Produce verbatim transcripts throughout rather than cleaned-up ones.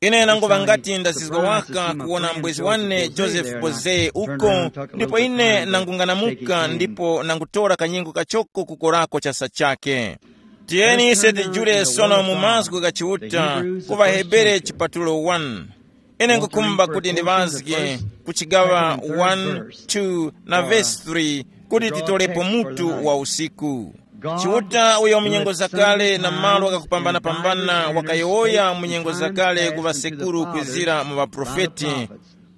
Ine nanguŵa ngati ndazizwa waka kuwona mbwezi wane Joseph Boze uko, ndipo ine nangunganamuka ndipo nangutora kanyengo kachoko kukorako chasa chake. Tiyeni ise tijule sono mu mazgu gha Chiuta ku ŵaHebere chipatulo one. Ine ngukhumba kuti ndiŵazge ku chigaŵa one, two na vesi three kuti titolepo mutu wa usiku. Chiuta uyo mu nyengo zakale na malo ghakupambana-pambana wakayowoya mu nyengo zakale ku ŵasekuru kwizira mu ŵaprofeti,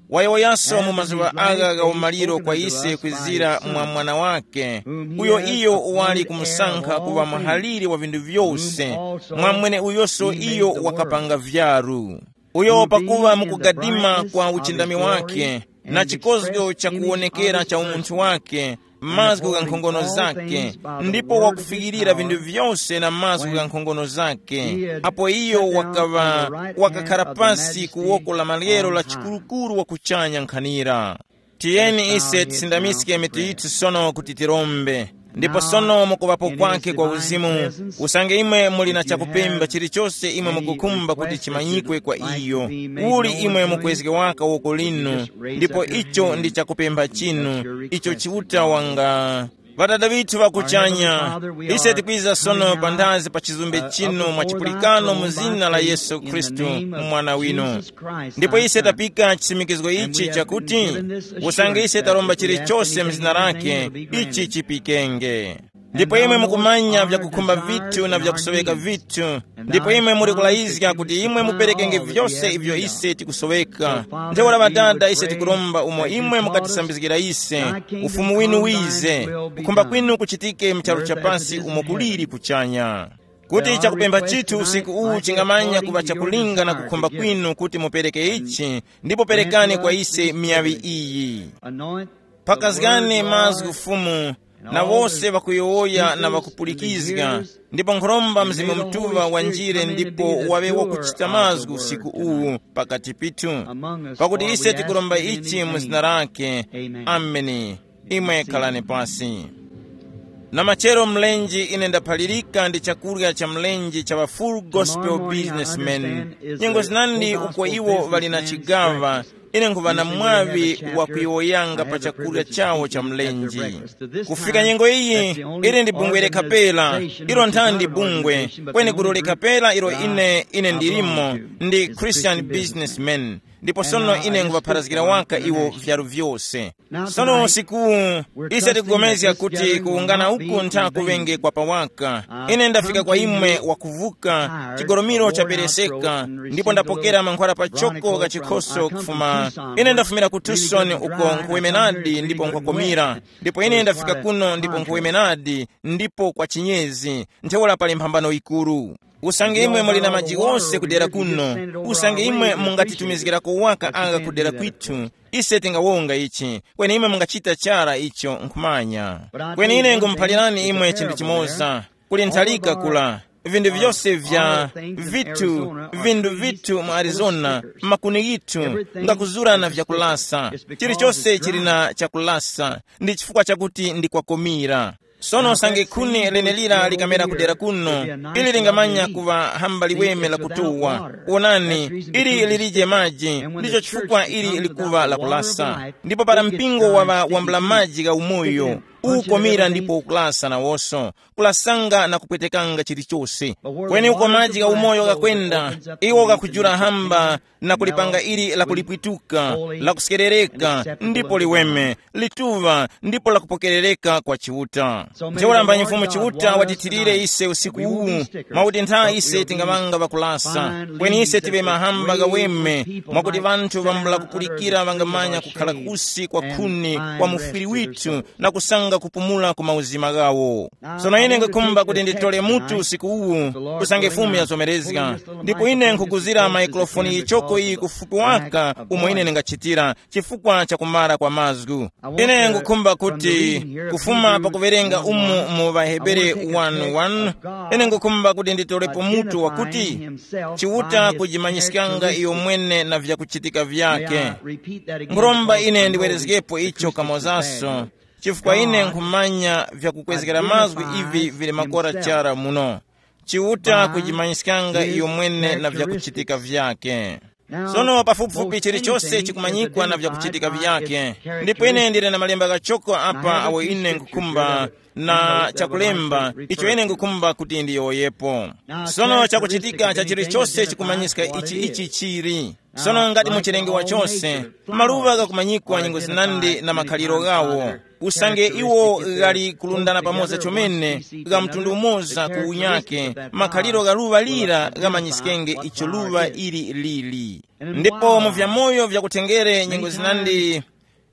wayowoyaso mu mazuŵa agha gha umaliro kwa ise kwizira mwa Mwana wake, uyo iyo wali kumusankha kuŵa muhaliri wa vinthu vyose, mwa mweneuyoso iyo wakapanga vyaru. Uyo pakuŵa mukugadima kwa uchindami wake, na chikozgo cha kuwonekera cha umunthu wake, mazgu gha nkhongono zake, ndipo wakufikirira vinthu vyose na mazgu gha nkhongono zake, apo iyo wakaŵa wakakhara pasi ku woko la maryero la chikurukuru wa kuchanya nkhanira. Tiyeni ise tisindamiske mitu yithu sono kuti tirombe. Ndipo sono mukuŵapo kwake kwa uzimu, usange imwe muli na chakupemba chilichose imwe mukukhumba kuti chimanyikwe kwa iyo, uli imwe mukwezge waka woko linu, ndipo icho ndi chakupemba chinu icho Chiuta wanga. Ŵadada ŵithu ŵa kuchanya, ise tikwiza sono panthazi pa chizumbe chinu mwa chipulikano mu zina la Yesu Khristu, Mwana winu. Ndipo ise tapika chisimikizgo ichi chakuti, usange ise taromba chilichose mu zina lake, ichi chipikenge. Ndipo imwe mukumanya vyakukhumba vithu na vyakusoweka vithu, ndipo imwe muli kulayizga kuti imwe muperekenge vyose ivyo ise tikusoweka. Ntheura Ŵadada, ise tikuromba umo imwe mukatisambizgira ise, ufumu winu wize, kukhumba kwinu kuchitike mu charu cha pasi umo kuliri kuchanya. Kuti chakupempha chithu usiku uwu chingamanya kuŵa chakulinga na kukhumba kwinu kuti mupereke ichi, ndipo perekani kwa ise miyaŵi iyi. Pakazgani mazgu Fumu, na wose ŵakuyowoya na ŵakupulikizga, ndipo nkhuromba Mzimu Mutuŵa wanjire ndipo waŵe wakuchita mazgu usiku uwu pakati pithu, pakuti ise tikuromba ichi mu zina lake. Ameni. Imwe khalani pasi. Na machero mlenje ine ndaphalirika ndi chakurya cha mlenje cha ŵa Full Gospel Businessmen. Nyengo zinandi uko iwo ŵali na chigaŵa, ine nkhuŵa na mwaŵi wa kuyowoyanga pa chakurya chawo cha mlenje. Kufika nyengo iyi, ili ndi bungwe lekha pera, ilo nthandi bungwe, kweni gulu lekha pera ilo ine ine ndilimo ndi Christian Businessmen. Ndipo sono ine nkhuŵapharazgira waka iwo vyaru vyose. Sono usiku ise tikugomezga kuti kuwungana uku ntha kuŵenge kwa pawaka. Ine ndafika kwa imwe wakuvuka, chigolomiro chapereseka, ndipo ndapokera mankhwala pachoko gha chikhoso kufuma. Ine ndafumira ku Tucson uko nkhuwemenadi ndipo nkwakomira, ndipo ine ndafika kuno ndipo nkhuwemenadi, ndipo kwa chinyezi, ntheura pali mphambano yikuru. Usange imwe muli na maji ghose kudera kuno, usange imwe mungatitumizgirako waka agha kudera kwithu, ise tingawonga ichi, kweni imwe mungachita chara icho nkhumanya. Kweni ine ngumuphalirani imwe chinthu chimoza, kuli ntharika kula, vinthu vyose vya vithu, vinthu vithu mu Arizona, makuni ghithu, ngakuzurana vyakulasa, chilichose chili na chakulasa, ndi chifukwa chakuti ndi kwakomira. Sono usange khuni lenelira likamera kudera kuno, ili lingamanya kuŵa hamba liweme la kutuwa. Wonani, ili lilije maji, ndicho chifukwa ili likuŵa la kulasa. Ndipo para mpingo waŵa wambula maji gha umoyo, ukomera ndipo ukulasa nawoso, kulasanga na kupwetekanga chilichose. Kweni uko maji gha umoyo ghakwenda, iwo ghakujula hamba, na kulipanga ili lakulipwituka, lakusekerereka, ndipo liweme, lituŵa, ndipo lakupokerereka kwa Chiuta. Ntheura mbanyi Mfumu Chiuta watithirire ise usiku uwu, mwakuti ntha ise tingamanga ŵakulasa, kweni ise tiŵe mahamba ghaweme, mwakuti ŵanthu ŵambula kupulikira ŵangamanya kukhala kusi kwa khuni kwa mufwiri withu, na kusanga kupumula ku mauzima ghawo. Sono ine nkhukhumba kuti nditole mutu usiku uwu, usange Fumu yazomerezga. Ndipo ine nkhukuzira maikrofoni yichoko iyi kufupi waka umo ine ndingachitira, chifukwa cha kumara kwa mazgu. Ine nkukhumba kuti, kufuma pakuwerenga umu mu Vahebere one one, ine nkukhumba kuti nditolepo mutu wakuti, Chiuta kujimanyiskanga iyo mwene na vyakuchitika vyake. Nkhuromba ine ndiwerezgepo icho kamozaso, chifukwa ine nkhumanya vyakukwezgera mazgu ivi vili makora chara muno. Chiuta kujimanyiskanga iyo mwene na vyakuchitika vyake. Sono pafupifupi chilichonse chikumanyikwa na vyakuchitika vyake. Ndipo ine ndili na malemba ghachoko apa awo ine nkukhumba, na chakulemba icho ine nkukhumba kuti ndiyowoyepo. Sono chakuchitika cha chilichonse chikumanyiska ichi ichi chili. Sono ngati muchilengewa chose, maluŵa ghakumanyikwa nyengo zinandi na makhaliro ghawo. Usange iwo ghali kulundana pamoza chomene, gha mtundu umoza ku unyake, makhaliro gha luŵa lira ghamanyiskenge icho luŵa ili lili. Ndipo mu vyamoyo vyakutengere nyengo zinandi,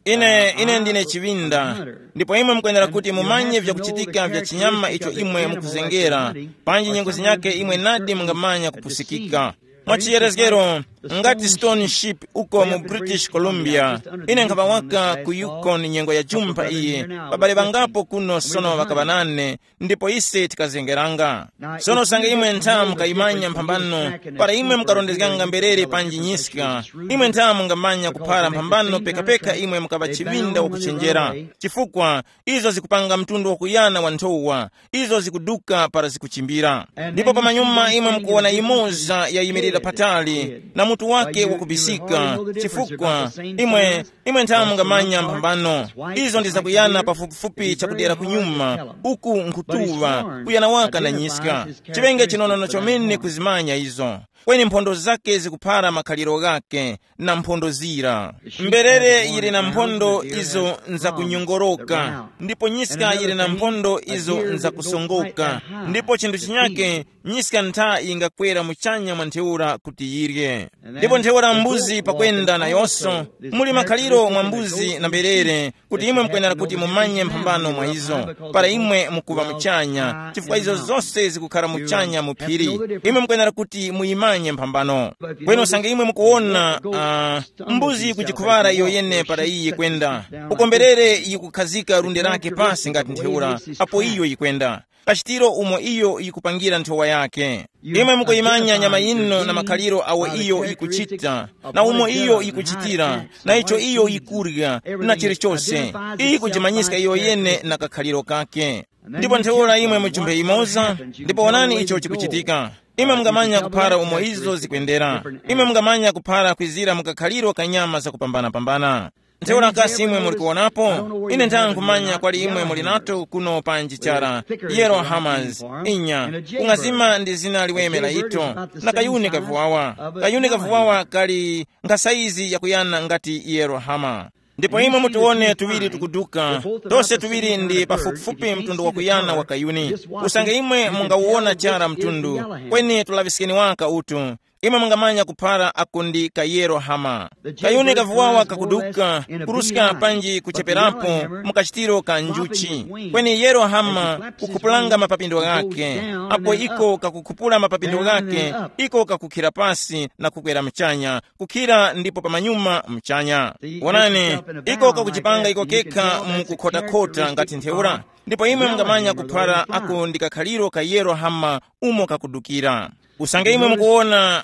ine ine ndine chiŵinda. Ndipo imwe mukwenera kuti mumanye vyakuchitika vya chinyama icho imwe mukuzengera, panji nyengo zinyake imwe nadi mungamanya kupusikika. Mwa chiyerezgero, ngati Stone Ship uko mu British Columbia, ine nkhapa waka ku Yukon nyengo ya jumpha iyi, babale bangapo kuno sono ŵakaŵa nane, ndipo ise tikazengeranga. Sono usange imwe ntha mukayimanya mphambano, para imwe mukarondezganga mberere panji nyiska, imwe ntha mungamanya kuphara mphambano pekapeka imwe mukaŵa chiŵinda wakuchenjera. Chifukwa izo zikupanga mtundu wakuyana wa nthowa, izo zikuduka para zikuchimbira. Ndipo pamanyuma imwe mukuwona imoza yayimirira patali na mutu wake wakubisika, chifukwa imwe imwe nthawe mungamanya mphambano. Izo ndi zakuyana pafupifupi chakudera kunyuma, uku nkhutuŵa kuyana waka na nyiska. Chiŵenge chinonono chomene kuzimanya izo. Kweni mphondo zake zikuphara makhaliro ghake, na mphondo zira. Mberere yili na mphondo izo nzakunyongoroka, ndipo nyiska yili na mphondo izo nzakusongoka, ndipo chinthu chinyake, nyiska ntha yingakwera muchanya mwa ntheura kuti yirye. Ndipo ntheura mbuzi pakwenda nayonso, muli makhaliro mwa mbuzi na mberere, kuti imwe mukwenera kuti mumanye mphambano mwa izo, para imwe mukuŵa muchanya, chifukwa izo zose zikukhala muchanya mu phiri. Imwe mukwenera kuti muyimanye mphambano. Kweni usange imwe mukuwona, uh, mbuzi yikujikhuŵara iyo yene para iyi yikwenda, uko mberere yikukhazika lunde lake pasi ngati ntheura, apo iyo yikwenda, kachitiro umo iyo yikupangira nthowa yake. Imwe mukuyimanya nyama yino na makhaliro awo iyo yikuchita, na umo iyo yikuchitira, na icho iyo yikurya, na chilichose. Iyi kujimanyiska iyo yene na kakhaliro kake. Ndipo ntheura imwe muchumbe imoza, ndipo wonani icho chikuchitika. Imwe mungamanya kuphara umo izo zikwendera. Imwe mungamanya kuphara kwizira mu kakhaliro ka nyama zakupambana-pambana. Ntheura kasi imwe muli kuwonapo? Ine ntha nkhumanya kwali imwe muli nato kuno panji chara. Yero Hamas. Inya. Kung'azima ndi zina liweme la ito. Na kayuni kavuwawa. Kayuni kavuwawa kali nga saizi yakuyana ngati yero hama. Ndipo imwe mutiwone tuŵiri tukuduka. Tose tuŵiri ndi pafupifupi mtundu wakuyana wa kayuni. Usange imwe mungawuwona chara mtundu, kweni tulaŵiskeni waka utu. Imwe mungamanya kuphara ako ndi kayero hama. Kayuni kavuwawa kakuduka, kuruska panji kucheperapo mu kachitiro ka njuchi. Kweni yero hama kukhupulanga mapapindo ghake. Apo iko kakukhupula mapapindo ghake, iko kakukhira pasi na kukwera mchanya, kukhira ndipo pamanyuma mchanya. Wonani, iko kakuchipanga iko kekha mu kukhotakhota ngati ntheura. Ndipo imwe mungamanya kuphara ako ndi kakhaliro ka yero hama umo kakudukira. Usange imwe mukuwona,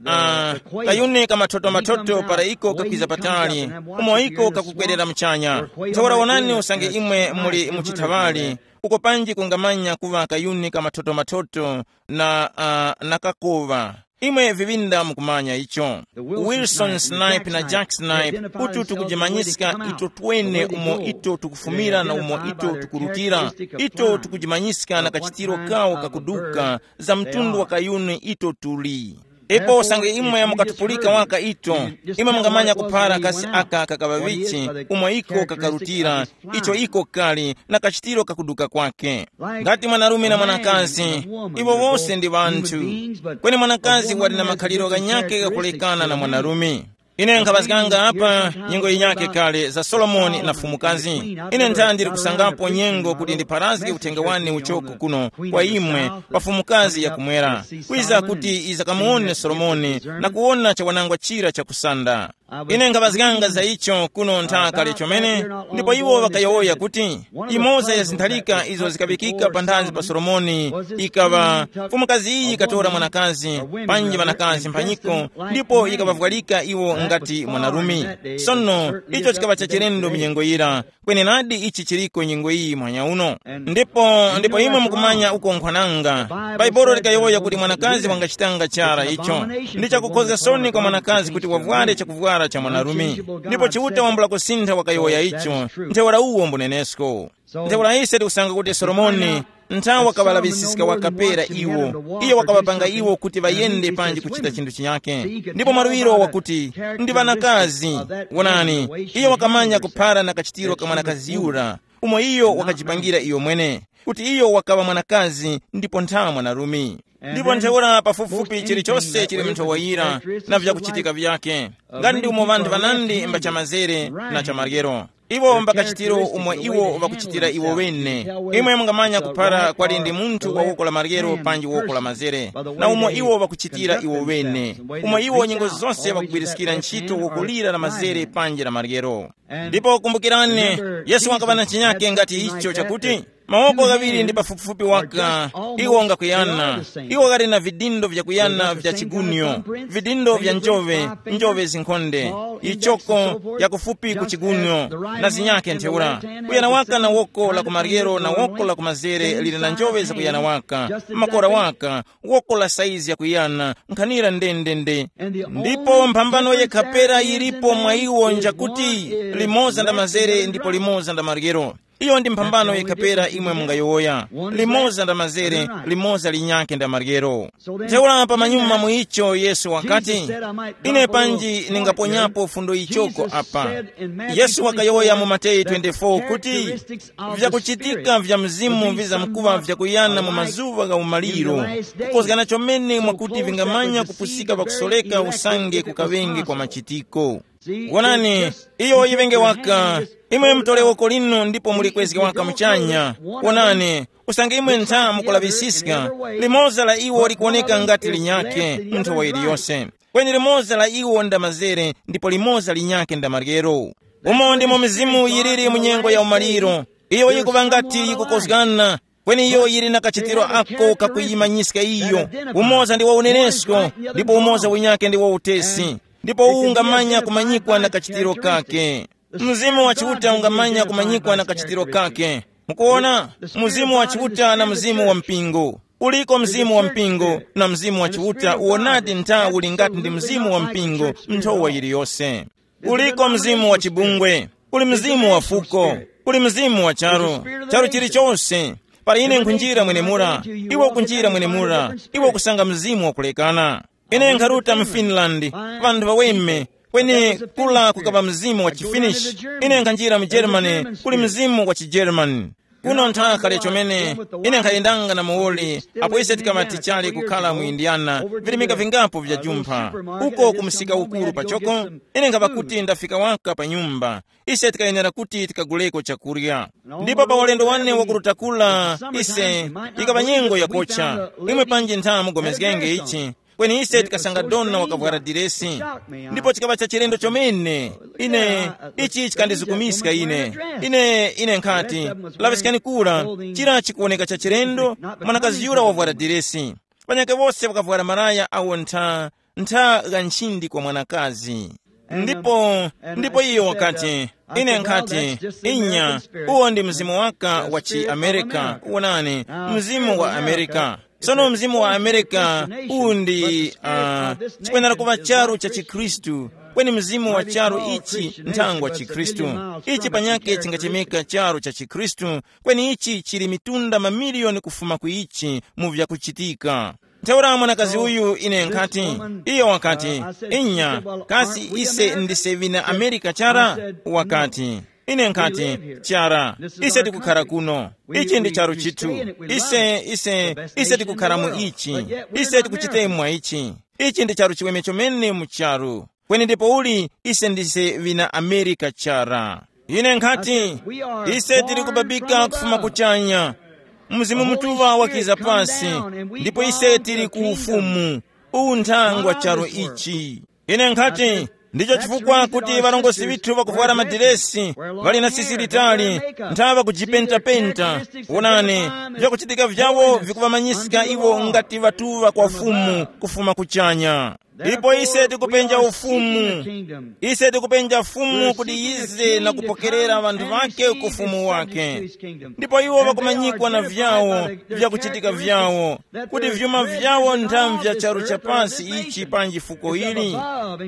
uh, kayuni kamathoto-mathoto para iko kakwiza patali, umo iko kakukwerera mchanya. Ntheura wonani usange imwe muli muchithaŵali, uko panji kungamanya kuŵa kayuni kamathoto-mathoto na, uh, na kakoŵa. Imwe viŵinda mukumanya icho. Wilson Snipe na Jack Snipe, utu tukujimanyiska ito twene umo ito tukufumira na umo ito tukurutira. Ito tukujimanyiska na kachitiro kawo kakuduka, za mtundu wa kayuni ito tuli. Ipo usange imwe mukatupulika waka ito, imwe mungamanya kuphara kasi aka kakaŵa vichi, umo iko kakarutira, icho iko kali, na kachitiro kakuduka kwake. Ngati mwanarume na mwanakazi, iwo wose ndi ŵanthu. Kweni mwanakazi wali na makhaliro ghanyakhe ghakulekana na mwanarume. Ine nkhaŵazganga apa nyengo yinyakhe kale za Solomoni na fumukazi. Ine ntha ndili kusangapo nyengo kuti ndipharazge uthenga wane uchoko kuno kwa imwe pa fumukazi yakumwera, kwiza kuti izakamuwone Solomoni na kuwona chawanangwa chira chakusanda. Ine nkhaŵazganga za icho kuno ntha kale chomene, ndipo iwo ŵakayowoya kuti, imoza ya zinthalika izo zikaŵikika panthazi pa Solomoni ikaŵa, mfumukazi iyi ikatora mwanakazi, panji ŵanakazi mphanyiko, ndipo yikaŵavwalika iwo ngati mwanarume. Sono icho chikaŵa chachilendo mu nyengo yira, kwenenadi ichi chiliko nyengo iyi muhanya uno. Ndipo ndipo imwe mukumanya uko nkhwananga, Bhaibuli likayowoya kuti mwanakazi wangachitanga chara icho. Ndi chakukhoza soni kwa mwanakazi kuti wavware chakuvwara cha mwanarume. Ndipo Chiuta wambula kusintha wakayowoya icho, ntheura uwo mbunenesko. Ntheura ise tikusanga kuti Solomoni nthawi wakaŵalaŵisiska wakapera iwo, iyo wakaŵapanga iwo kuti ŵayende panji kuchita chinthu chinyake. Ndipo mwarwiro wakuti, ndi ŵanakazi. Wonani, iyo wakamanya kuphara na kachitiro ka mwanakazi yura, umo iyo wakajipangira iyo mwene, kuti iyo wakaŵa mwanakazi ndipo ntha mwanarume. Ndipo ntheura pafupifupi chilichonse chili mnthowa yira na vyakuchitika vyake, ngati ndi umo ŵanthu ŵanandi mba chamazere na chamaryero. Iwo mbakachitiro umo iwo ŵakuchitira iwo ŵene. Imwe mungamanya kuphara kwali ndi munthu wa woko la maryero panji woko la mazere, na umo iwo ŵakuchitira iwo ŵene, umo iwo nyengo zose ŵakugwiriskira ntchito woko lira la mazere panji la maryero. Ndipo kumbukirani, Yesu wakaŵa na chinyake ngati icho chakuti, mawoko ghaŵiri ndi pafupifupi waka, iwo ngakuyana. Iwo ghali na vidindo vyakuyana vya chigunyo, vidindo vya njove, njove zinkhonde, ichoko yakufupi ku chigunyo, na zinyake ntheura. Kuyana waka na woko la kumaryero na woko la kumazere lili na njove zakuyana waka, makora waka, woko la saizi yakuyana, nkhanira ndendende. Ndipo mphambano yekhapera yilipo mwa iwo njakuti, limoza nda mazere ndipo limoza nda maryero. Iyo ndi mphambano yekhapera imwe mungayowoya, limoza nda mazere, limoza linyakhe nda maryero. Ntheura pamanyuma mu icho Yesu wakati, ine panji ningaponyapo fundo ichoko apa. Yesu wakayowoya mu Mateyu twenty-four kuti, vyakuchitika vya mzimu vizamkuŵa vyakuyana mu mazuŵa gha umaliro, kukozgana chomene mwakuti vingamanya kupusika pakusoreka usange kukaŵenge kwa machitiko. Wonani, iyo yiŵenge waka, imwe mutore woko linu ndipo mulikwezge waka muchanya. Wonani, usange imwe ntha mukulaŵisiska, limoza la iwo likuwoneka ngati linyakhe mu nthowa yiliyose. Kweni limoza la iwo nda mazere ndipo limoza linyakhe nda maryero. Umo ndimo mizimu yiliri mu nyengo ya umaliro. Iyo yikuŵa ngati yikukozgana, kweni iyo yili na kachitiro ako kakuyimanyiska iyo. Umoza ndi wa unenesko, ndipo umoza winyake ndi wa utesi. Ndipo uwu ungamanya kumanyikwa na kachitiro kake. Mzimu wa Chiuta ungamanya kumanyikwa na kachitiro kake. Mukuona, mzimu wa Chiuta na mzimu wa mpingo. Uliko mzimu wa mpingo na mzimu wa Chiuta uwonadi ntha uli ngati ndi mzimu wa mpingo nthowa yiliyose. Uliko mzimu wa chibungwe, uli mzimu wa fuko, uli mzimu wa charu, charu chilichonse. Para ine nkhunjira mwenemura, iwe ukunjira mwenemura, iwe ukusanga mzimu wakulekana. Ine nkharuta mu Finland, ŵanthu ŵaweme, kweni kula kukaŵa mzimu wa chiFinish. Ine nkhanjira mu Germany, kuli mzimu wa chiGerman. Kuno nthaka lya chomene, ine nkhayendanga na muwoli, apo ise tikaŵa tichali kukhala mu Indiana, virimika vingapo vya jumpha. Uko ku msika ukuru pachoko, ine nkhaŵa kuti ndafika waka pa nyumba. Ise tikayenera kuti tikaguleko chakurya. Ndipo pa ulendo wane wakuruta kula, ise, ikaŵa nyengo yakocha. Imwe panji ntha mugomezgenge ichi, kweni ise tikasanga dona wakavwara diresi. Ndipo chikaŵa cha chilendo chomene. Ine, ichi chikandizukumiska ine. Ine ine nkhati, laŵiskani kura, chira chikuwoneka cha chilendo, mwanakazi yura wavwara diresi. Ŵanyakhe wose ŵakavwara malaya awo ntha, ntha gha nchindi kwa mwanakazi. Ndipo ndipo iyo wakati, ine nkhati, inya, uwo ndi mzimu waka wa chiamerika. Wonani, mzimu wa amerika. Sono mzimu wa amerika uwu ndi uh, chikwenera kuŵa charu cha chikhristu, kweni mzimu wa charu ichi nthangwa chikhristu. Ichi panyake chingachemeka charu cha chikhristu, kweni ichi chili mitunda mamiliyoni kufuma ku ichi mu vyakuchitika. Ntheura mwanakazi uyu ine nkhati, iyo wakati, inya, kasi ise ndise ŵina amerika chara? Wakati, ine nkhati, chara, ise tikukhara kuno. Ichi ndi charu chithu. Ise ise ise tikukhara mu ichi. Ise tikuchitemwa ichi. Ichi ndi charu chiweme chomene mu charu. Kweni ndipo uli ise ndise ŵina amerika chara. Ine nkhati, ise tili kubabika kufuma kuchanya. Mzimu mutuŵa wakiza pasi, ndipo ise tili ku ufumu. Uwu nthangwa charo ichi. Ine nkhati, Ndicho chifukwa kuti ŵarongozgi ŵithu ŵakuvwara madiresi, ŵali na sisi litali, nthawi ŵakujipentapenta. Wonani, vyakuchitika vyawo vikuŵamanyiska iwo ngati ŵatuŵa kwa Fumu kufuma kuchanya. Ndipo ise tikupenja ufumu. Ise tikupenja Fumu kuti yize na kupokerera ŵanthu ŵake ku ufumu wake. Ndipo iwo ŵakumanyikwa na vyawo, vyakuchitika vyawo, kuti vyuma vyawo nthambi vya charu cha pasi ichi panji fuko ili,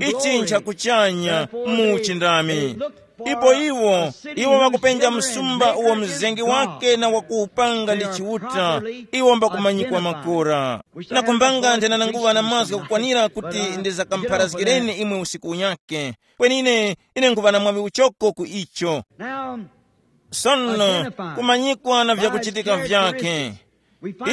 ichi nchakuchanya mu uchindami. Ipo iwo, iwo ŵakupenja msumba uwo mzengi wake na wakuwupanga ndi Chiuta, iwo mbakumanyikwa makora. Na kumbanga ndinananguŵa na mazgu kukwanira kuti ndizakampharazgireni imwe usiku unyake. Kweni ine, ine nguŵa na mwaŵi uchoko ku icho. Sono, kumanyikwa na vyakuchitika vyake.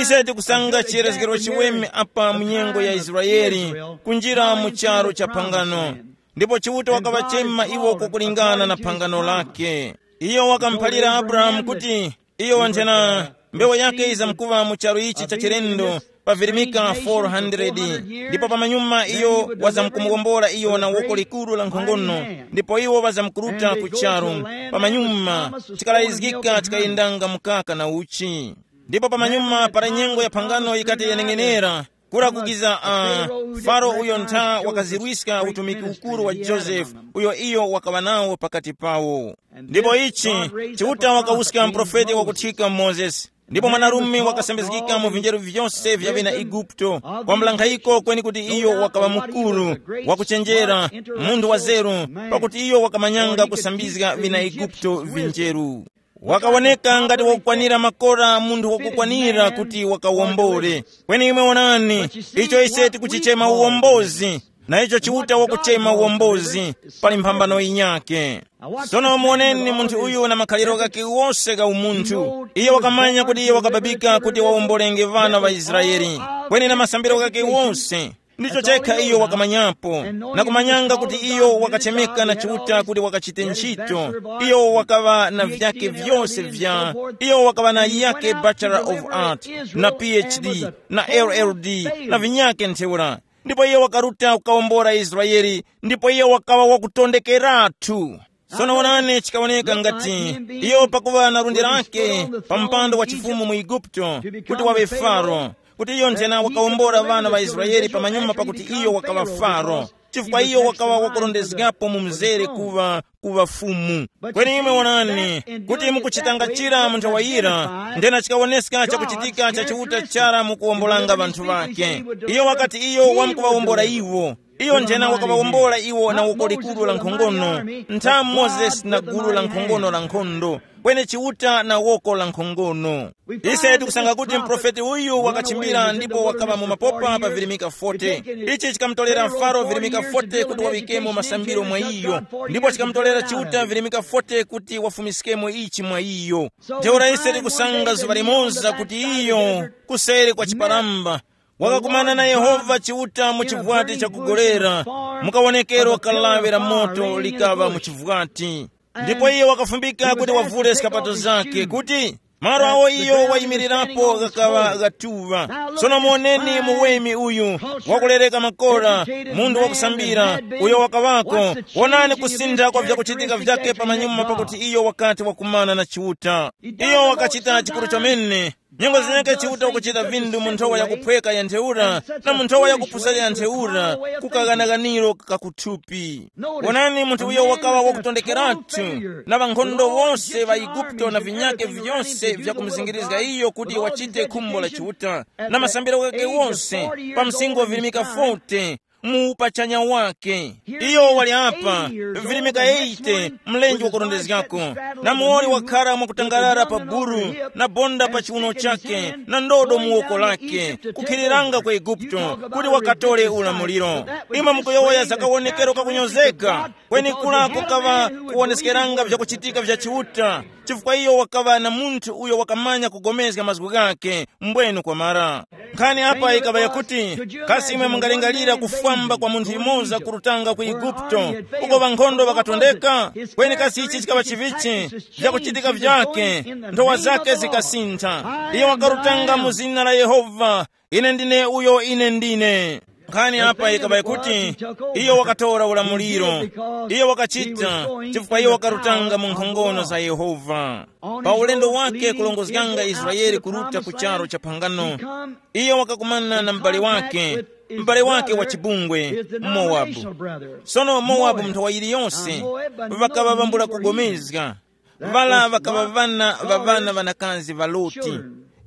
Ise tikusanga chiyerezgero chiweme apa mu nyengo ya Israeli, kunjira mu charu cha phangano. Ndipo Chiuta wakaŵachema iwo kukulingana na phangano lake. Iyo wakamuphalira Abrahamu kuti, iyo wanthena, mbewu yake yizamkuŵa mu charu ichi cha chilendo, pavirimika four hundred. Ndipo pamanyuma iyo wazamkumuwombola iyo na woko likuru la nkhongono, ndipo iwo ŵazamkuruta ku charu. Pamanyuma, chikalayizgika chikayendanga mukaka na uchi. Ndipo pamanyuma para nyengo ya phangano yikati yaneng'enera, kura kukiza uh, Faro uyo ntha wakazirwiska utumiki ukuru wa Joseph, uyo iyo wakaŵa nawo pakati pawo. Ndipo ichi, Chiuta wakawuska mprofeti wakuthika Mozesi. Ndipo mwanarume wakasambizgika mu vinjeru vyose vya ŵena Eguputo, kwa mlankhayiko kweni kuti iyo wakaŵa mukuru, wakuchenjera, munthu wa zeru, pakuti iyo wakamanyanga kusambizga ŵena Eguputo vinjeru. Wakawoneka ngati wakukwanira makora munthu wakukwanira kuti wakawombole. Kweni imwe wonani, icho ise tikuchichema uwombozi, na icho Chiuta wakuchema uwombozi, pali mphambano yinyake. Sono muwoneni munthu uyu na makhaliro ghakhe wose gha umunthu. Iye wakamanya kuti iye wakababika kuti wawombolenge ŵana ŵa Israele. Kweni na masambiro ghakhe wose, ndicho chekha iyo wakamanyapo, na kumanyanga kuti iyo wakachemeka na Chiuta kuti wakachite ntchito. Iyo wakaŵa na vyake vyose vya, iyo wakaŵa na yake Bachelor of Art, na P H D, na L L D, na vinyake ntheura. Ndipo iyo wakaruta kukawombora Israeli, ndipo iyo wakaŵa wakutondekeratu. Sono wonani, chikawoneka ngati iyo pakuŵa na lundi lake pa mpando wa chifumu mu Eguputo, kuti waŵe Faro, kuti iyo nthena wakawombora ŵana ŵa Israele pamanyuma pakuti iyo wakaŵa Faro, chifukwa iyo wakaŵa wakurondezgapo mu mzere kuŵa kuŵa fumu. Kweni imwe wonani, kuti mukuchitanga chira mu nthawi yira, nthena chikawoneska chakuchitika cha Chiuta chara mukuwombolanga ŵanthu ŵake. Iyo wakati iyo wamkuŵawombora iwo, iyo nthena wakaŵawombola iwo na woko likuru la nkhongono, ntha Mozesi na gulu la nkhongono la nkhondo, kweni Chiuta na woko la nkhongono. Ise tikusanga kuti mprofeti uyu wakachimbira ndipo wakaŵa mu mapopa pa virimika forty. Ichi chikamutolera Faro virimika forty kuti waŵikemo masambiro mwa iyo, ndipo chikamutolera Chiuta virimika forty kuti wafumiskemo ichi mwa iyo. Ntheura ise tikusanga zuŵa limoza kuti iyo, kuseri kwa chiparamba, wakakumana na Yehova Chiuta mu chivwati chakugolera, mukawonekero kalaŵe la moto likaŵa mu chivwati. Ndipo iye wakafumbika kuti wavule skapato zake, kuti malo awo iyo wayimirirapo ghakaŵa ghatuŵa. Sono muoneni muweme uyu, wakulereka makora, munthu wakusambira, uyo wakaŵako. Wonani kusintha kwa vyakuchitika vyake pamanyuma pakuti iyo wakati wakumana na Chiuta. Iyo wakachita chikuru chomene. Nyengo zinyake Chiuta ukuchita vindu mu nthowa yakuphweka ya ntheura, na mu nthowa yakupusa ya ntheura, ku kaghanaghaniro kakuthupi. Wonani, munthu uyo wakaŵa wakutondekeratu, na ŵankhondo wose ŵa Eguputo na vinyake vyose vyakumuzingirizga iyo kuti wachite khumbo la Chiuta, na masambiro ghake wose, pa msinkhu wa virimika forty, mu upachanya wake. Iyo wali apa, virimika eighty, mlenje wakurondezgako, na muwoli wakhara mwakutangarara pa buru, na bonda pa chiuno chake, na ndodo mu woko lake, kukhiriranga ku Eguputo, kuti wakatole ulamuliro. Imwe mukuyowoya za kawonekero kakunyozeka, kweni kula kukaŵa kuwoneskeranga vyakuchitika vya Chiuta, chifukwa iyo wakaŵa na munthu uyo wakamanya kugomezga mazgu ghake, mbwenu kwamara. Nkhani apa yikaŵa yakuti, kasi imwe mungalingalira kufwamba kwa munthu yumoza kurutanga ku Eguputo, uko ŵankhondo ŵakatondeka? Kweni kasi ichi chikaŵa chivichi? Vyakuchitika vyake, nthowa zake zikasintha. Iyo wakarutanga mu zina la Yehova, ine ndine uyo ine ndine. Nkhani apa yikaŵa yakuti iyo wakatora ulamuliro. Iyo wakachita chifukwa iyo wakarutanga mu nkhongono za Yehova. Pa ulendo wake kulongozganga Israeli kuruta ku charo cha phangano, iyo wakakumana na m'bale wake, m'bale wake wa chibungwe, Mowabu. Sono Mowabu mu nthawi yiliyonse ŵakaŵa ŵambula kugomezga. Vala ŵakaŵa ŵana ŵa ŵana ŵanakazi ŵa Loti.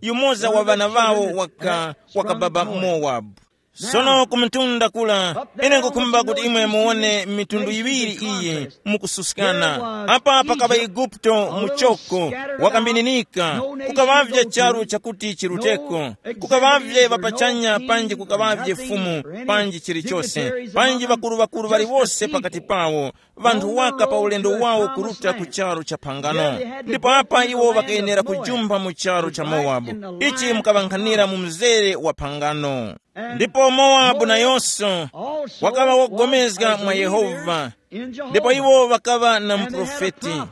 Yumoza wa ŵana ŵawo waka, wakababa Mowabu. Sono ku mtunda kula, ine nkukhumba kuti imwe muwone mitundu yiŵiri iyi mukususkana. Apa pakaŵa Eguputo muchoko, wakambininika, kukaŵavye charu chakuti chiruteko, kukaŵavye ŵapachanya panji kukaŵavye fumu, panji chilichose, panji ŵakuru-ŵakuru ŵaliwose pakati pawo, ŵanthu waka pa ulendo wawo kuruta ku charu cha phangano. Ndipo apa iwo ŵakayenera kujumpha mu charu cha Mowabu, ichi mukaŵankhanira mu mzere wa phangano. Ndipo Mowabu nayonso wakaŵa wogomezga mwa Yehova, ndipo iwo ŵakaŵa na muprofeti,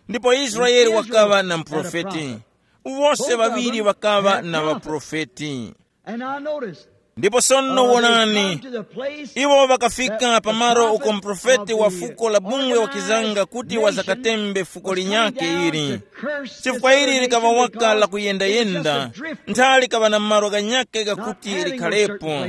ndipo Israeli wakaŵa na muprofeti. Wose ŵaŵiri ŵakaŵa na ŵaprofeti. And now notice, ndipo sono wonani, iwo ŵakafika pamalo uko muprofeti wa fuko la bungwe wakizanga kuti wazakatembe fuko linyakhe ili, chifukwa ili likaŵa waka la kuyendayenda, ntha likaŵa na malo ghanyakhe ghakuti likhalepo.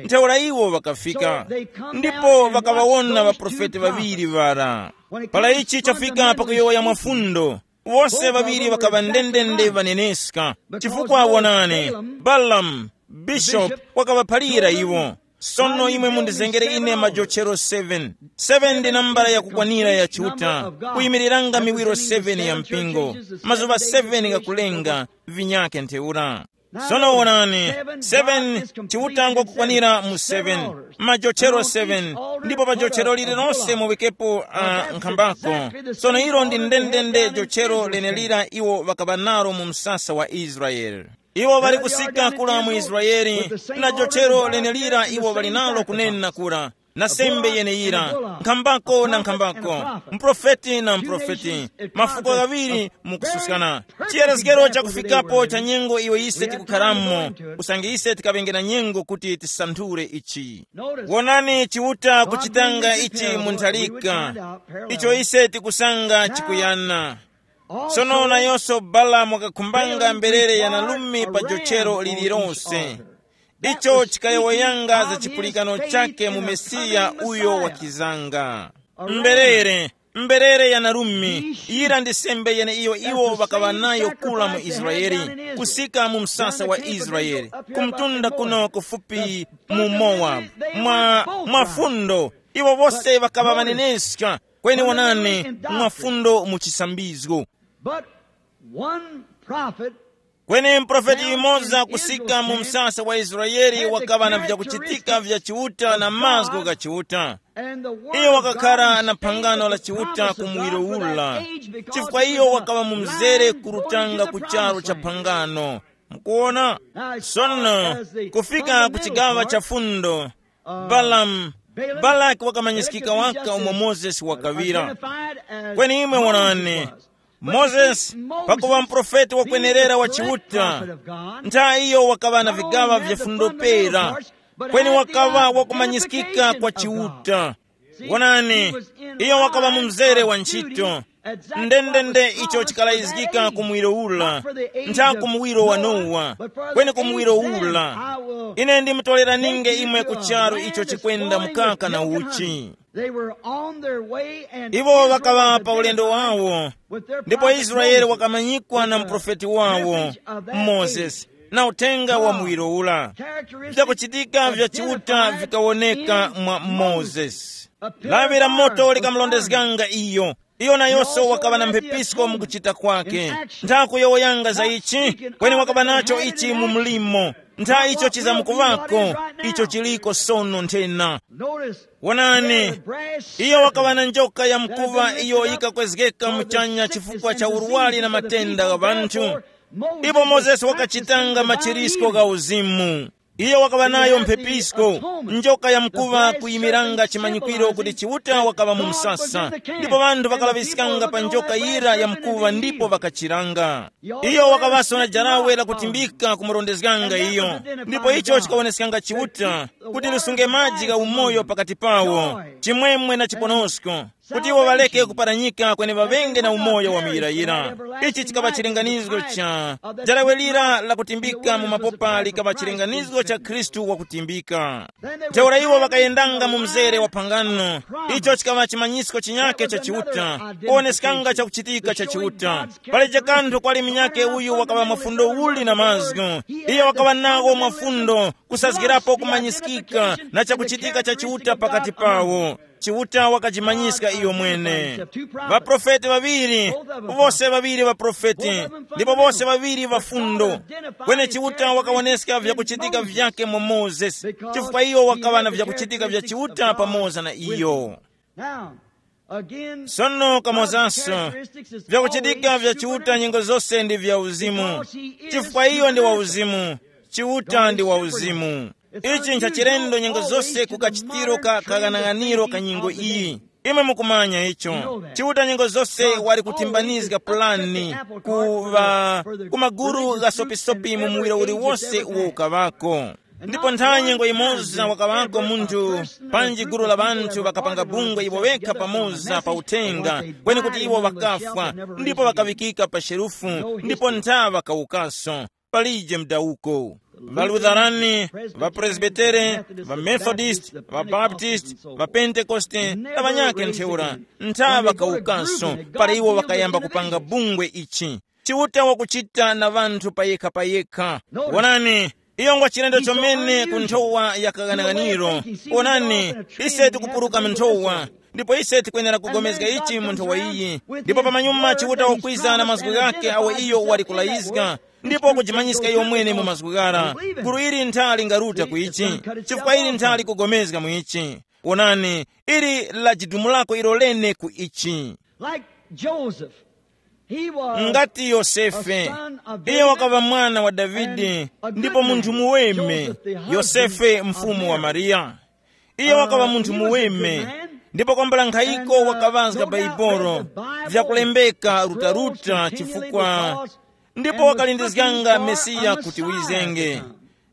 Ntheura iwo ŵakafika, ndipo ŵakaŵawona ŵaprofeti ŵaŵiri ŵara. Para ichi chafika pakuyowoya mwafundo, wose ŵaŵiri ŵakaŵa ndendende ŵaneneska, chifukwa wonani, Balamu, bishopu, wakaŵaphalira iwo. Sono imwe mundizengere ine majochero seven. Seven ndi nambala yakukwanira ya Chiuta, kuyimiriranga miwiro seven ya mpingo, mazuŵa seven ghakulenga, vinyakhe ntheura. Sono wonani, seven, Chiuta ngwakukwanira mu seven, majochero seven, ndipo pa jochero lililonse muwikepo uh, nkhambako. Sono ilo ndi ndendende jochero lenelira iwo ŵakaŵa nalo mu msasa wa Israele. Iwo ŵali kusika kula mu Israele, na jochero lenelira iwo ŵali nalo kunena kura, na sembe yeneyira, nkhambako na nkhambako, mprofeti na mprofeti, mafuko ghaŵiri mukususkana. Chiyerezgero chakufikapo cha nyengo iyo ise tikukharamo, usange ise tikaŵenge na nyengo kuti tisanthule ichi. Wonani Chiuta kuchitanga ichi mu ntharika, icho ise tikusanga chikuyana. Sono nayonso Balamu wakakhumbanga mberere ya nalume pa jochero lililonse. Icho chikayowoyanga za chipulikano chake mu Mesiya uyo wakizanga. Mberere, mberere ya narume, yira ndi sembe yeneiyo iwo ŵakaŵa nayo kula mu Israele, kusika mu msasa wa Israele, kumtunda kuno kufupi mu Mowabu. Mwa, mwa fundo, iwo wose ŵakaŵa ŵaneneska, kweni wonani, mwa fundo mu chisambizgo. But one prophet Kweni muprofeti yumoza kusika mu msasa wa Israele wakaŵa na vyakuchitika vya Chiuta na mazgu gha Chiuta. Iyo wakakhara na phangano la Chiuta ku muwiro ula, chifukwa iyo wakaŵa mu mzere kurutanga ku charu cha phangano. Mukuona? Sono, kufika ku chigawa cha fundo, Balamu, Balaki wakamanyiskika waka umo Mozesi wakaŵira. Kweni imwe wonani, Mozesi, pakuŵa muprofeti wakwenerera wa Chiuta, ntha iyo wakaŵa na vigaŵa vya fundo pera, kweni wakaŵa wakumanyiskika kwa Chiuta. Wonani, iyo wakaŵa mu mzere wa ntchito, ndendende icho chikalayizgika ku muwiro ula, ntha ku muwiro wa Nowa, kweni ku muwiro ula. Ine ndimutoleraninge imwe ku charu icho chikwenda mukaka na uchi. They were on their way and Iwo ŵakaŵa pa ulendo wawo, ndipo Israeli wakamanyikwa na muprofeti wawo, Mozesi, na uthenga wa muwiro ula. Vyakuchitika vya Chiuta vikawoneka mwa Mozesi. Lawi la moto likamulondezganga iyo. Iyo nayonso wakaŵa na mphepisko mukuchita kwake. Ntha kuyowoyanga za ichi, kweni wakaŵa nacho ichi mu mlimo. Ntha icho chizamukuŵako, icho chiliko sono nthena. Wonani, iyo wakaŵa na njoka ya mkuŵa iyo yikakwezgeka muchanya chifukwa cha urwari na matenda gha ŵanthu. Ipo Mozesi wakachitanga machirisko gha uzimu. Iyo wakaŵa nayo mphepisko, njoka yamkuŵa kuyimiranga chimanyikwiro kuti Chiuta wakaŵa mu msasa. Ndipo ŵanthu ŵakalaŵiskanga pa njoka yira yamkuŵa ndipo ŵakachiranga. Iyo wakaŵaso na jarawe lakutimbika kumurondezganga iyo. Ndipo icho chikawoneskanga Chiuta kuti lusunge maji gha umoyo pakati pawo, chimwemwe na chiponosko, kuti iwo ŵaleke kuparanyika kweni ŵaŵenge na umoyo wa muyirayira. Ichi chikaŵa chilinganizo cha jarawe lira lakutimbika mu mapopa likaŵa chilinganizo cha Khristu wakutimbika. Ntheura iwo ŵakayendanga mu mzere wa phangano. Icho chikaŵa chimanyisko chinyake cha Chiuta, kuwoneskanga chakuchitika cha Chiuta. Palibe kanthu kwali munyake uyu wakaŵa mafundo uli na mazgu. Iyo wakaŵa nawo mafundo kusazgirapo kumanyiskika na chakuchitika cha Chiuta pakati pawo. Chiuta wakajimanyiska iyo mwene. Ŵaprofeti ŵaŵiri, wose ŵaŵiri ŵaprofeti, ndipo wose ŵaŵiri ŵafundo. Kweni Chiuta wakawoneska vyakuchitika vyake mu Mozesi, chifukwa iyo wakaŵa na vyakuchitika vya Chiuta pamoza na iyo. Sono kamozanso, vyakuchitika vya Chiuta nyengo zose ndi vya uzimu, chifukwa iyo ndi wa uzimu. Chiuta ndi wa uzimu. Ichi nchachilendo nyengo zose ku kachitiro ka kaghanaghaniro ka nyengo iyi. Imwe mukumanya icho. Chiuta nyengo zose wali kuthimbanizga pulani ku, ku maguru gha sopisopi mu muwiro uliwose uwo ukaŵako. Ndipo ntha nyengo imoza wakaŵako munthu, panji gulu la ŵanthu ŵakapanga bungwe iwo wekha pamoza pa uthenga, kweni kuti iwo ŵakafwa, ndipo ŵakaŵikika pa sherufu, ndipo ntha ŵakawukaso. Palije mdawuko. Ŵalutharani, ŵapresbitere, ŵamethodist, ŵabaptist, ŵapentekoste, na ŵanyakhe ntheura, ntha ŵakawukaso, para iwo ŵakayamba kupanga bungwe ichi. Chiuta wakuchita na ŵanthu payekha-payekha. Wonani, iyo ngwa chilendo chomene ku nthowa ya kaghanaghaniro. Wonani, ise tikupuruka mu nthowa, ndipo ise tikwenera kugomezga ichi mu nthowa iyi. Ndipo pamanyuma Chiuta wakwiza na mazgu ghakhe awo iyo wali kulayizga, ndipo kujimanyiska iyo mwene mu mazgu ghara. Gulu ili ntha lingaruta ku ichi, chifukwa ili ntha likugomezga mu ichi. Wonani, ili lajidumulako ilo lene ku ichi. Like Joseph, he was ngati Yosefe, a son of iye David, wakaŵa mwana wa Davide, and a good ndipo munthu man, muweme, Joseph, the husband Yosefe of mfumu wa Mary. Mariya. Iye wakaŵa munthu muweme, ndipo kwambula nkhayiko wakaŵazga Baibolo vyakulembeka rutaruta, chifukwa ndipo wakalindizganga Mesiya kuti wizenge.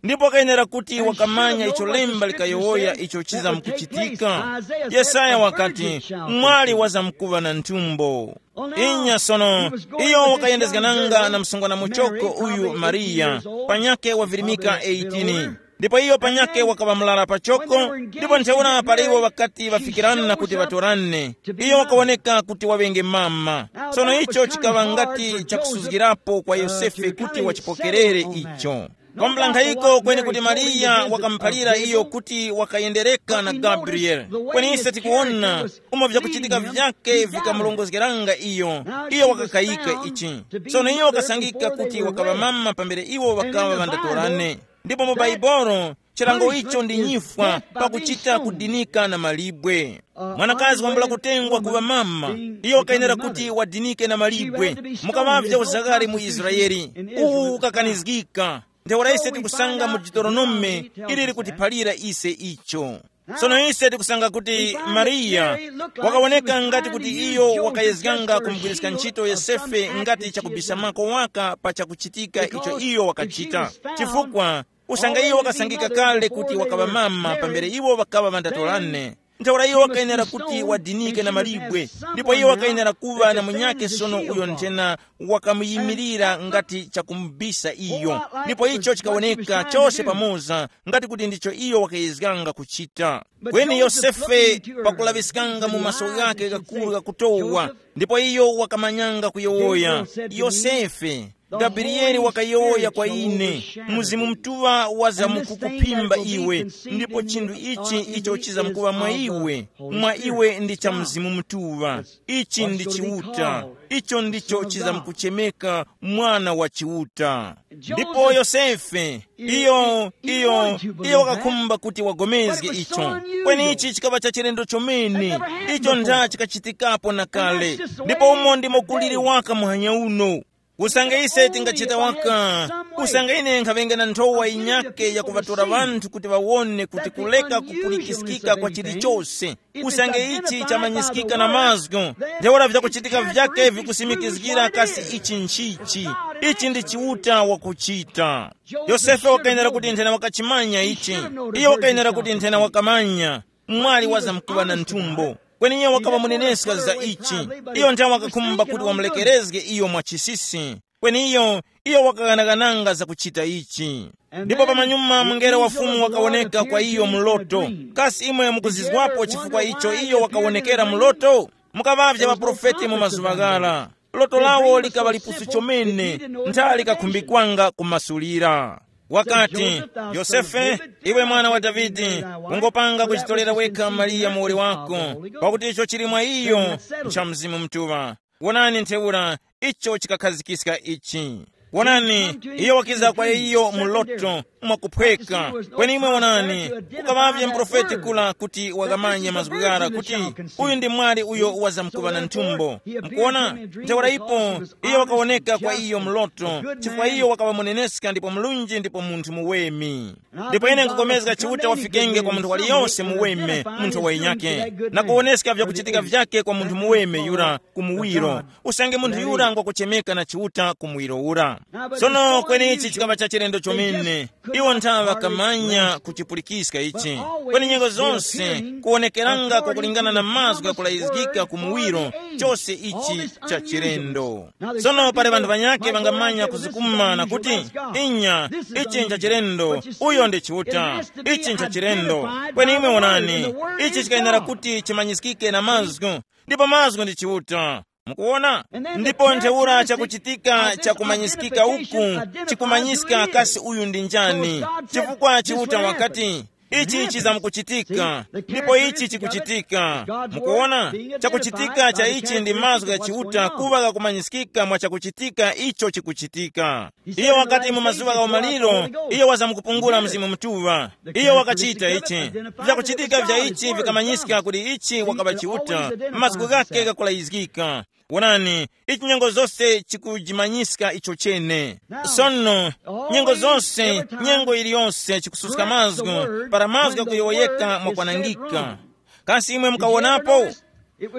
Ndipo kayenera kuti wakamanya icho lemba likayowoya icho chizamkuchitika. Yesaya wakati, mwali wazamkuŵa na nthumbo. Inya sono, iyo wakayendezgananga na msungwana muchoko uyu Mariya, panyakhe wavirimika eighteen. Ndipo iyo panyakhe wakaŵa murara pachoko, ndipo ntheura para iwo ŵakati ŵafikirana kuti ŵatorane, iyo wakawoneka kuti waŵenge mama. Sono icho chikaŵa ngati chakusuzgirapo kwa Yosefe kuti wachipokerere icho. Kwambula nkhayiko kweni kuti Mariya wakamuphalira iyo kuti wakayendereka na Gabriele. Kweni ise tikuwona umo vyakuchitika vyake vikamulongozgeranga iyo, iyo wakakayika ichi. Sono iyo wakasangika kuti wakaŵa mama pambere iwo ŵakaŵa ŵandatorane. Ndipo mu Baibolo, chilango icho ndi nyifwa pakuchita kudinika na malibwe. Mwanakazi wambula kutengwa kuŵa mama, iyo wakayenera kuti wadinike na malibwe. Mukaŵavya uzakari mu Israeli, uwu ukakanizgika. Ntheura ise tikusanga mu Deuteronome ili likutiphalira ise icho. Sono ise tikusanga kuti Mariya wakawoneka ngati kuti iyo wakayezganga kumugwiriska ntchito Yosefe ngati chakubisamako waka pa chakuchitika icho iyo wakachita. Chifukwa usanga iyo wakasangika kale kuti wakaŵa mama pambere iwo ŵakaŵa ŵandatorane, ntheura iyo wakayenera kuti wadinike na malibwe, ndipo iyo wakayenera kuŵa na munyakhe sono uyo nthena wakamuyimirira ngati chakumubisa iyo. Ndipo icho chikawoneka chose pamoza ngati kuti ndicho iyo wakayezganga kuchita. Kweni Yosefe, pakulaŵiskanga mu maso ghakhe ghakuru ghakutowa, ndipo iyo wakamanyanga kuyowoya, Yosefe, Gabriyele wakayowoya kwa ine, Mzimu Mutuŵa wazamkukuphimba iwe, ndipo chinthu ichi icho chizamkuŵa mwa iwe, mwa iwe ndi cha Mzimu Mutuŵa. Ichi ndi Chiuta, icho ndicho chizamkuchemeka Mwana wa Chiuta. Ndipo Yosefe, iyo, iyo, iyo wakakhumba kuti wagomezge icho. Kweni ichi chikaŵa cha chilendo chomene, icho ntha chikachitikapo na kale. Ndipo umo ndimo kuliri waka muhanya uno. Usange ise tingachita waka, usange ine nkhaŵenge na nthowa yinyake yakuŵatora ŵanthu kuti ŵawone kuti kuleka kupulikiskika kwa chilichose, usange ichi chamanyiskika na mazgu, ntheura vyakuchitika vyake vikusimikizgira kasi ichi nchichi. Ichi ndi Chiuta wakuchita. Yosefe wakayenera kuti nthena wakachimanya ichi. Iyo wakayenera kuti nthena wakamanya mwali wazamkuŵa na nthumbo. Kweni iyo wakaŵa muneneska za ichi. Iyo nthawe wakakhumba kuti wamulekerezge iyo mwa chisisi. Kweni iyo, iyo wakaghanaghananga za kuchita ichi. Ndipo pamanyuma mungelo wa Fumu wakawoneka kwa iyo mu loto. Kasi imwe mukuzizwapo chifukwa icho iyo wakawonekera mu loto? Mukaŵavye ŵaprofeti mu mazuŵa ghara. Loto lawo likaŵa lipusu chomene, ntha likakhumbikanga kumasulira. Wakati, Yosefe, iwe mwana wa Davide, ungopanga kuchitorera wekha Mariya muwoli wako, pakuti icho chili mwa iyo ncha Mzimu Mutuŵa. Wonani ntheura, icho chikakhazikiska ichi. Wonani, iyo wakiza kwa iyo mu loto, mwakuphweka. Kweni imwe wonani, kukaŵavye muprofeti kula kuti wakamanye mazgu ghara kuti uyu ndi mwali uyo wazamkuŵa na nthumbo. Mukuona? Ntheura ipo, iyo wakawoneka kwa iyo mu loto, chifukwa iyo wakaŵa muneneska ndipo mlunji ndipo munthu muweme. Ndipo ine nkukomezga Chiuta wafikenge kwa munthu waliyonse muweme, munthu wa inyake, na kuwoneska vyakuchitika vyake kwa munthu muweme yura ku muwiro. Usange munthu yura ngwakuchemeka na Chiuta ku muwiro ura. Sono kweni ichi chikaŵa cha chilendo chomene. Iwo nthawe ŵakamanya kuchipulikiska ichi. Kweni nyengo zonse kuwonekeranga kwakulingana na mazgu ghakulayizgika ku muwiro, chose ichi cha chilendo. Sono pali ŵanthu ŵanyakhe ŵangamanya kuzikuma na kuti, inya, ichi ncha chilendo, uyo ndi Chiuta. Ichi ncha chilendo. Kweni imwe wonani, ichi chikayenera kuti chimanyiskike na mazgu, ndipo mazgu ndi Chiuta. Mukuwona? Ndipo ntheura chakuchitika chakumanyiskika uku chikumanyiska kasi uyu ndi njani, chifukwa Chiuta wakati, ichi chizamkuchitika, ndipo ichi chikuchitika. Mukuwona? Chakuchitika cha ichi ndi mazgu gha Chiuta kuŵa ghakumanyiskika mwa chakuchitika icho chikuchitika. Iyo wakati mu mazuŵa gha umaliro, iyo wazamkupungula Mzimu Mutuŵa. Iyo wakachita ichi. Vyakuchitika vya ichi vikamanyiska kuti ichi wakaŵa Chiuta, mazgu ghakhe ghakulayizgika. Wonani, ichi nyengo zose chikujimanyiska icho chene. Sono, nyengo zose, nyengo iliyonse chikususka mazgu, para mazgu ghakuyowoyeka mwakwanangika. Kasi imwe mukawonapo?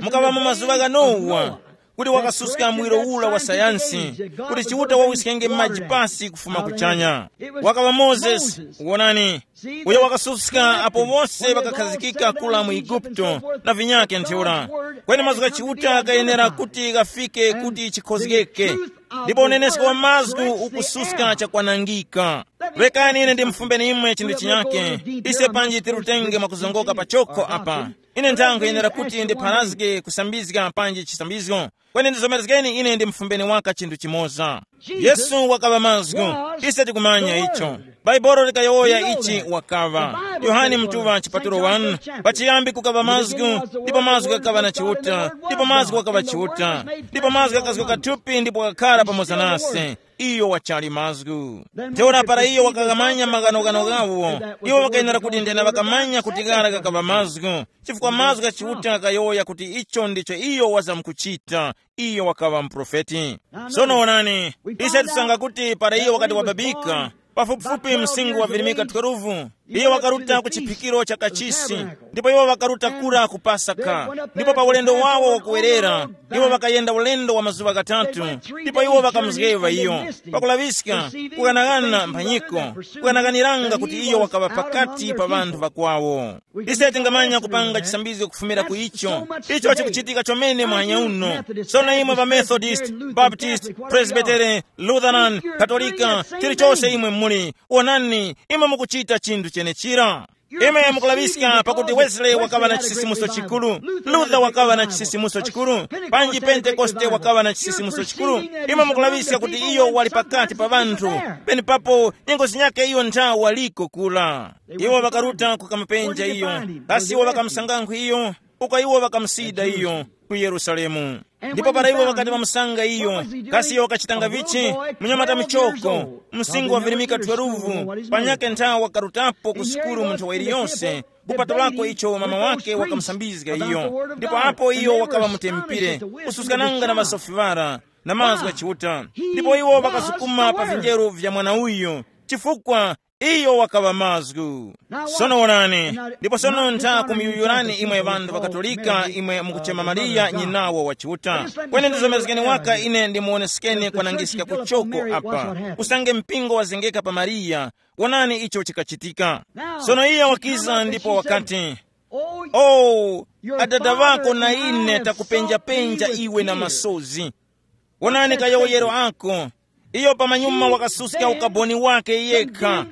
Mukaŵa mu mazuŵa gha Nowa, kuti wakasuska mwiro ula wa sayansi, kuti Chiuta wawiskenge maji pasi kufuma kuchanya. Wakaŵa Mozesi, wonani, uyo wakasuska apo wose ŵakakhazikika kula mu Igupto na vinyake ntheura. Kweni mazgu gha Chiuta ghayenera kuti ghafike kuti chikhozgeke, ndipo unenesko wa mazgu ukususka chakwanangika. Rekani ine ndimfumbeni imwe chinthu chinyake, ise panji tirutenge mwakuzongoka pachoko apa. Ine nthankho yenera kuti ndipharazge kusambizga panji chisambizgo. Kweni ndizomerezgeni ine ndimfumbeni waka chinthu chimoza. Yesu wakaŵa mazgu. Ise tikumanya icho. Bhaibuli likayowoya ichi wakaŵa. Yohane Mutuŵa chipatulo wanu, pachiyambi kukaŵa mazgu, ndipo mazgu ghakaŵa na Chiuta, ndipo mazgu ghakaŵa Chiuta, ndipo mazgu ghakazgoka thupi ndipo ghakhala pamoza nase. Iyo wachali mazgu. Ntheura para iyo wakaghamanya maghanoghano ghawo, iwo ŵakayenera kuti nthena ŵakamanya kuti ghara ghakaŵa mazgu, chifukwa mazgu gha Chiuta ghayowoya kuti icho ndicho iyo wazamkuchita. Iyo wakaŵa muprofeti. Sono wonani, ise tusanga kuti para iyo wakati wababika, pafupifupi msinkhu wavirimika twelve, iyo wakaruta ku chiphikiro cha kachisi, ndipo iwo ŵakaruta kura ku Pasaka. Ndipo pa ulendo wawo wakuwerera, iwo ŵakayenda ulendo wa mazuŵa ghatatu, ndipo iwo ŵakamuzgeŵa iyo, pakulaŵiska, kughanaghanira mphanyiko, kughanaghaniranga kuti iyo wakaŵa pakati pa ŵanthu ŵakwawo. Ise tingamanya kupanga chisambizgo kufumira ku icho. Icho chikuchitika chomene mwanya uno. Sono imwe ŵa Methodist, Baptist, Presbytere, Lutheran, Katolika, chilichose imwe muli, wonani, imwe mukuchita chinthu chenechira. Imwe mukulaŵiska pakuti Wesley wakaŵa na chisisimuso chikuru, Luther wakaŵa na chisisimuso chikuru, panji Pentekoste wakaŵa na chisisimuso chikuru. Imwe mukulaŵiska kuti iyo wali pakati pa ŵanthu, penepapo nyengo zinyake iyo nthawi waliko kula. Iwo ŵakaruta kukamapenja iyo, kasi iwo ŵakamusangankhu iyo? Uko iwo ŵakamusida iyo ku Yerusalemu. Ndipo para iwo ŵakati ŵamusanga iyo, kasi iyo wakachitanga vichi? Munyamata muchoko, msinkhu wavirimika twelve, panyakhe nthawi wakarutapo ku sukulu mu nthawi iliyonse, kupatulako icho mama wake wakamusambizga iyo. Ndipo apo iyo wakaŵa mutempire, kususkananga na ŵasofi ŵara, na mazgu gha Chiuta. Ndipo iwo ŵakasukuma pa vinjeru vya mwana uyu, chifukwa iyo wakaŵa mazgu. Sono wonani, ndipo sono ntha kumuyuyurani imwe ŵanthu ŵakatolika, imwe mukuchema Mariya nyinawo wa Chiuta. Kweni ndizomezgeni waka ine ndimuwonesekeni kwanangiska kuchoko apa. Usange mpingo wazengeka pa Mariya, wonani icho chikachitika. Sono iye wakiza ndipo wakati, "Oh, adada ŵako na ine takupenjapenja iwe na masozi. Wonani kayowoyero ako." Iyo pamanyuma wakasuska ukaboni wake yekha.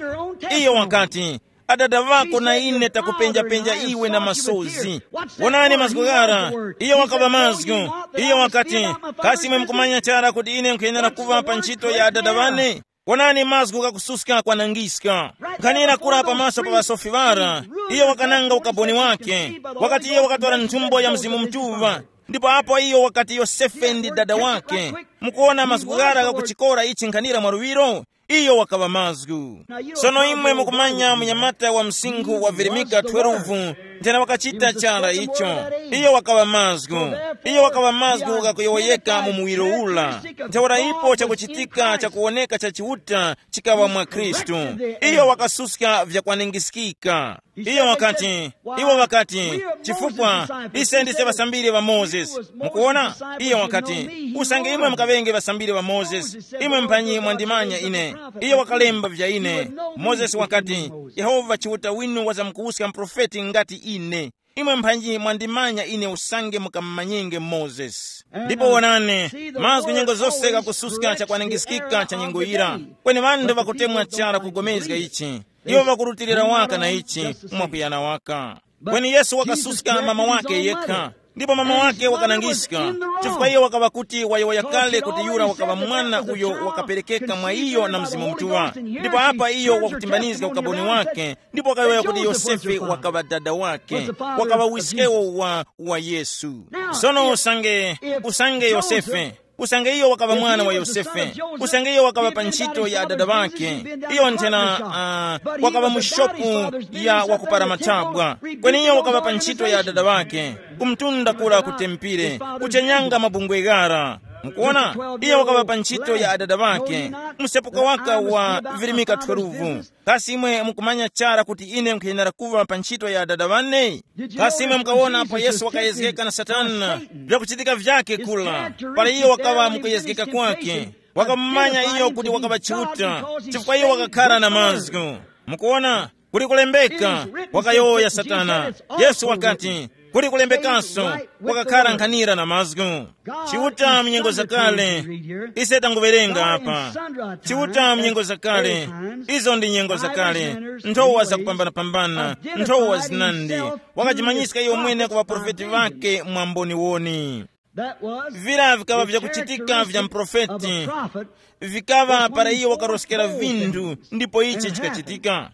Iyo wakati, "Adada ŵako na ine takupenjapenja iwe na masozi. Wonani mazgu ghara." Iyo wakaŵa mazgu. Iyo wakati, "Kasi imwe mukumanya chara kuti ine nkhuyenera kuŵa pa ntchito ya adada ŵane? Wonani mazgu ghakususka kwanangiska." Nkhanira kura pamaso pa ŵasofi ŵara, iyo wakananga ukaboni wake. Wakati iyo wakatora nthumbo ya Mzimu Mutuŵa, ndipo apo iyo wakati Yosefe ndi dada wake. Mukuona mazgu ghara ghakuchikora ichi nkhanira mwaluŵiro? Iyo wakaŵa mazgu. Sono imwe mukumanya munyamata wa msinkhu wa virimika twelve, nthena wakachita chara icho. Iyo wakaŵa mazgu. Iyo wakaŵa mazgu ghakuyowoyeka mu muwiro ula. Ntheura ipo chakuchitika chakuwoneka cha Chiuta chikaŵa mwa Khristu. Iyo wakasuska vyakwanengiskika. Iyo wakati, iwo wakati, "Chifukwa ise ndise ŵasambiri ŵa Mozesi." Mukuona? Iyo wakati, "Usange imwe mukaŵenge ŵasambiri ŵa Mozesi, imwe mphanyi mwandimanya ine. Iyo wakalemba vya ine." Mozesi wakati, "Yehova Chiuta winu wazamkuwuska muprofeti ngati ine. Imwe mphanyi mwandimanya ine usange mukamumanyenge Mozesi." Ndipo wonani, mazgu nyengo zose ghakususka chakwanangiskika cha nyengo yira. Kweni ŵanthu ŵakutemwa chara kugomezga ichi. Iwo ŵakurutilira waka na ichi, mwakuyana waka. Kweni Yesu wakasuska mama wake yekha. Ndipo mama wake wakanangiska, chifukwa iye wakaŵa kuti wayowoya kale kuti yura wakaŵa mwana uyo wakaperekeka mwa iyo na Mzimu Mutuŵa. Ndipo apa iyo wakutimbanizga ukaboni wake, ndipo wakayowoya kuti Yosefe wakaŵa dada wake, wakaŵa wiskewo wa, wa Yesu. Sono usange, usange Yosefe, usange iyo wakaŵa mwana wa Yosefe, usange iyo wakaŵa pa ntchito ya adada ŵake, iyo nthena, uh, wakaŵa mu shopu ya wakupara mathabwa, kweni iyo wakaŵa pa ntchito ya adada ŵake, kumtunda kura ku tempire, kuchenyanga mabungwe ghara. Mukuona, iyo wakaŵa pa ntchito ya adada ŵake, msepuka waka wa virimika twelve. Kasi imwe mukumanya chara kuti ine nkhuyenera kuŵa pa ntchito ya adada ŵane? Kasi imwe mukawona apo Yesu wakayezgeka na Satana, vyakuchitika vyake kula, para iyo wakaŵa mukuyezgeka kwake, wakamumanya iyo kuti wakaŵa Chiuta, chifukwa iyo wakakhara na mazgu. Mukuona, kuli kulembeka, wakayowoya Satana. Yesu wakati, kuli kulembekanso, wakakhara nkhanira na mazgu. Chiuta mnyengo zakale, ise tanguwerenga apa. Chiuta mnyengo zakale, izo ndi nyengo zakale, nthowa zakupambanapambana, nthowa zinandi. Wakajimanyiska iyo mwene ku ŵaprofeti ŵake mwa mboniwoni. Vira vikaŵa vyakuchitika vya mprofeti, vikaŵa para iyo wakaroskera vinthu, ndipo ichi chikachitika.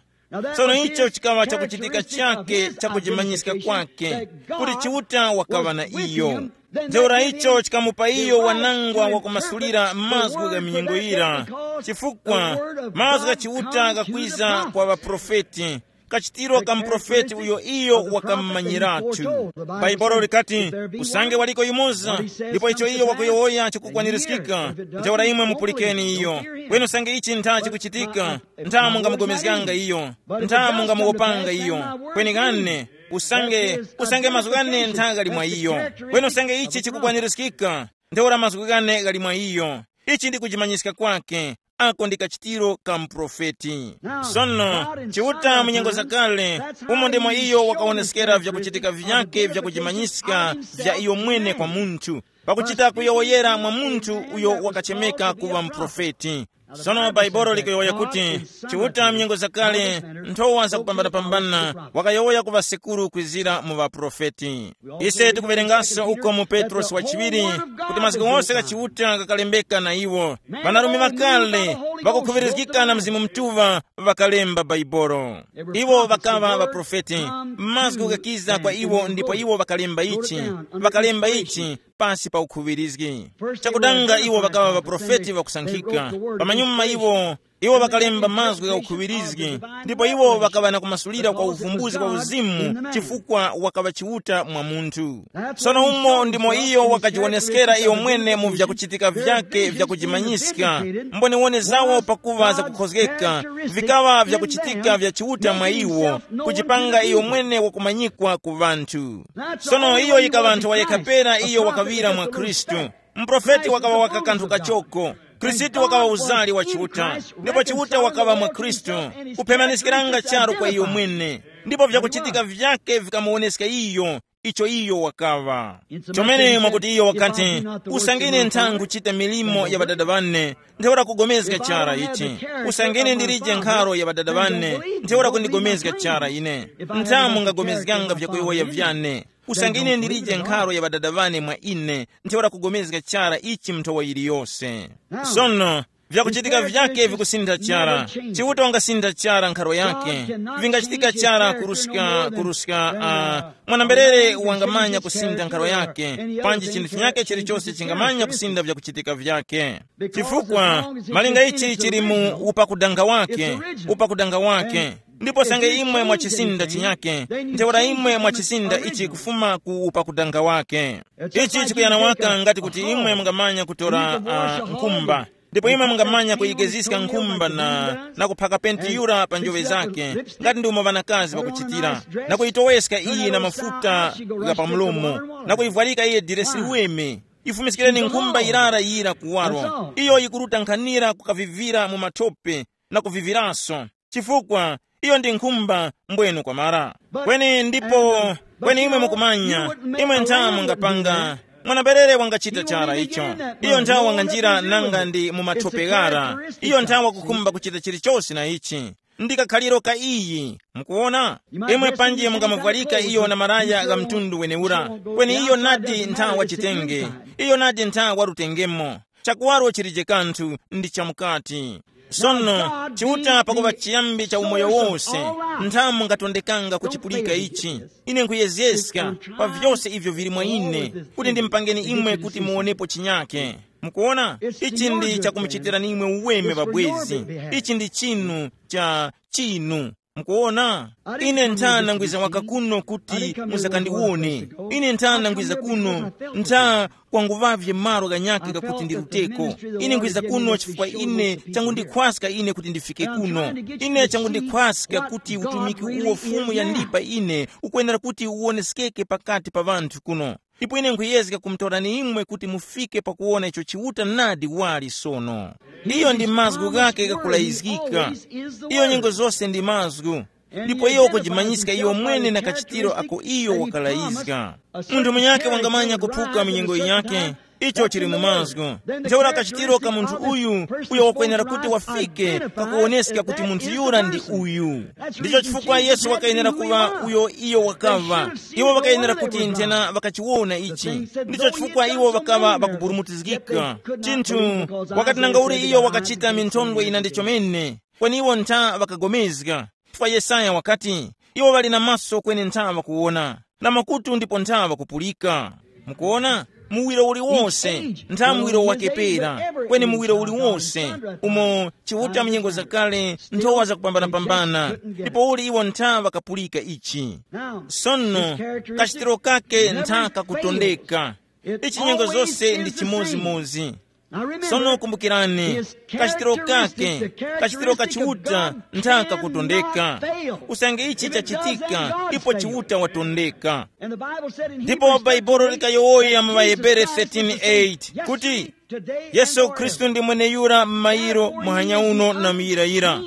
Tsono icho chikaŵa chakuchitika chake chakujimanyiska kwake, kuti Chiuta wakaŵa na iyo. Ntheura icho chikamupa iyo wanangwa wakumasulira mazgu gha minyengo yira, chifukwa mazgu gha Chiuta ghakwiza kwa ŵaprofeti, kachitiro ka muprofeti uyo iyo wakamumanyiratu. Bhaibuli likati, usange waliko yumoza, ndipo icho iyo wakuyowoya chikukwanirizgika, ntheura imwe mupulikeni iyo. Kweni usange ichi ntha chikuchitika, ntha mungamugomezganga iyo, ntha mungamuwopanga iyo. Kweni ghane, usange, usange mazgu ghane ntha ghali mwa iyo. Kweni usange ichi chikukwanirizgika, ntheura mazgu ghane ghali mwa iyo. Ichi ndi kujimanyiska kwake, ako ndi kachitiro ka muprofeti. Sono, Chiuta mu nyengo zakale, umo ndimo iyo wakawoneskera vyakuchitika vyake vyakujimanyiska vya iyo mwene kwa munthu, pakuchita kuyowoyera mwa munthu uyo wakachemeka kuŵa muprofeti. Sono Bhaibuli likuyowoya kuti, Chiuta mu nyengo zakale, nthowa zakupambanapambana, wakayowoya ku ŵasekuru kwizira mu ŵaprofeti. Ise tikuwerenganso uko mu Petrosi wachiŵiri, kuti mazgu ghose gha Chiuta ghakalembeka na iwo. Ŵanarume ŵakale, ŵakukhuŵirizgika na Mzimu Mutuŵa, ŵakalemba Bhaibuli. Iwo ŵakaŵa ŵaprofeti, mazgu ghakiza kwa iwo ndipo iwo ŵakalemba ichi, ŵakalemba ichi pasi pa ukhuŵirizgi. Chakudanga iwo ŵakaŵa ŵaprofeti ŵakusankhika, pamanyuma iwo Iwo ŵakalemba mazgu gha ukhuŵirizgi, ndipo iwo ŵakaŵa na kumasulira kwa uvumbuzi kwa uzimu chifukwa wakaŵa Chiuta mwa munthu. Sono umo ndimo iyo wakajiwoneskera iyo mwene mu vyakuchitika vyake vyakujimanyiska, mboniwone zawo pakuŵa zakukhozgeka, vikaŵa vyakuchitika vya Chiuta mwa iwo, kujipanga iyo mwene wakumanyikwa ku ŵanthu. Sono iyo yikaŵa nthowa yekha pera iyo wakaŵira mwa Khristu. Muprofeti wakaŵa waka kanthu kachoko. Khristu wakaŵa uzali wa Chiuta, ndipo Chiuta wakaŵa mwa Khristu, kuphemaniskiranga charu kwa iyo mwene, ndipo vyakuchitika vyake vikamuwoneska iyo icho iyo wakaŵa. Chomene mwakuti iyo wakati, usangine ntha nkuchita milimo ya ŵadada ŵane, ntheura kugomezga chara ichi. Usangine ndilije nkharo ya ŵadada ŵane, ntheura kundigomezga chara ine. Ntha mungagomezganga vyakuyowoya vyane. Usangine ndilije nkharo ya ŵadada ŵane mwa ine, ntheura kugomezga chara ichi mnthowa yiliyose. Sono, vyakuchitika vyake vikusintha chara. Chiuta wangasintha chara nkharo yake. Vingachitika chara kuruska kuruska uh, mwanamberere wangamanya kusintha nkharo yake, panji chinthu chinyake chilichose chingamanya kusintha vyakuchitika vyake. Chifukwa malinga ichi chili mu upakudanga wake, upakudanga wake. Ndipo sange imwe mwachisinda chinyake, ntheura imwe mwachisinda ichi kufuma ku upakudanga wake. Ichi chikuyana waka ngati kuti imwe mungamanya kutora uh, nkhumba, ndipo imwe mungamanya kuyigeziska nkhumba na, na kuphaka penti yura pa njoŵe zake, ngati ndi umo ŵanakazi ŵakuchitira, na kuyitoweska iyi na mafuta gha pa mlomo, na kuyivwarika iye diresi liweme. Ifumiskireni nkhumba yirara yira kuwaro, iyo yikuruta nkhanira kukavivira mu mathope, na kuviviranso, chifukwa iyo ndi nkhumba mbwenu kwamara. Kweni ndipo, kweni imwe mukumanya, imwe nthamu mungapanga, mwanaberere wangachita chara icho. Iyo nthawi wanganjira nanga ndi mu mathope ghara. Iyo nthawi wakukhumba kuchita chilichose na ichi. Ndi kakhaliro ka iyi, mukuona. Imwe panji mungamuvwarika iyo na malaya gha mtundu weneura, kweni iyo nadi nthawi wachitenge. Iyo nadi nthawi warutengemo. Chakuwaro chilije kanthu ndi chamukati. Sono, Chiuta pakuŵa chiyambi cha umoyo wose, nthamu ngatondekanga kuchipulika ichi. Ine nkhuyezeska pa vyose ivyo vili mwa ine, kuti ndimpangeni imwe kuti muwonepo chinyake. Mukuona, ichi ndi chakumuchitirani imwe uweme pabwezi. Ichi ndi chinu cha chinu. Mukuona, ine nthana ngwiza waka kuno kuti musakandiwone. Ine nthana ngwiza kuno, ntha kwanguvavye malo ghanyakhe ghakuti ndiruteko. Ine nkhwiza kuno chifukwa ine changundikhwaska ine kuti ndifike kuno. Ine changundikhwaska kuti utumiki uwo Fumu yandipa ine ukwenera kuti uwoneskeke pakati pa ŵanthu kuno. Ndipo ine nkhuyezga kumutorani imwe kuti mufike pakuwona icho Chiuta nadi wali sono. Iyo ndi mazgu ghakhe ghakulayizgika. Iyo nyengo zose ndi mazgu. Ndipo iyo wakujimanyiska iyo mwene na kachitiro ako iyo wakalayizga. Munthu munyakhe wangamanya kuphuka mu nyengo yiyakhe, icho chili mu mazgu. Ntheura kachitiro ka munthu uyu, uyo wakwenera kuti wafike pakuwoneska kuti munthu yura ndi uyu. Ndicho chifukwa Yesu wakayenera kuŵa uyo iyo wakaŵa. Iwo ŵakayenera kuti nthena ŵakachiwona ichi. Ndicho chifukwa iwo ŵakaŵa ŵakuburumutizgika. Chinthu, wakati nanga uli iyo wakachita minthondwe ina ndi chomene, kweni iwo ntha ŵakagomezga. Chifukwa Yesaya wakati, iwo ŵali na maso kweni ntha ŵakuwona, na makutu ndipo ntha ŵakupulika. Mukuona? Muwiro uliwonse, ntha muwiro wakepera, kweni muwiro uliwonse, umo Chiuta mu nyengo zakale, nthowa zakupambanapambana, ndipo uli iwo ntha ŵakapulika ichi. Sono, kachitiro kake ntha kakutondeka. Ichi nyengo zose ndi chimozimozi. Sono kumbukirani, kachitiro kake, kachitiro ka Chiuta ntha kakutondeka. Usange ichi chachitika, ipo Chiuta watondeka. Ndipo Bhaibuli likayowoya mu ŵaHebere thirteen eight kuti, Yesu Khristu ndi mweneyura m'mayiro, muhanya uno na muyirayira.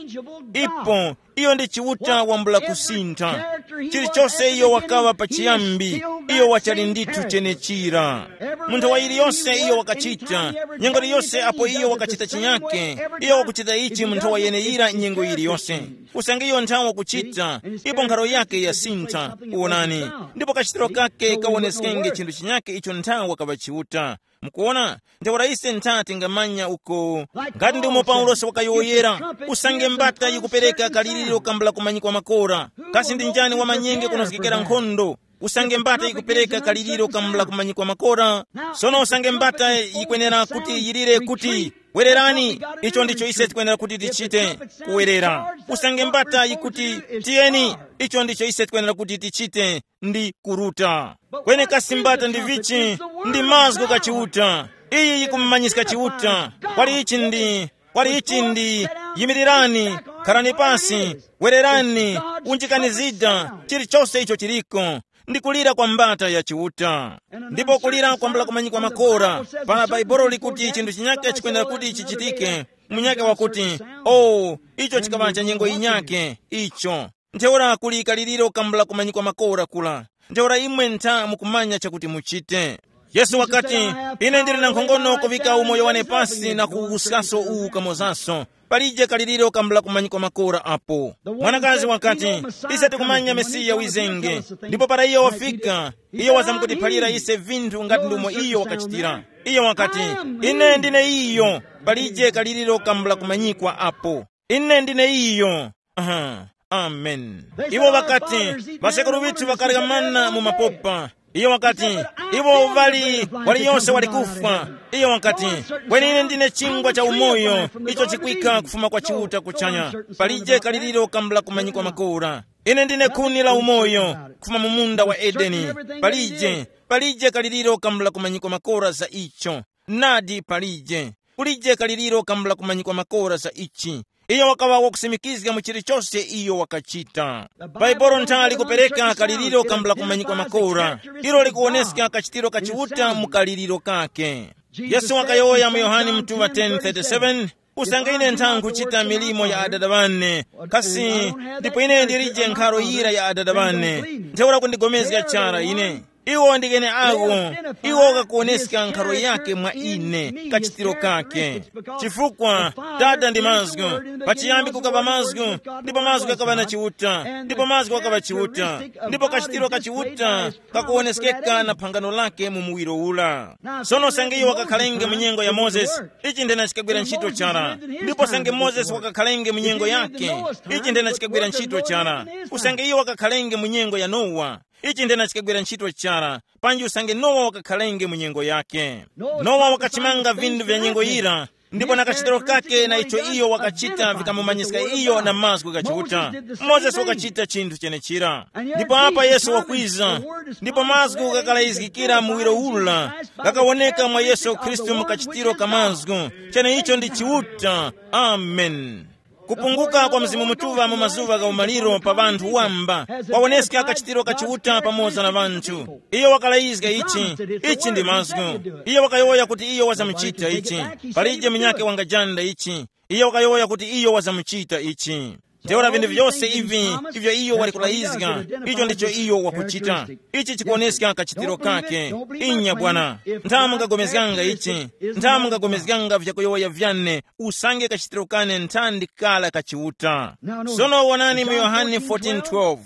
Ipo, iyo ndi Chiuta wambula kusintha. Chilichose iyo wakaŵa pachiyambi, iyo wachali ndithu chenechira. Mu nthowa yiliyose iyo wakachita, nyengo yiliyose apo iyo wakachita chinyake, iyo wakuchita ichi mu nthowa yeneyira nyengo yiliyose. Usange iyo nthawi wakuchita, ipo nkharo yake yasintha, wonani, ndipo kachitiro kake kawoneskenge chinthu chinyake icho nthawi wakaŵa Chiuta. Mukuona? Ntheura ise ntha tingamanya uko. Ngati ndimo Paulosi wakayowoyera, usange mbata yikupereka kaliriro kambula kumanyikwa makora. Kasi ndi njani wamanyenge kunozgekera nkhondo? Usange mbata yikupereka kaliriro kambula kumanyikwa makora. Sono usange mbata yikwenera kuti yilire kuti, Wererani. Icho ndicho ise tikwenera kuti tichite. Kuwerera. Usange mbata yikuti, tiyeni. Icho ndicho ise tikwenera kuti tichite. Ndi kuruta. Kwenekasi mbata ndi vichi? Ndi mazgu ga Chiuta. Iyi yikumumanyiska Chiuta. Kwali ichi ndi, kwali ichi ndi, yimirirani, kharani pasi, wererani, unjikani zida, chilichonse icho chiliko. Ndi kulira kwa mbata ya Chiuta. Ndipo kulira kwambula kumanyikwa makora. Para Bhaibuli likuti chinthu chinyake chikwenera kuti chichitike, munyake wakuti, oh, icho chikaŵa cha nyengo yinyake icho. Ntheura kuli kaliriro kambula kumanyikwa makora kula. Ntheura imwe ntha mukumanya chakuti muchite. Yesu wakati, ine ndili na nkhongono kuŵika umoyo wane pasi na kuwuskaso uwu kamozanso. Palije kaliriro kambula kumanyikwa makora apo. Mwanakazi wakati, ise tikumanya Mesiya wizenge. Ndipo para iyo wafika, iyo wazamkutiphalira ise vinthu ngati ndumo iyo wakachitira. Iyo wakati, ine ndine iyo. Palije kaliriro kambula kumanyikwa apo. Ine ndine iyo. Aha. Amen. Iwo ŵakati, ŵasekuru ŵithu ŵakarya mana mu mapopa. Iyo wakati, iwo ŵali, waliyonse wali kufwa. Iyo wakati, kweni ine ndine chingwa cha umoyo, icho chikwika kufuma kwa Chiuta kuchanya. Palije kaliriro kambula kumanyikwa makora. Ine ndine khuni la umoyo, kufuma mu munda wa Edeni. Palije, palije kaliriro kambula kumanyikwa makora za icho. Nadi palije. Kulije kaliriro kambula kumanyikwa makora za ichi. Iyo wakaŵa wakusimikizga mu chilichose iyo wakachita. Bhaibuli ntha likupereka kaliriro kambula kumanyikwa makora. Ilo likuwoneska kachitiro ka Chiuta mu kaliriro kake. Yesu wakayowoya mu Yohane mutuŵa ten thirty-seven, usange ine ntha nkhuchita milimo ya Adada ŵane, kasi ndipo ine ndilije nkharo yira ya Adada ŵane, ntheura kundigomezga chara ine. Iwo ndi ene awo. Iwo kakuwoneska nkharo yake mwa ine, kachitiro kake. Chifukwa Tata ndi mazgu. Pachiyambi kukaŵa mazgu, ndipo mazgu akaŵa na Chiuta, ndipo mazgu akaŵa Chiuta, ndipo kachitiro ka Chiuta kakuwoneskeka na phangano lake mu muwiro ula. Sono sange iwo wakakhalenge mu nyengo ya Mozesi, ichi ndena chikagwira ntchito chara. Ndipo sange Mozesi wakakhalenge mu nyengo yake, ichi ndena chikagwira ntchito chara. Usange iwo wakakhalenge mu nyengo ya Nowa, ichi ndena chikagwira ntchito chara, panji usange Nowa wakakhalenge mu nyengo yake. Nowa wakachimanga vinthu vya nyengo yira, ndipo na kachitiro kake na icho iyo wakachita vikamumanyiska iyo na mazgu gha Chiuta. Mozesi wakachita chinthu chenechira. Ndipo apa Yesu wakwiza, ndipo mazgu gakalayizgikira muwiro ula, gakawoneka mwa Yesu Khristu mu kachitiro ka mazgu. Cheneicho ndi Chiuta. Amen. Kupunguka kwa Mzimu Mutuŵa mu mazuŵa gha umaliro pa ŵanthu wamba, kwawoneska kachitiro ka Chiuta pamoza na ŵanthu. Iyo wakalayizga ichi, ichi ndi mazgu. Iyo wakayowoya kuti iyo wazamuchita ichi. Palije munyakhe wangajanda ichi. Iyo wakayowoya kuti iyo wazamuchita ichi. Ntheura vinthu vyose ivi, ivyo iyo wali kulayizga, icho ndicho iyo wakuchita. Ichi chikuwoneska kachitiro kake. Inya bwana. Ntha mungagomezganga ichi. Ntha mungagomezganga vyakuyowoya vyane. Usange kachitiro kane nthandi kala ka Chiuta. Sono wonani mu Yohane fourteen twelve.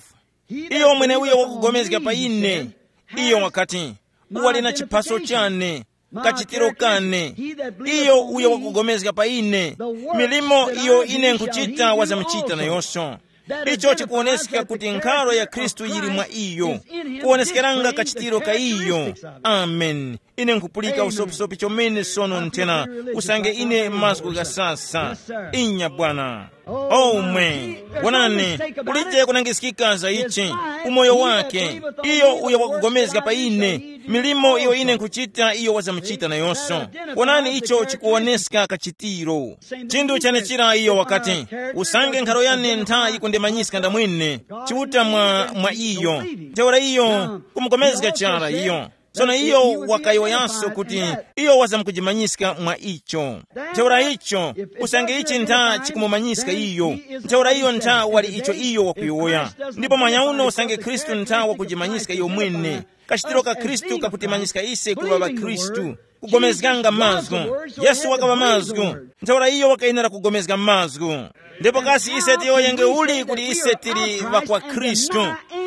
Iyo mweneuyo wakugomezga pa ine. Iyo wakati, uwali na chiphaso chane, kachitiro kane. Iyo uyo wakugomezga pa ine, milimo iyo ine nkuchita wazamuchita nayonso. Icho chikuwoneska kuti nkharo ya Khristu yili mwa iyo, kuwoneskeranga kachitiro ka iyo. Amen. Ine nkupulika usopisopi chomene sono nthena, usange ine mazgu ghasasa. Inya bwana. Omwe, wonani, kulije kunangiskika za ichi, umoyo wake, iyo uyo wakugomezga pa ine, milimo iyo ine nkuchita iyo wazamuchita nayonso. Wonani icho chikuwoneska kachitiro. Chinthu chanechira iyo wakati, usange nkharo yane ntha yikundimanyiska ndamwene, Chiuta mwa, mwa iyo. Ntheura iyo, kumugomezga chara iyo. Tsono iyo wakayowoyanso kuti iyo wazamkujimanyiska mwa icho. Ntheura icho, usange ichi ntha chikumumanyiska iyo, ntheura iyo ntha wali icho iyo wakuyowoya. Ndipo manyauno usange Khristu ntha wakujimanyiska iyo mwene, kachitiro ka Khristu kakutimanyiska ise kuŵa ŵakhristu. Kugomezganga mazgu. Yesu wakaŵa mazgu. Ntheura iyo wakayenera kugomezga mazgu. Ndipo kasi ise tiyowoyenge uli kuti ise tili ŵa kwa Khristu?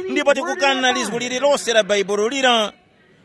Ndipo tikukana lizgu lililose la Bhaibuli lira.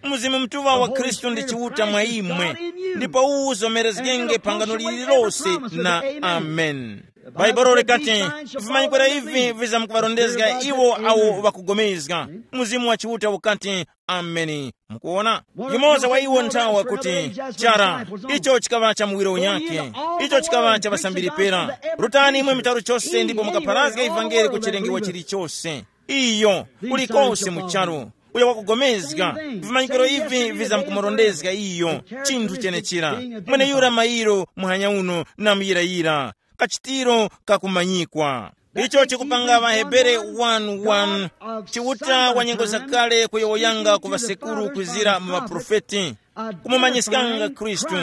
Mzimu Mutuŵa wa Khristu ndi Chiuta mwa imwe, ndipo uwu uzomerezgenge phangano lililose na amen. Bhaibuli likati, vimanyikiro ivi vizamkuŵarondezga iwo awo ŵakugomezga. Mzimu wa Chiuta ukati, ameni. Mukuona, yumoza wa iwo nthawa kuti, chara, icho chikaŵa cha muwiro unyake, icho chikaŵa cha ŵasambiri pera. Rutani imwe mu charu chose ndipo mukapharazge ivangeli ku chilengewa chilichose. Iyo, kulikose mu charu, uyo wakugomezga, vimanyikiro ivi vizamkumurondezga iyo, chinthu chenechira. Mweneyura mairo muhanya uno na muyirayira, kachitiro kakumanyikwa. Icho chikupanga ŵahebere wani wani, Chiuta wa nyengo zakale kuyowoyanga ku ŵasekuru kwizira mu ŵaprofeti, kumumanyiskanga Khristu,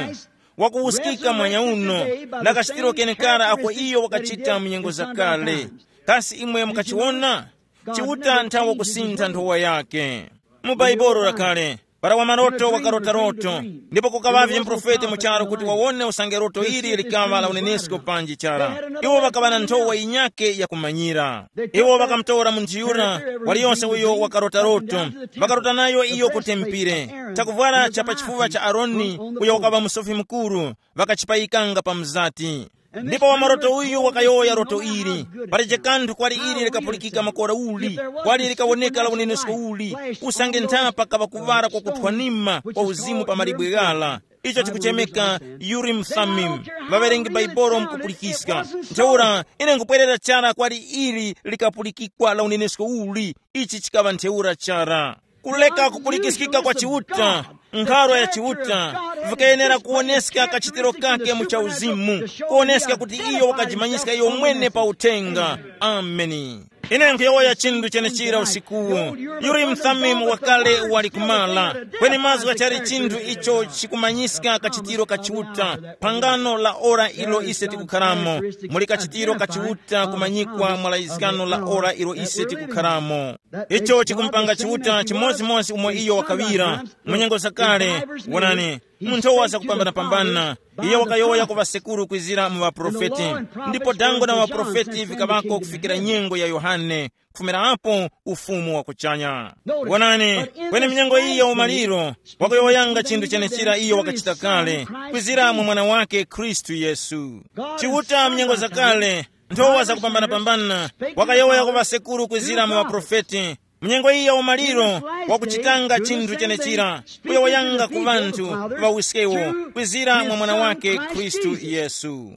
wakuwuskika mwanya uno, na kachitiro kenekara ako iyo wakachita mu nyengo zakale. Kasi imwe mukachiwona? Chiuta nthawe kusintha nthowa yake. Mu Baibolo lakale, para wamaroto wakarota loto, ndipo kukaŵavye muprofeti mu charu kuti wawone usange loto ili likaŵa la unenesko panji chara. Iwo ŵakaŵa na nthowa yinyakhe yakumanyira. Iwo ŵakamutora munthu yura, waliyonse uyo wakarota loto, ŵakarota nayo iyo ku tempire, chakuvwara cha pa chifuŵa cha Aroni, uyo wakaŵa musofi mukuru, ŵakachipayikanga pa mzati. Ndipo wamaroto uyu wakayowoya roto ili, palije kanthu kwali ili likapulikika makora uli, kwali likawoneka la unenesko uli, usange nthapa kaŵa kuŵala kwa kuthwanima kwa uzimu pa malibwe ghala. Icho chikuchemeka Urim Thummim. Ŵaŵerengi Baibolo mkupulikiska. Ntheura, ine nkupwerera chara kwali ili likapulikikwa la unenesko uli. Ichi chikaŵa ntheura chara. Kuleka kupulikiskika kwa Chiuta, nkharo ya Chiuta, vikayenera kuwoneska kachitiro kake mu chauzimu, kuwoneska kuti iyo wakajimanyiska iyo mwene pa uthenga. Ameni. Ine nkhuyowoya chinthu chenechira usikuwu. Yuli mthamimu wakale wali kumala, kweni mazgu ghachali chinthu icho chikumanyiska kachitiro ka Chiuta, phangano la ora ilo ise tikukharamo. Muli kachitiro ka Chiuta kumanyikwa mwa layizgano la ora ilo ise tikukharamo. Icho chikumpanga Chiuta chimodzimodzi umo iyo wakaŵira mu nyengo zakale. Wonani, mu nthowa zakupambanapambana, iyo wakayowoya ku ŵasekuru kwizira mu ŵaprofeti, ndipo dango na ŵaprofeti vikaŵako kufikira nyengo ya Yohane, kufumira apo ufumu wa kuchanya. Wonani, kweni mnyengo iyi ya umaliro, wakuyowoyanga chinthu chenechira iyo wakachita kale, kwizira mu mwana wake Khristu Yesu. Chiuta mnyengo zakale, nthowa zakupambanapambana, wakayowoya ku ŵasekuru kwizira mu ŵaprofeti. Mnyengo iyi ya umaliro, wakuchitanga chinthu chenechira, kuyowoyanga ku ŵanthu ŵawiskewo, kwizira mwa mwana wake Khristu Yesu.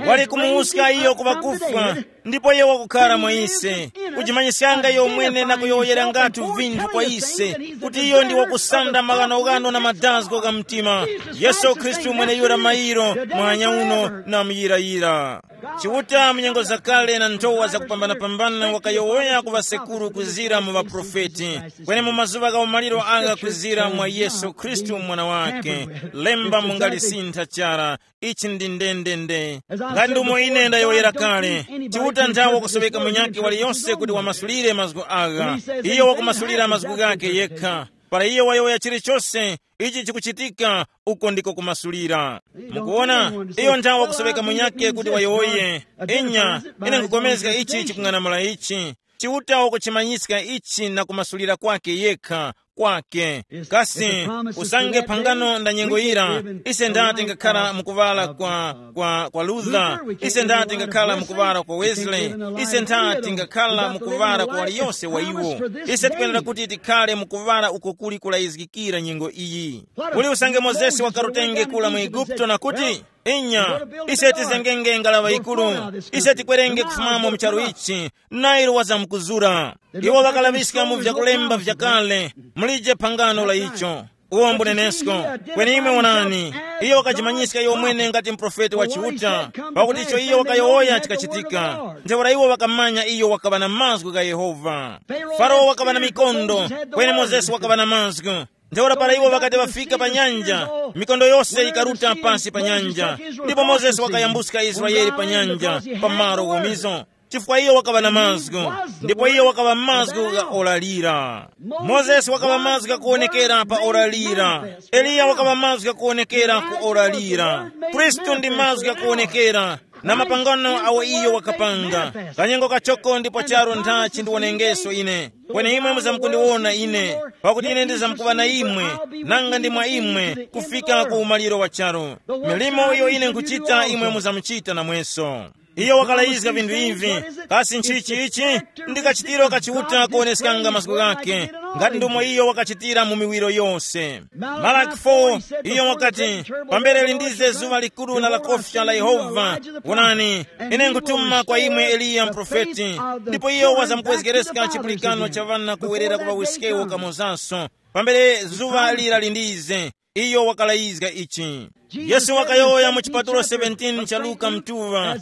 Wali kumuwuska iyo ku ŵakufwa, ndipo iyo wakukhara mwa ise, kujimanyiskanga iyo mwene na kuyowoyerangatu vinthu kwa ise, kuti iyo ndi wakusanda maghanoghano na madazgo gha mtima. Yesu Khristu mweneyura mayiro, mwanya uno na muyirayira. Chiuta mu nyengo zakale na nthowa zakupambanapambana wakayowoya ku ŵasekuru kuzira mu ŵaprofeti, kweni mu mazuŵa gha umaliro agha kuzira mwa Yesu Khristu mwana wake. Lemba mungalisintha chara. Ichi ndi ndendende. Ngati ndumo ine ndayowoyera kale, Chiuta nthawe wakusoŵeka munyakhe waliyonse kuti wamasulire mazgu agha. Iyo wakumasulira mazgu ghakhe yekha. Para iyo wayowoya chilichose, ichi chikuchitika, uko ndiko kumasulira. Mukuona, iyo nthawe wakusoŵeka munyakhe kuti wayowoye. Inya, ine nkupulikana ichi chikung'anamula ichi. Chiuta wakuchimanyiska ichi na kumasulira kwake yekha, kwake. Kasi, usange phangano nda nyengo yira, ise ndati ngakhala mukuŵala kwa, kwa, kwa Luther, ise ndati ngakhala mukuŵala kwa Wesley, ise ndati ngakhala mukuŵala kwa waliyonse wa iwo. Ise tikwenera kuti tikhale mukuŵala uko kuli kulayizgikira nyengo iyi. Kuli usange Mozesi wakarutenge kula mu Eguputo na kuti, inya, ise tizengenge ngalaŵa yikuru, ise tikwerenge kufumamo mu charu ichi, Nile wazamkuzura. Iwo ŵakalaŵiska mu vyakulemba vyakale, mulije phangano la icho. Uwo mbunenesko. Kweni imwe wonani, iyo wakajimanyiska iyo mwene ngati muprofeti wa Chiuta, pakuti icho iyo wakayowoya chikachitika. Ntheura iwo ŵakamanya iyo wakaŵa na mazgu gha Yehova. Farao wakaŵa na mikondo, kweni Mozesi wakaŵa na mazgu. Ntheura para iwo ŵakati ŵafika pa nyanja, mikondo yose yikaruta pasi pa nyanja, ndipo Mozesi wakayambuska Israele pa nyanja, pa malo ghomizo. Chifukwa iyo wakaŵa na mazgu, ndipo iyo wakaŵa mazgu gha ora lira. Mozesi wakaŵa mazgu ghakuwonekera pa ora lira. Eliya wakaŵa mazgu ghakuwonekera ku ora lira. Khristu ndi mazgu ghakuwonekera, na mapangano awo iyo wakapanga. Kanyengo kachoko ndipo charo ntha chindiwonengeso ine. Kweni imwe muzamkundiwona ine, pakuti ine ndizamkuŵa na imwe, nanga ndi mwa imwe, kufika ku umaliro wa charo. Milimo iyo ine nkuchita imwe muzamuchita namweso. Iyo wakalayizga vinthu ivi. Kasi nchichi ichi? Ndi kachitiro ka Chiuta kuwoneskanga mazgu ghake, ngati ndomwe iyo wakachitira mu miwiro yose. Malaki four, iyo wakati, pambere lindize zuŵa likuru na lakofya la Yehova, wonani, ine nkutuma kwa imwe Eliya mprofeti, ndipo iyo wazamkuwezgereska chipulikano cha ŵana kuwerera ku ŵawiskewo kamozanso. Pambere zuŵa lira lindize, iyo wakalayizga ichi. Yesu wakayowoya mu chipatulo seventeen cha Luka mtuŵa,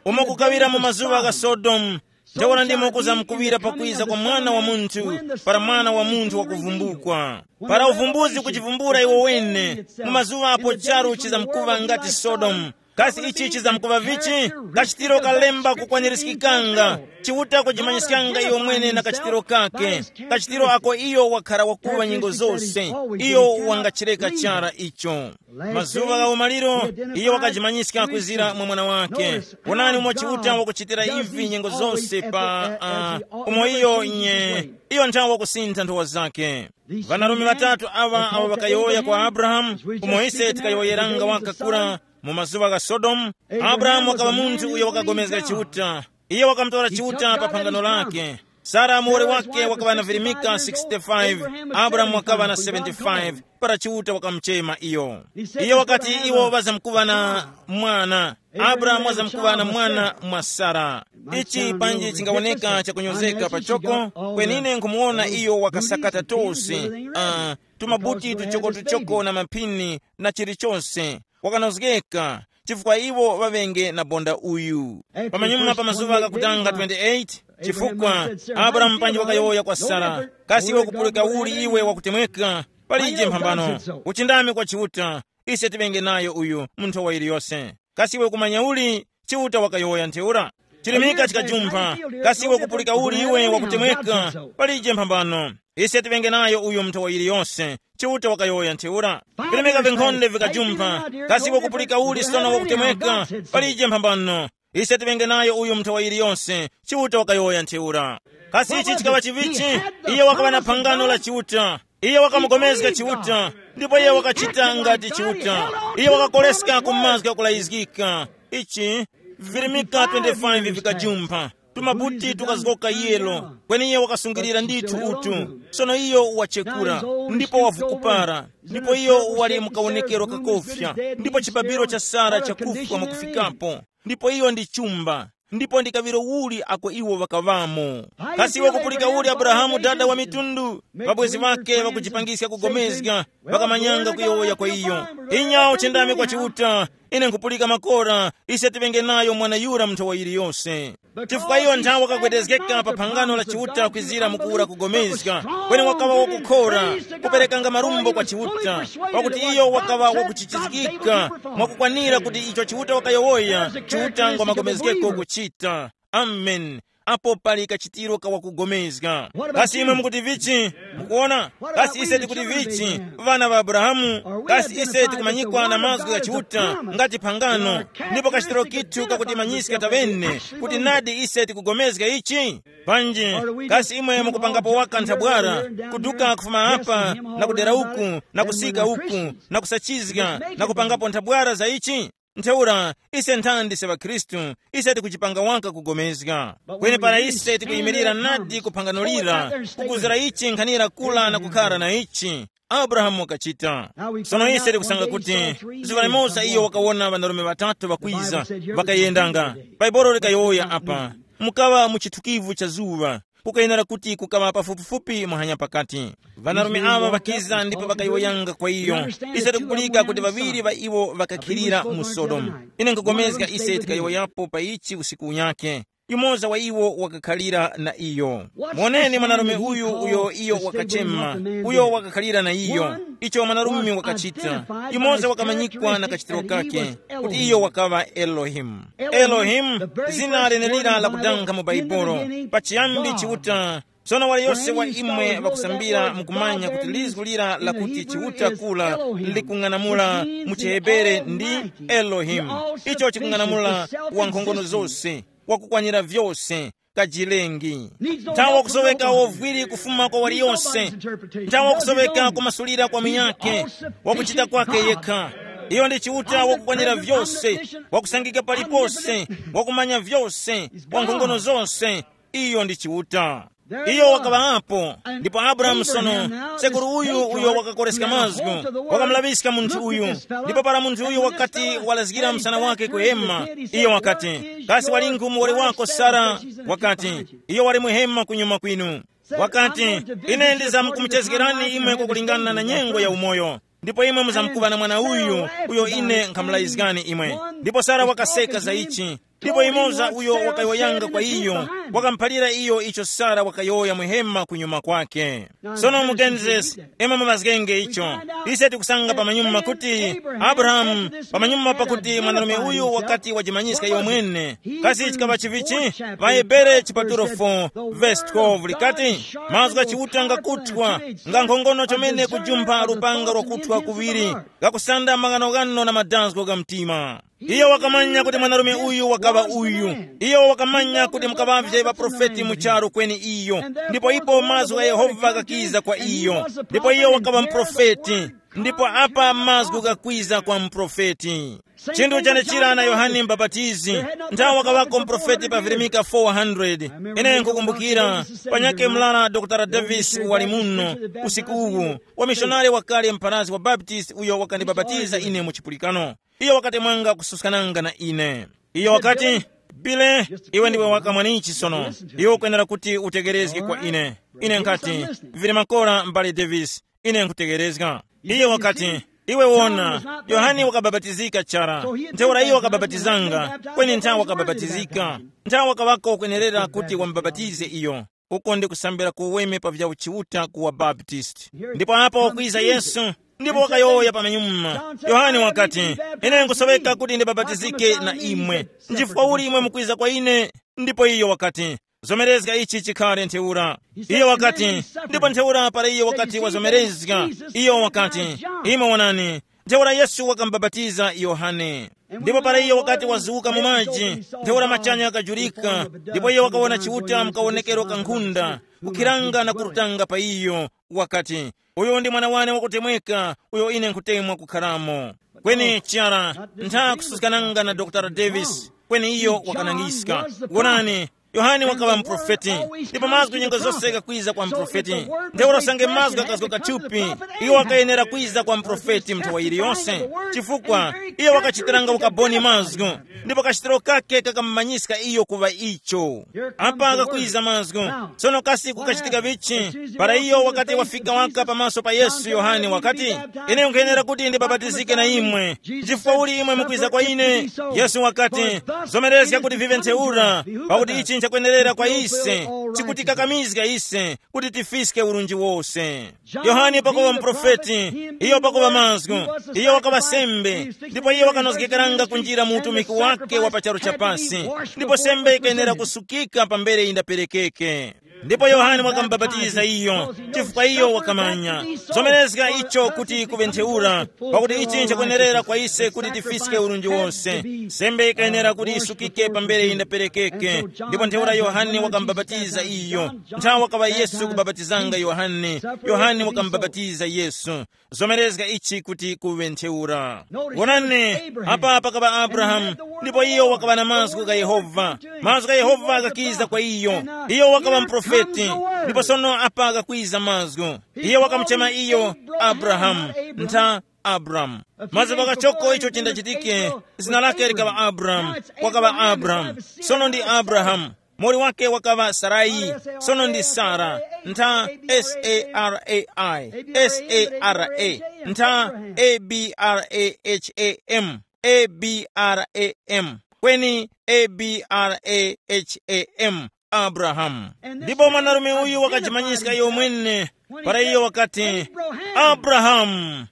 umo kukaŵira mu mazuŵa gha Sodomu, ntheura ndimo kuzamkuŵira pakwiza kwa Mwana wa Munthu, para Mwana wa Munthu wakuvumbukwa. Para uvumbuzi kuchivumbula iwo wene, mu mazuŵa apo charu chizamkuŵa ngati Sodomu. Kasi ichi chizamkuŵa vichi? Kachitiro kalemba kukwanirizgikanga. Chiuta kujimanyiskanga iyo mwene na kachitiro kake. Kachitiro ako iyo wakhara wakuŵa nyengo zose. Iyo wangachireka chara icho. Mazuŵa gha umaliro, iyo wakajimanyiska kwizira mwa mwana wake. Wonani umo Chiuta wakuchitira ivi nyengo zose pa uh, umo iyo nye iyo nthawi wakusintha nthowa zake. Ŵanarume ŵatatu aŵa awo ŵakayowoya kwa Abrahamu, umo ise tikayowoyeranga waka kura mu mazuŵa gha Sodomu. Abrahamu wakaŵa munthu uyo wakagomezga Chiuta. Iye wakamutora Chiuta pa phangano lake. Sara muwoli wake wakaŵa na virimika sixty-five, Abrahamu wakaŵa na seventy-five, para Chiuta wakamuchema iyo. Iyo wakati iwo ŵazamkuŵa na mwana. Abrahamu wazamkuŵa na mwana mwa Sara. Ichi panji chingawoneka chakunyozeka pachoko, kwenine nkhumuwona iyo wakasakata tose, uh, tumabuti tuchokotuchoko na maphini na chilichonse. Wakanozgeka, chifukwa iwo ŵaŵenge na bonda uyu. Pamanyuma pa mazuŵa ghakutanga twenty-eight, chifukwa Abrahamu panji wakayowoya kwa Sara, kasi iwe kupulika uli iwe wakutemweka? Palije mphambano. Uchindami kwa Chiuta, ise tiŵenge nayo uyu mu nthowa yiliyose. Kasi iwe kumanya uli? Chiuta wakayowoya ntheura. Chilimika chikajumpha. Kasi iwe kupulika uli iwe wakutemweka? Palije mphambano. Ise tiŵenge nayo uyo mu nthowa yiliyose. Chiuta wakayowoya ntheura. Vilemeka vinkhonde vikajumpha. Kasi iwe kupulika uli sono wakutemweka? Palije mphambano. Ise tiŵenge nayo uyo mu nthowa yiliyose. Chiuta wakayowoya ntheura. Kasi ichi chikaŵa chivichi? Iye wakaŵa na phangano la Chiuta. Iye wakamugomezga Chiuta, ndipo iye wakachita ngati Chiuta. Iye wakakoleska ku mazgu ghakulayizgika. Ichi virimika twenty-five vikajumpha, tumabuti tukazgoka yelo, kweni iye wakasungilira ndithu utu. Sono iyo wachekura, ndipo wavukupara, ndipo iyo wali mukawonekero kakofya, ndipo chibabiro cha Sara chakufwa mwakufikapo. Ndipo iyo ndi chumba, ndipo ndi kaŵiro uli ako iwo ŵakaŵamo. Kasi iwe kupulika uli Abrahamu dada wa mitundu? Ŵabwezi ŵake ŵakujipangiska kugomezga, ŵakamanyanga kuyowoya kwa iyo. Inya uchendame kwa Chiuta, ine nkhupulika makora, ise tiŵenge nayo mwana yura mu nthowa yiliyose. Chifukwa iyo nthawi wakagwedezgeka pa phangano la Chiuta kwizira mukuwura kugomezga, kweni wakaŵa wakukhora, kuperekanga marumbo kwa Chiuta, pakuti iyo wakaŵa wakuchichizgika mwakukwanira kuti icho Chiuta wakayowoya, Chiuta ngwa magomezgeko kuchita. Amen. Apo pali kachitiro ka wakugomezga. Kasi imwe mukuti vichi? Mukuona? Kasi ise tikuti vichi? Vana va Abrahamu, kasi ise tikumanyikwa na mazgu gha Chiuta ngati phangano, ndipo kachitiro kithu kakutimanyiska tavene kuti nadi ise tikugomezga ichi? Panji, kasi imwe mukupangapo waka nthabwara, kuduka kufuma apa na kudera uku na kusika uku na kusachizga na kupangapo nthabwara za ichi? Ntheura, ise nthandi se ŵakhristu, ise tikuchipanga waka kugomezga. Kweni para ise tikuyimirira nadi ku phangano lira, kukuzira ichi nkhanira kula na kukhara na ichi, Abrahamu wakachita. Sono ise tikusanga kuti zuŵa limoza iyo wakawona ŵanarume ŵatatu ŵakwiza, ŵakayendanga. Bhaibuli likayowoya apa, mukaŵa mu chithukivu cha zuŵa, kukayenera kuti kukaŵa pafupifupi muhanya pakati. Ŵanarume aŵa ŵakiza ndipo ŵakayowoyanga kwa iyo, ise tikupulika kuti ŵaŵiri ŵa iwo ŵakakhilira mu Sodomu. Ine nkupulikana ise tikayowoyapo pa ichi usiku unyakhe. Yumoza wa iwo wakakhalira na iyo. Moneni mwanarume uyu uyo iyo wakachema, uyo wakakhalira na iyo, icho mwanarume wakachita. Yumoza wakamanyikwa na kachitiro kake, kuti iyo wakaŵa Elohimu. Elohimu, zina lenelira lakudanga mu Bhaibuli. Pachiyambi Chiuta. Sono waliyose wa imwe ŵakusambira mukumanya kuti lizgu lira lakuti Chiuta kula likung'anamula mu chiHebere ndi Elohimu. Icho chikung'anamula wankhongono zose, wakukwanira vyose, kajilengi. Nthawe wakusoweka wovwiri kufuma kwa waliyose. Nthawe wakusoweka kumasulira kwa munyakhe, wakuchita kwake yekha. Iyo ndi Chiuta wakukwanira vyose, wakusangika palipose, wakumanya vyose, wa nkhongono zose. Iyo ndi Chiuta. Iyo wakaŵapo. Ndipo Abrahamu sono, sekuru uyu uyo wakakoreska mazgu, wakamulaŵiska munthu uyu. Ndipo para munthu uyu wakati walazgira msana wake kuhema, iyo wakati, kasi walingu muwoli wako Sara? Wakati, iyo wali muhema kunyuma kwinu. Wakati, ine ndizamkumuchezgerani imwe kwakulingana na nyengo ya umoyo, ndipo imwe muzamkuŵa na mwana uyu, uyo ine nkhamulayizgani imwe. Ndipo Sara wakaseka za ichi. Ndipo imoza uyo wakayowoyanga kwa iyo, wakamuphalira iyo icho Sara wakayowoya muhema kunyuma kwake. Sono mu Genesis, imwe mumazgenge icho. Ise tikusanga pamanyuma kuti Abrahamu, pamanyuma pakuti mwanarume uyu wakati wajimanyiska iyo mwene, kasi chikaŵa chivichi? Vahebere chipatulo four, verse twelve likati, mazgu gha Chiuta ngakuthwa, nga nkhongono chomene kujumpha lupanga lwakuthwa kuŵiri, gakusanda maghanoghano na madazgo ga mtima. Iyo wakamanya kuti mwanarume uyu wakaŵa uyu. Iyo wakamanya kuti mukaŵavye ŵaprofeti mu charu kweni iyo. Ndipo ipo mazgu gha Yehova ghakiza kwa iyo. Ndipo iyo wakaŵa muprofeti. Ndipo apa mazgu gakwiza kwa muprofeti. Chinthu chanechira na Yohane Mbapatizi. Nthawi wakaŵako muprofeti pa virimika four hundred. Ine nkukumbukira, panyake mlala Dr Davis wali muno usiku uwu, wamishonari wakale mpharazgi wa Baptist uyo wakandibapatiza ine mu chipulikano. Iyo wakati mwanga kususkananga na ine. Iyo wakati, Bile, iwe ndiwe wakamwanichi sono. Iwe ukwenera kuti utegerezge kwa ine. Ine nkati, vili makora mbale Davis, ine nkutegerezga. Iyo wakati, iwe wona, Yohane wakabapatizika chara. Ntheura iyo wakabapatizanga, kweni nthawi wakabapatizika. Nthawi wakaŵako kwenerera kuti wamubapatize iyo. Uko ndi kusambira kuweme pa vya uchiuta ku wa Baptist. Ndipo apo wakwiza Yesu, ndipo wakayowoya pamenyuma. Yohane wakati, ine nkusoweka kuti ndibapatizike na imwe. Nchifukwa uli imwe mukwiza kwa ine? Ndipo iyo wakati, zomerezga ichi chikhale ntheura. Iyo wakati, ndipo ntheura para iyo wakati wazomerezga, iyo wakati, imwe wonani, ntheura Yesu wakamubapatiza Yohane. Ndipo para iyo wakati wazuka mu maji, ntheura machanya akajurika, ndipo iyo wakawona Chiuta mukawonekero ka nkhunda, kukhiranga na kurutanga pa iyo, wakati, uyu ndi mwana wane wakutemweka, uyo ine nkhutemwa kukharamo. Kweni chara, ntha kususkananga na Dr Davis, kweni iyo wakanangiska. Wonani, Yohane wakaŵa muprofeti, ndipo mazgu nyengo zose gakwiza kwa muprofeti. Ntheura usange mazgu akazgoka thupi, iyo wakayenera kwiza kwa muprofeti mu nthawi yiliyonse, chifukwa iyo wakachitiranga ukaboni mazgu, ndipo kachitiro kake kakamumanyiska iyo kuŵa icho. Apa kakwiza mazgu. Sono kasi kukachitika vichi? Para iyo wakati wafika waka pamaso pa Yesu, Yohane wakati, ine nkhayenera kuti ndibapatizike na imwe. Chifukwa uli imwe mukwiza kwa ine? Yesu wakati, zomerezga kuti vive ntheura, pakuti ichi nchakwenerera kwa ise, chikutikakamizga ise kuti tifiske urunji wose. Yohane pakuŵa muprofeti, iyo pakuŵa mazgu, iyo wakaŵa sembe, ndipo iyo wakanozgekeranga kunjira mu utumiki wake wa pa charu cha pasi, ndipo sembe ikayenera kusukika pambere indaperekeke. Ndipo Yohane wakamubapatiza iyo, chifukwa iyo wakamanya zomerezga icho kuti kuŵe ntheura, pakuti ichi nchakwenerera kwa ise kuti tifiske urunji wose. Sembe ikayenera kuti isukike pambere indaperekeke. Ndipo ntheura Yohane wakamubapatiza iyo. Nthawi wakaŵa Yesu kubapatizanga Yohane, Yohane wakamubapatiza Yesu. Zomerezga ichi kuti kuŵe ntheura. Wonani, apa pakaŵa Abrahamu, ndipo iyo wakaŵa na mazgu gha Yehova. Mazgu gha Yehova ghakiza kwa iyo. Iyo wakaŵa muprofeti, ndipo sono apa ghakwiza mazgu. Iyo wakamuchema iyo Abrahamu, ntha Abramu. Mazimba kachoko icho chindachitike, zina lake likaŵa Abramu, wakaŵa Abramu, sono ndi Abrahamu. Mori wake wakaŵa Sarai, sono ndi Sara, ntha S A R A I, S A R A, ntha A B R A H A M, A B R A M, kweni A B R A H A M, Abrahamu. Ndipo mwanarume uyu wakajimanyiska iyo mwene, para iyo wakati, Abrahamu.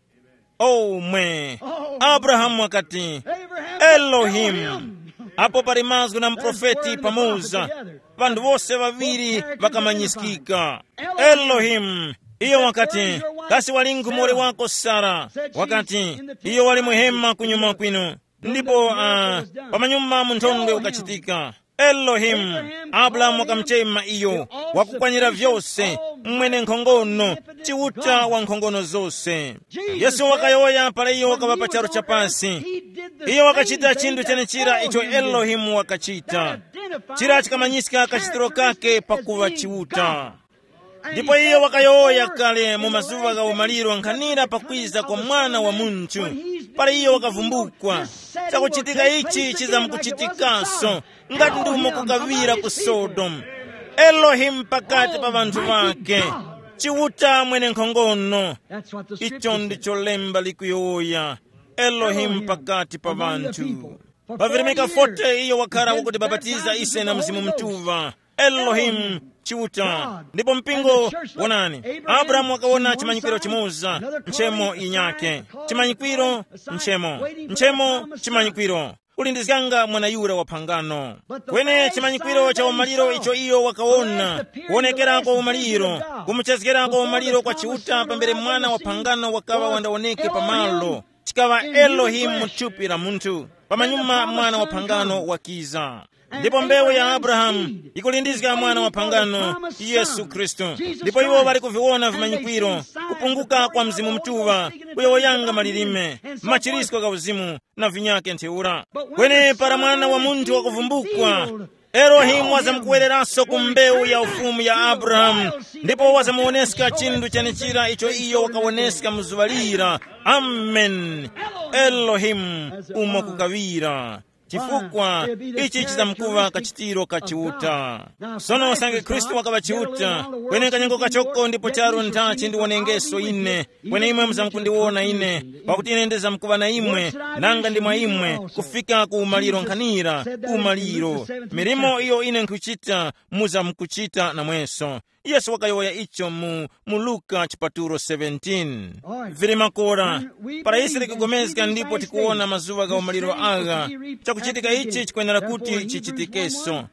Omwe. Abrahamu wakati, Elohimu. Apo pali mazgu na muprofeti pamoza. Ŵanthu wose ŵaŵiri ŵakamanyiskika. Elohimu. Iyo wakati, kasi walingu muwoli wako Sara? Wakati, iyo wali muhema kunyuma kwinu. Ndipo uh, pamanyuma munthondwe ukachitika. Elohimu. Abrahamu wakamuchema iyo, wakukwanira vyose, mwene nkhongono, Chiuta wa nkhongono zose. Yesu wakayowoya para iyo wakaŵa pa charu cha pasi. Iyo wakachita chinthu chenechira icho Elohimu wakachita. Chira chikamanyiska kachitiro kake pakuŵa Chiuta. Ndipo iyo wakayowoya kale mu mazuŵa gha umaliro nkhanira pakwiza kwa Mwana wa Munthu, para iyo wakavumbukwa, chakuchitika ichi chizamkuchitikaso ngati ndi umo kukaŵira ku Sodomu. Elohimu pakati pa ŵanthu ŵake, Chiuta mwenenkhongono. Icho ndicho lemba likuyowoya, Elohimu pakati pa ŵanthu. Pa Veronika forty iyo wakhala wakutibapatiza ise na Mzimu Mutuŵa. Elohimu, Chiuta. Ndipo mpingo, wonani, Abrahamu wakawona chimanyikwiro chimoza, nchemo yinyake. Chimanyikwiro, nchemo. Nchemo, chimanyikwiro. Ulindizganga mwana yura wa phangano. Kweni chimanyikwiro cha umaliro icho iyo wakawona, kuwonekera kwa umaliro, kumuchezgera kwa umaliro kwa Chiuta pambere mwana wa phangano wakaŵa wandawoneke pamalo, chikaŵa Elohimu mu thupi la munthu. Pamanyuma mwana wa phangano wakiza. Ndipo mbewu ya Abrahamu ikulindizga mwana wa phangano, Yesu Khristu. Ndipo iwo ŵali kuviwona vimanyikwiro, kupunguka kwa Mzimu Mutuŵa, kuyowoyanga malilime, machirisko gha uzimu, na vinyake ntheura. Kweni para Mwana wa Munthu wakuvumbukwa, Elohimu wazamkuwereranso ku mbewu ya ufumu ya Abrahamu, ndipo wazamuwoneska chinthu chenechira icho iyo wakawoneska mu zuŵa lira. Amen. Elohimu, umo kukaŵira. Chifukwa ichi chizamkuŵa kachitiro ka Chiuta. Sono usange Khristu wakaŵa Chiuta, kweni kanyengo kachoko ndipo charu nthachi ndiwonengeso ine, kweni imwe muzamkundiwona ine, pakuti ine ndizamkuŵa na imwe, nanga ndi mwa imwe, kufika ku umaliro nkhanira, umaliro. Milimo iyo ine nkhuchita, muzamkuchita namweso. Yesu wakayowoya icho mu, mu Luka chipatulo seventeen. Vili makora, para ise tikugomezga ndipo tikuwona mazuŵa gha umaliro agha, chakuchitika ichi chikwenera kuti chichitikeso.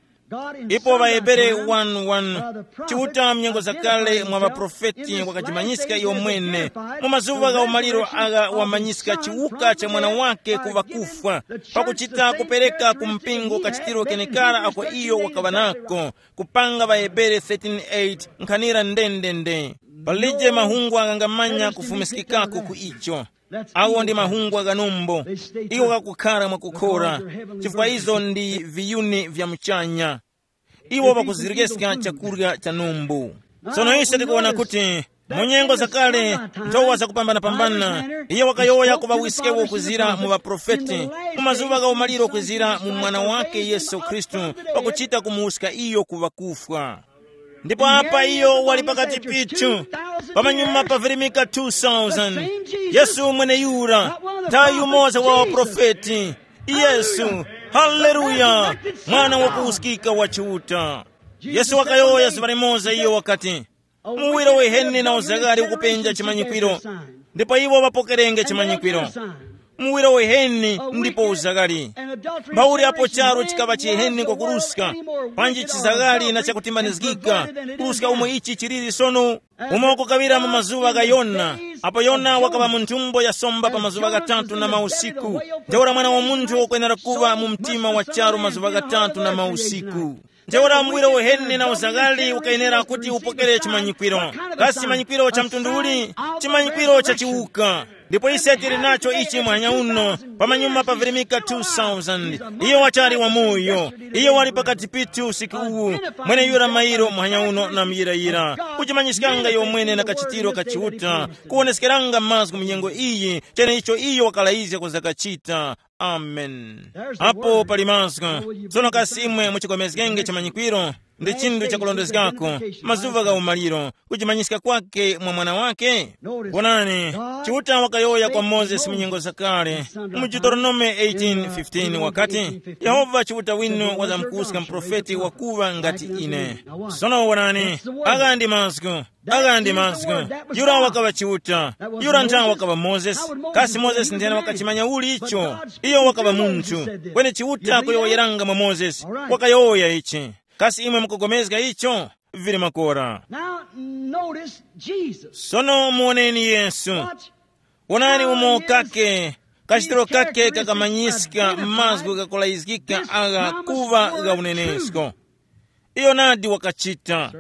Ipo ŵaHebere one one, Chiuta mnyengo zakale mwa ŵaprofeti wakajimanyiska iyo mwene, mu mazuŵa gha umaliro agha wamanyiska chiwuka cha mwana wake ku ŵakufwa, pakuchita kupereka ku mpingo kachitiro kenekara ako iyo wakaŵa nako, kupanga ŵaHebere thirteen eight nkhanira ndendende. Palije mahungwa ghangamanya kufumiskikako ku icho. Awo ndi mahungwa gha numbo. Iwo ghakukhara mwakukhora, chifukwa izo ndi viyuni vya muchanya. Iwo ŵakuziryeska chakurya cha numbu. Tsono ise tikuwona kuti mu nyengo zakale, nthowa zakupambanapambana, iye wakayowoya kuŵa wiskewo kwizira mu ŵaprofeti, mu mazuŵa gha umaliro kwizira mu mwana wake Yesu Khristu, pakuchita kumuwuska iyo ku ŵakufwa. Ndipo apa iyo wali pakati pithu, pamanyuma pavirimika two thousand. Yesu mweneyura, nthawi yumoza wa waprofeti. Yesu, haleluya, mwana wakuwuskika wa Chiuta. Yesu wakayowoya zuŵa limoza iyo wakati, muwiro wiheni na uzaghali ukupenja chimanyikwiro, ndipo iwo ŵapokerenge chimanyikwiro. Muwiro wiheni ndipo uzaghali. Mbauli apo charu chikaŵa chiheni kwakuruska, panji chizaghali na chakutimbanizgika, kuruska umo ichi chiliri sono. Umo kukaŵira mu mazuŵa gha Yona, apo Yona wakaŵa mu nthumbo ya somba pa mazuŵa ghatatu na mausiku, ntheura Mwana wa Munthu wakwenera kuŵa mu mtima wa charu mazuŵa ghatatu na mausiku. Ntheura muwiro uheni na uzaghali ukayenera kuti upokere chimanyikwiro. Kasi chimanyikwiro cha mtundu uli? Chimanyikwiro cha chiwuka. Ndipo ise tili nacho ichi muhanya uno, pamanyuma pavirimika two thousand. Iye wachali wamoyo. Iye wali pakati pithu usiku uwu. Mweneyura mairo muhanya uno na muyirayira, kuchimanyiskanga iyo mwene na kachitiro ka Chiuta, kuwoneskeranga mazgu mu nyengo iyi, cheneicho iyo wakalayizga kuzakachita. Amen. Apo pali mazgu. Tsono kasi imwe muchikomezgenge chimanyikwiro? Ndi chinthu chakulondezgako, mazuva gha umaliro, kuchimanyiska kwake mwa mwana wake. Wonani, Chiuta wakayowoya kwa Mozesi mu nyengo zakale, mu Deuteronome eighteen fifteen wakati, Yehova Chiuta winu wazamkuska muprofeti wakuŵa ngati ine. Sono wonani, agha ndi mazgu, agha ndi mazgu. Yura wakaŵa Chiuta, yura nthawi wakaŵa Mozesi. Kasi Mozesi nthena wakachimanya uli icho? Iyo wakaŵa munthu. Kweni Chiuta kuyowoyeranga mwa Mozesi, wakayowoya ichi. Kasi imwe mukugomezga icho? Vili makora. Now notice Jesus. Sono muoneni Yesu. Watch. Wonani umo kake, Kachitiro kake kakamanyiska mazgu ghakulayizgika agha kuŵa gha unenesko. Iyo nadi wakachita.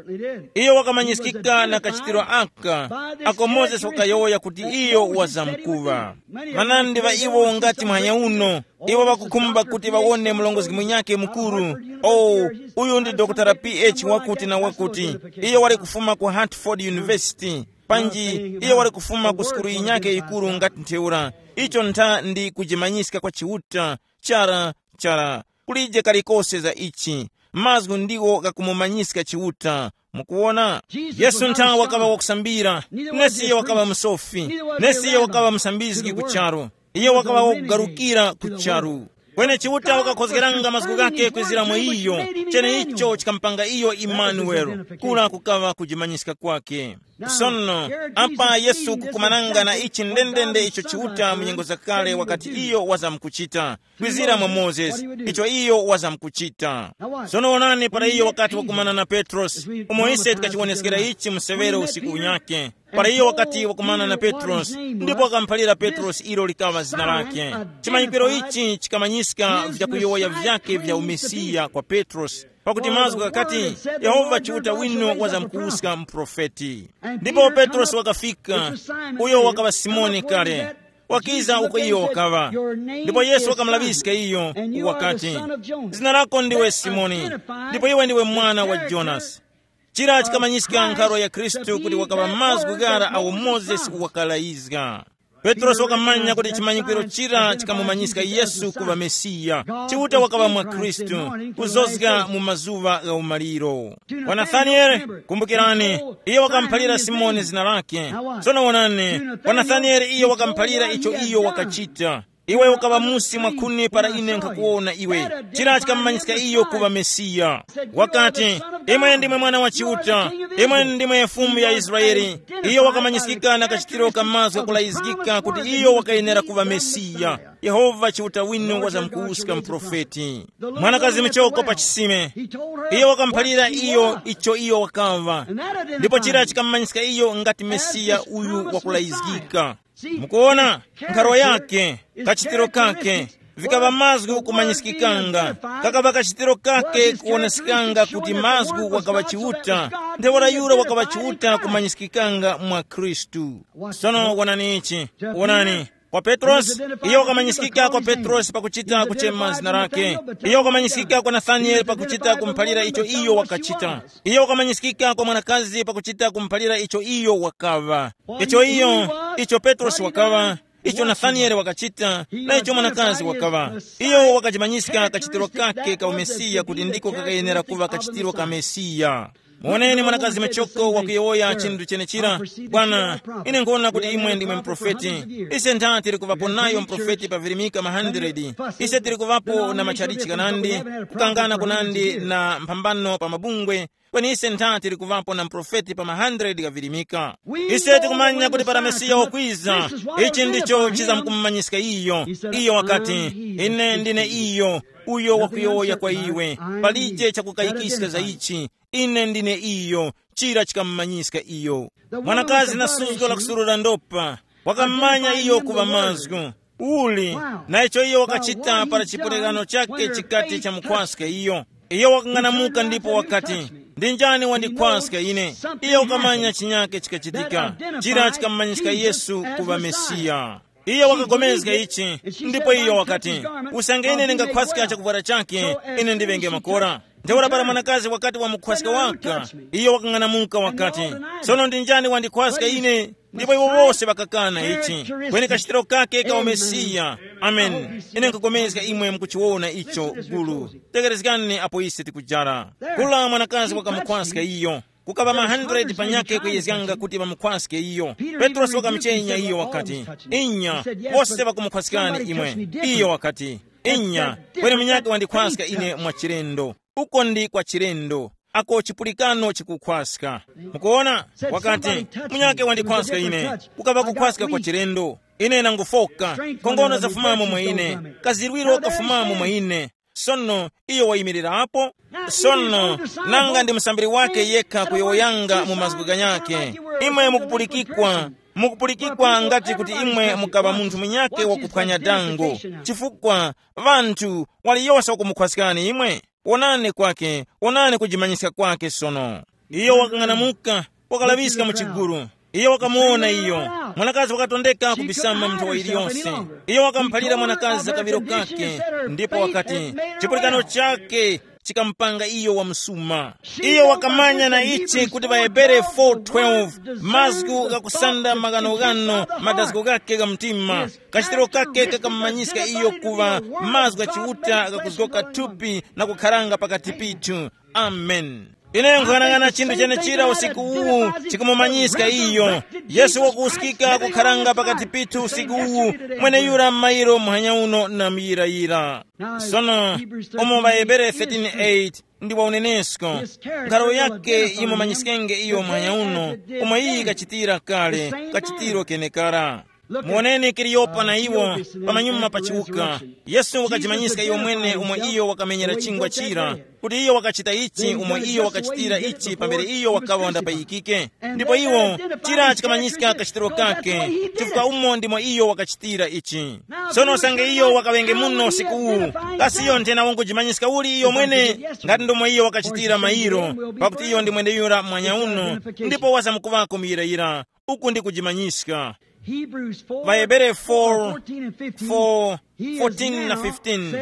Iyo wakamanyiskika na kachitiro aka, ako Mozesi wakayowoya kuti iyo wazamkuŵa. Manandi ŵa iwo ngati muhanya uno, iwo ŵakukhumba kuti ŵawone murongozgi munyakhe mukuru. Oh, uyu ndi Dokotala P H wakuti na wakuti. Iyo wali kufuma ku Hartford University. Panji iyo wali kufuma ku sukulu yinyakhe yikuru ngati ntheura. Icho ntha ndi kujimanyiska kwa Chiuta. Chara, chara. Kulije kalikose za ichi. Mazgu ndiwo ghakumumanyiska Chiuta. Mukuwona? Yesu nthawe wakaŵa wakusambira. Nesiyo wakaŵa musofi. Nesiyo wakaŵa musambizgi ku charu. Iyo wakaŵa wakugarukira ku charu. Kweni Chiuta wakakhozgeranga mazgu ghake kwizira mwa iyo. Cheneicho chikamupanga iyo Imanueli, kula kukaŵa kujimanyiska kwake. Sono, apa Yesu kukumananga na ichi ndendende icho Chiuta mu nyengo zakale wakati iyo wazamkuchita, kwizira mwa Mozesi, icho iyo wazamkuchita. Sono onani, para iyo wakati wakumana na Petrosi, umo ise tikachiwoneskera ichi musewero usiku unyake. Para iyo wakati wakumana na Petrosi, ndipo wakamuphalira Petrosi ilo likaŵa zina lake. Chimanyikiro ichi chikamanyiska vyakuyowoya vyake vya umesiya kwa Petrosi. Pakuti mazgu ghakati, Yehova Chiuta winu wazamkuwuska muprofeti. Ndipo Petrosi wakafika, uyo wakaŵa Simoni kale. Wakiza uko iyo wakaŵa. Ndipo Yesu wakamulaŵiska iyo, wakati, zina lako ndiwe Simoni, ndipo iwe ndiwe mwana wa Jonasi. Chira chikamanyiska nkharo ya Khristu kuti wakaŵa mazgu ghara awo Mozesi wakalayizga. Petrosi wakamanya kuti chimanyikiro chira chikamumanyiska Yesu kuŵa Mesiya. Chiuta wakaŵa mwa Khristu, kuzozga mu mazuŵa gha umaliro. Kwa Nathanieli, kumbukirani, iye wakamuphalira Simoni zina lake. Sono wonani, kwa Nathanieli iye wakamuphalira icho iyo wakachita. Iwe ukaŵa musi mwakhuni para ine nkhakuwona iwe. Chira chikamumanyiska iyo kuŵa Mesiya. Wakati, imwe ndimwe mwana wa Chiuta, imwe ndimwe Fumu ya Israeli. Iyo wakamanyiskika na kachitiro ka mazgu ghakulayizgika kuti iyo wakayenera kuŵa Mesiya. Yehova Chiuta winu wazamkuwuska muprofeti. Mwanakazi muchoko pa chisime. Iyo wakamuphalira iyo icho iyo wakaŵa. Ndipo chira chikamumanyiska iyo ngati Mesiya uyu wakulayizgika. Mukuona, nkharo yake, kachitiro kake, vikaŵa mazgu kumanyiskikanga. Kakaŵa kachitiro kake kuwonesekanga kuti mazgu wakaŵa Chiuta, ntheura yura wakaŵa Chiuta kumanyiskikanga mwa Khristu. Sono wonani ichi, wonani. Kwa Petrosi, iyo wakamanyiskika kwa Petrosi pakuchita kuchema zina lake. Iyo wakamanyiskika kwa Nathanieli pakuchita kumuphalira icho iyo wakachita. Iyo wakamanyiskika kwa mwanakazi pakuchita kumuphalira icho iyo wakaŵa. Icho iyo, icho Petrosi wakaŵa, icho Nathanieli wakachita, na icho mwanakazi wakaŵa. Iyo wakajimanyiska kachitiro kake ka umesiya kuti ndiko kakayenera kuŵa kachitiro ka Mesiya. Muwoneni mwanakazi machoko wakuyowoya chinthu chenechira. Bwana, ine nkuwona kuti imwe ndimwe mprofeti. Ise ntha tiri kuvapo nayo mprofeti pa virimika ma hundred. Ise tiri kuvapo na matchalichi kanandi, kukangana kunandi na mphambano pa mabungwe. Kweni ise ntha tiri kuvapo na mprofeti pa ma hundred ghavirimika. Ise tikumanya kuti para Mesiya wakwiza, ichi ndicho chizamkumumanyiska iyo. Iyo wakati, ine ndine iyo, uyo wakuyowoya kwa iwe. Palije chakukayikiska za ichi. Ine ndine iyo. Chira chikamumanyiska iyo. Mwanakazi na suzgo la kusurura ndopa, wakamumanya iyo kuŵa mazgu. Uli, na icho iyo wakachita para chipulikano chake chikati chamukhwaska iyo. Iyo wakang'anamuka ndipo wakati, ndi njani wandikhwaska ine? Iyo wakamanya chinyake chikachitika. Chira chikamumanyiska Yesu kuŵa Mesiya. Iyo wakapulikana ichi, ndipo iyo wakati, usange ine ndingakhwaska chakuvwara chakhe, ine ndiŵenge makora. Ntheura para mwanakazi wakati wamukhwaska waka, iyo wakang'anamuka wakati, sono ndi njani wandikhwaska ine? Ndipo iwo wose ŵakakana ichi. Kweni kachitiro kake ka umesiya. Amen. Ine nkupulikana imwe mukuchiwona icho gulu. Tekerezgani apo ise tikujara. Kula mwanakazi wakamukhwaska iyo. Kukaŵa ma hundred panyakhe kuyezganga kuti ŵamukhwaske iyo. Petrosi wakamuchenya iyo wakati, inya, wose ŵakumukhwaskani imwe. Iyo wakati, inya, kweni munyakhe wandikhwaska ine mwachilendo. Uko ndi kwa chilendo. Ako chipulikano chikukhwaska. Mukuona? Wakati, munyakhe wandikhwaska ine. Kukaŵa kukhwaska kwa chilendo. Ine nangufoka. Nkhongono zafumamo mwa ine. Kazirwiro kafumamo mwa ine. Sono iyo wayimirirapo. Sono, nanga ndi musambiri wake yekha kuyowoyanga mu mazgu ganyakhe. Imwe mukupulikikwa. Mukupulikikwa ngati kuti imwe mukaŵa munthu munyakhe wakuphwanya dango, chifukwa ŵanthu waliyose wakumukhwaskani imwe. Wonani kwake, wonani kujimanyiska kwake sono. Iyo wakang'anamuka, wakalaŵiska mu chigulu. Iyo wakamuwona iyo. Mwanakazi wakatondeka kubisama mu nthowa iliyonse. Iyo wakamuphalira mwanakazi za kaŵiro kake, ndipo wakati, chipulikano chake chikamupanga iyo wamsuma. Iyo wakamanya na ichi kuti ŵaHebere four twelve, mazgu ghakusanda maghanoghano madazgo ghake gha mtima. Kachitiro kake kakamumanyiska iyo kuŵa mazgu gha Chiuta ghakuzgoka thupi na kukharanga pakati pithu. Amen. Ine nkuyang'ana chinthu chenechira usiku uwu chikumumanyiska iyo. Yesu wakuwuskika kukharanga pakati pithu usiku uwu, mweneyura m'mayiro muhanya uno na muyirayira. Sono, umo ŵaHebere thirteen eight ndi wa unenesko, nkharo yake yimumanyiskenge iyo muhanya uno, umo iyi kachitira kale, kachitiro kenekara. Muwoneni Kaliyopa na iwo pamanyuma pa chiwuka. Yesu wakajimanyiska iyo mwene umo iyo wakamenyera chingwa chira, kuti iyo wakachita ichi umo iyo wakachitira ichi pambere iyo wakaŵa wandapayikike. Ndipo iwo, chira chikamanyiska kachitiro kake, chifukwa umo ndimo iyo wakachitira ichi. Sono usange iyo wakaŵenge muno usiku uwu, kasi iyo nthena wangujimanyiska uli iyo mwene? Ngati ndomwe iyo wakachitira mayiro, pakuti iyo ndi mwendeyura mwanya uno, ndipo wazamkuŵako muyirayira. Uku ndi kujimanyiska. Hebrews four, ВaHebere four, fourteen and fifteen. Four, fourteen na fifteen.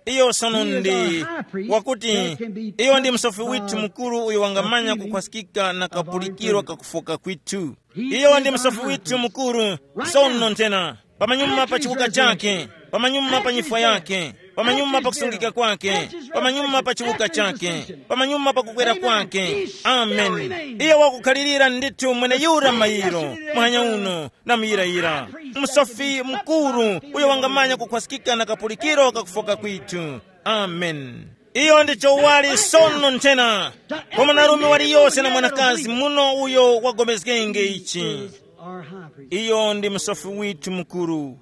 Iyo sono ndi wakuti, iyo ndi msofi withu mukuru uyo wangamanya kukhwaskika na kapulikiro kakufoka kwithu. Iyo ndi msofi withu mukuru. Sono nthena, pamanyuma pa chiwuka chake, pamanyuma pa nyifwa yake, pamanyuma pa kusungika kwake, pamanyuma pa chiwuka chake, pamanyuma pa kukwera kwake. Amen. Iyo wakukhalirira ndithu mweneyura mayiro muhanya uno na muyirayira. Msofi mukuru, uyo wangamanya kukhwaskika na kapulikiro kakufoka kwithu. Amen. Iyo ndi chowali sono nthena, kwa mwanarume waliyose na mwanakazi muno uyo wagomezgenge ichi. Iyo ndi msofi withu mukuru,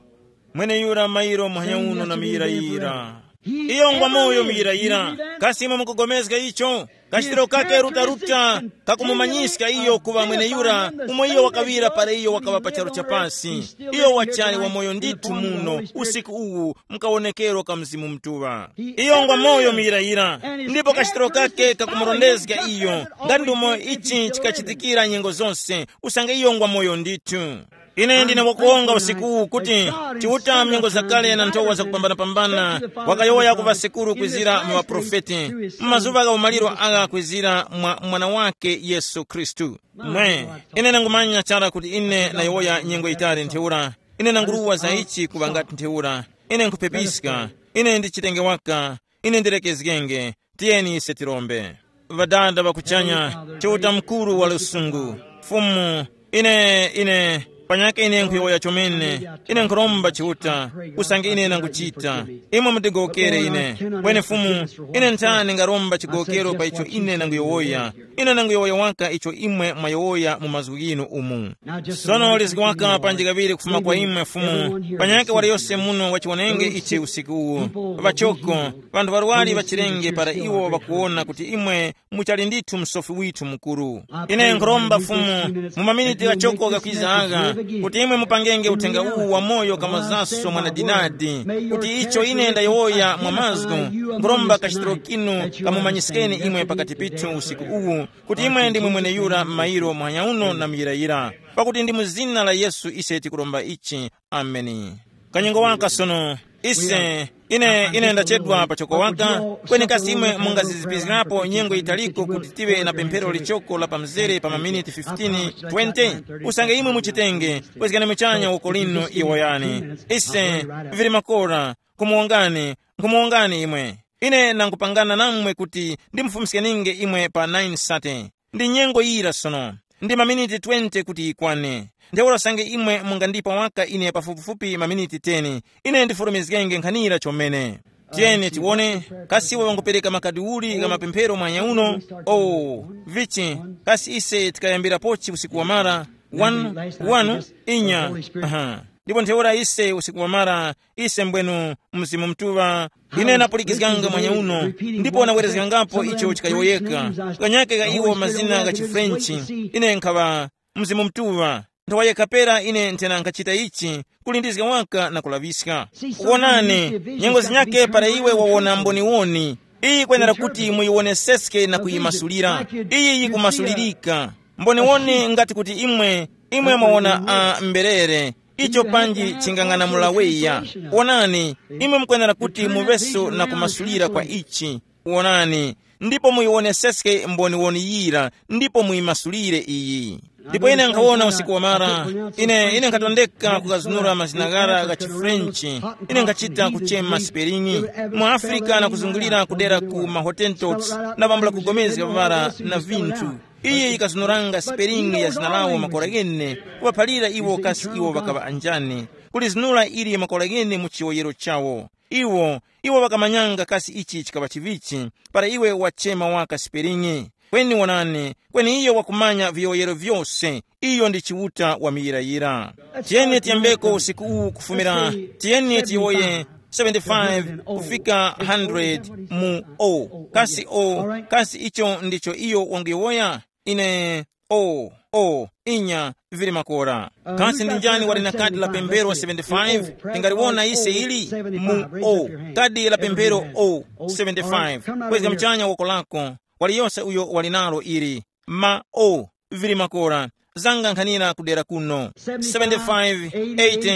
mweneyura mayiro muhanya uno na muyirayira. Iyo ngwa moyo muyirayira. Kasi imwe mukugomezga icho? Kachitiro kake rutaruta kakumumanyiska iyo kuŵa mweneyura, umo iyo wakaŵira para iyo wakaŵa pa charu cha pasi. Iyo wachali wamoyo ndithu muno usiku uwu, mukawonekero ka Mzimu Mutuŵa. Iyo ngwa moyo muyirayira, ndipo kachitiro kake kakumurondezga iyo, ngati ndumo ichi chikachitikira nyengo zonse, usange iyo ngwa moyo ndithu. Ine ndine wakuwonga usiku uwu kuti Chiuta mnyengo zakale na nthowa zakupambanapambana wakayowoya ku ŵasekuru kwizira mu ŵaprofeti, mu mazuŵa gha umaliro agha kwizira mwa Mwana wake Yesu Khristu. Mwe, ine ndangumanya chara kuti ine nayowoya nyengo yitali ntheura, ine nanguruwa za ichi kuŵa ngati ntheura, ine nkhupepiska, ine ndi chitenge waka, ine ndilekezgenge. Tiyeni ise tirombe. Ŵadada ŵa kuchanya, Chiuta mukuru wa lusungu, Fumu, ine, ine, panyakhe ine nkhuyowoya chomene, ine nkhuromba Chiuta, usange ine nanguchita, imwe mutigowokere ine. Kweni Fumu, ine nthani ngaromba chigowokero pa icho ine nanguyowoya? Ine nanguyowoya waka icho imwe mwayowoya mu mazgu ghinu umu. Sono lizgi waka panji kaŵiri kufuma kwa imwe Fumu, panyakhe waliyose muno wachiwonenge ichi usiku uwu. Ŵachoko, ŵanthu ŵarwari ŵachirenge para iwo ŵakuwona kuti imwe muchali ndithu msofi withu mukuru. Ine nkhuromba Fumu, mu maminiti ghachoko ghakwiza agha, kuti imwe mupangenge uthenga uwu wamoyo kamazaso mwanadinadi, kuti icho ine ndayowoya mwa mazgu, nkhuromba kachitiro kinu kamumanyiskeni imwe pakati pithu usiku uwu, kuti imwe ndimwe mweneyura m'mayiro muhanya uno na muyirayira, pakuti ndi mu zina la Yesu ise tikuromba ichi. Ameni. Kanyengo waka sono, ise, ine, ine ndachedwa pachoko waka, kweni kasi imwe mungazizipizgirapo nyengo yitaliko kuti tive na pemphero lichoko la pamzere pa maminiti fifteen, twenty? Usange imwe muchitenge, kwezgani muchanya uko lino iwo yani. Ise, vili makora, nkumuwongani, nkumuwongani imwe. Ine nangupangana namwe kuti ndimufumiskeninge imwe pa nine sate. Ndi nyengo yira sono. Ndi maminiti twenty kuti yikwane. Ntheura usange imwe mungandipa waka ine pafupifupi maminiti ten, ine ndifulumizgenge nkhanira chomene. Tiyeni tiwone, kasi iwo ŵangupereka makadi uli gha mapemphero mwanya uno? Oh, vichi, kasi ise tikayambirapochi usiku wamara? One, one, inya. Aha. Ndipo ntheura ise usiku wamara, ise mbwenu Mzimu Mutuŵa. Ine napulikizganga mwanya uno, ndipo nawerezgangapo icho chikayowoyeka. Kanyake ka iwo mazina gha chiFrenchi, ine nkhaŵa Mzimu Mutuŵa. Nthawa yekha pera ine nthena nkhachita ichi, kulindizga waka na kulaŵiska. Wonani, nyengo zinyake para iwe wawona mboniwoni, iyi kwenera kuti muyiwoneseske na kuyimasulira. Iyi yikumasulirika. Mboniwoni ngati kuti imwe, imwe mwawona a mberere, icho panji chingang'anamula weya. Wonani, imwe mukwenera kuti muŵeso na kumasulira kwa ichi. Wonani, ndipo muyiwoneseske mboniwoni yira, ndipo muyimasulire iyi. Ndipo ine nkhawona usiku wamara, ine ine nkhatondeka kukazunura mazina ghara gha chifrenchi. Ine nkhachita kuchema sipelingi mu afrika na kuzungulira kudera ku mahotentots, na pambula kugomezga pavara na vinthu. Iye yikazunuranga sipelingi ya zina lawo makora ghene, kuŵaphalira iwo kasi iwo ŵakaŵa anjani, kulizinura ili makora ghene mu chiwoyero chawo. Iwo iwo ŵakamanyanga kasi ichi chikaŵa chivichi, para iwe wachema waka sipelingi. Kweni wonani, kweni iyo wakumanya viyowoyero vyose. Iyo ndi Chiuta wa muyirayira. Tiyeni tiyembeko usiku uwu kufumira, tiyeni tiyowoye seventy-five kufika hundred mu o. Kasi o, kasi icho ndicho iyo wanguyowoya? Ine, o, o, inya, vili makora. Kasi ndi njani wali na kadi la pemphero seventy-five? Tingaliwona ise ili mu o. Kadi la pemphero o, seventy-five. Kwezga mchanya woko lako. Waliyose uyo wali nalo ili. Ma o, vili makora. Zanga nkhanira kudera kuno. Seventy-five, eighty,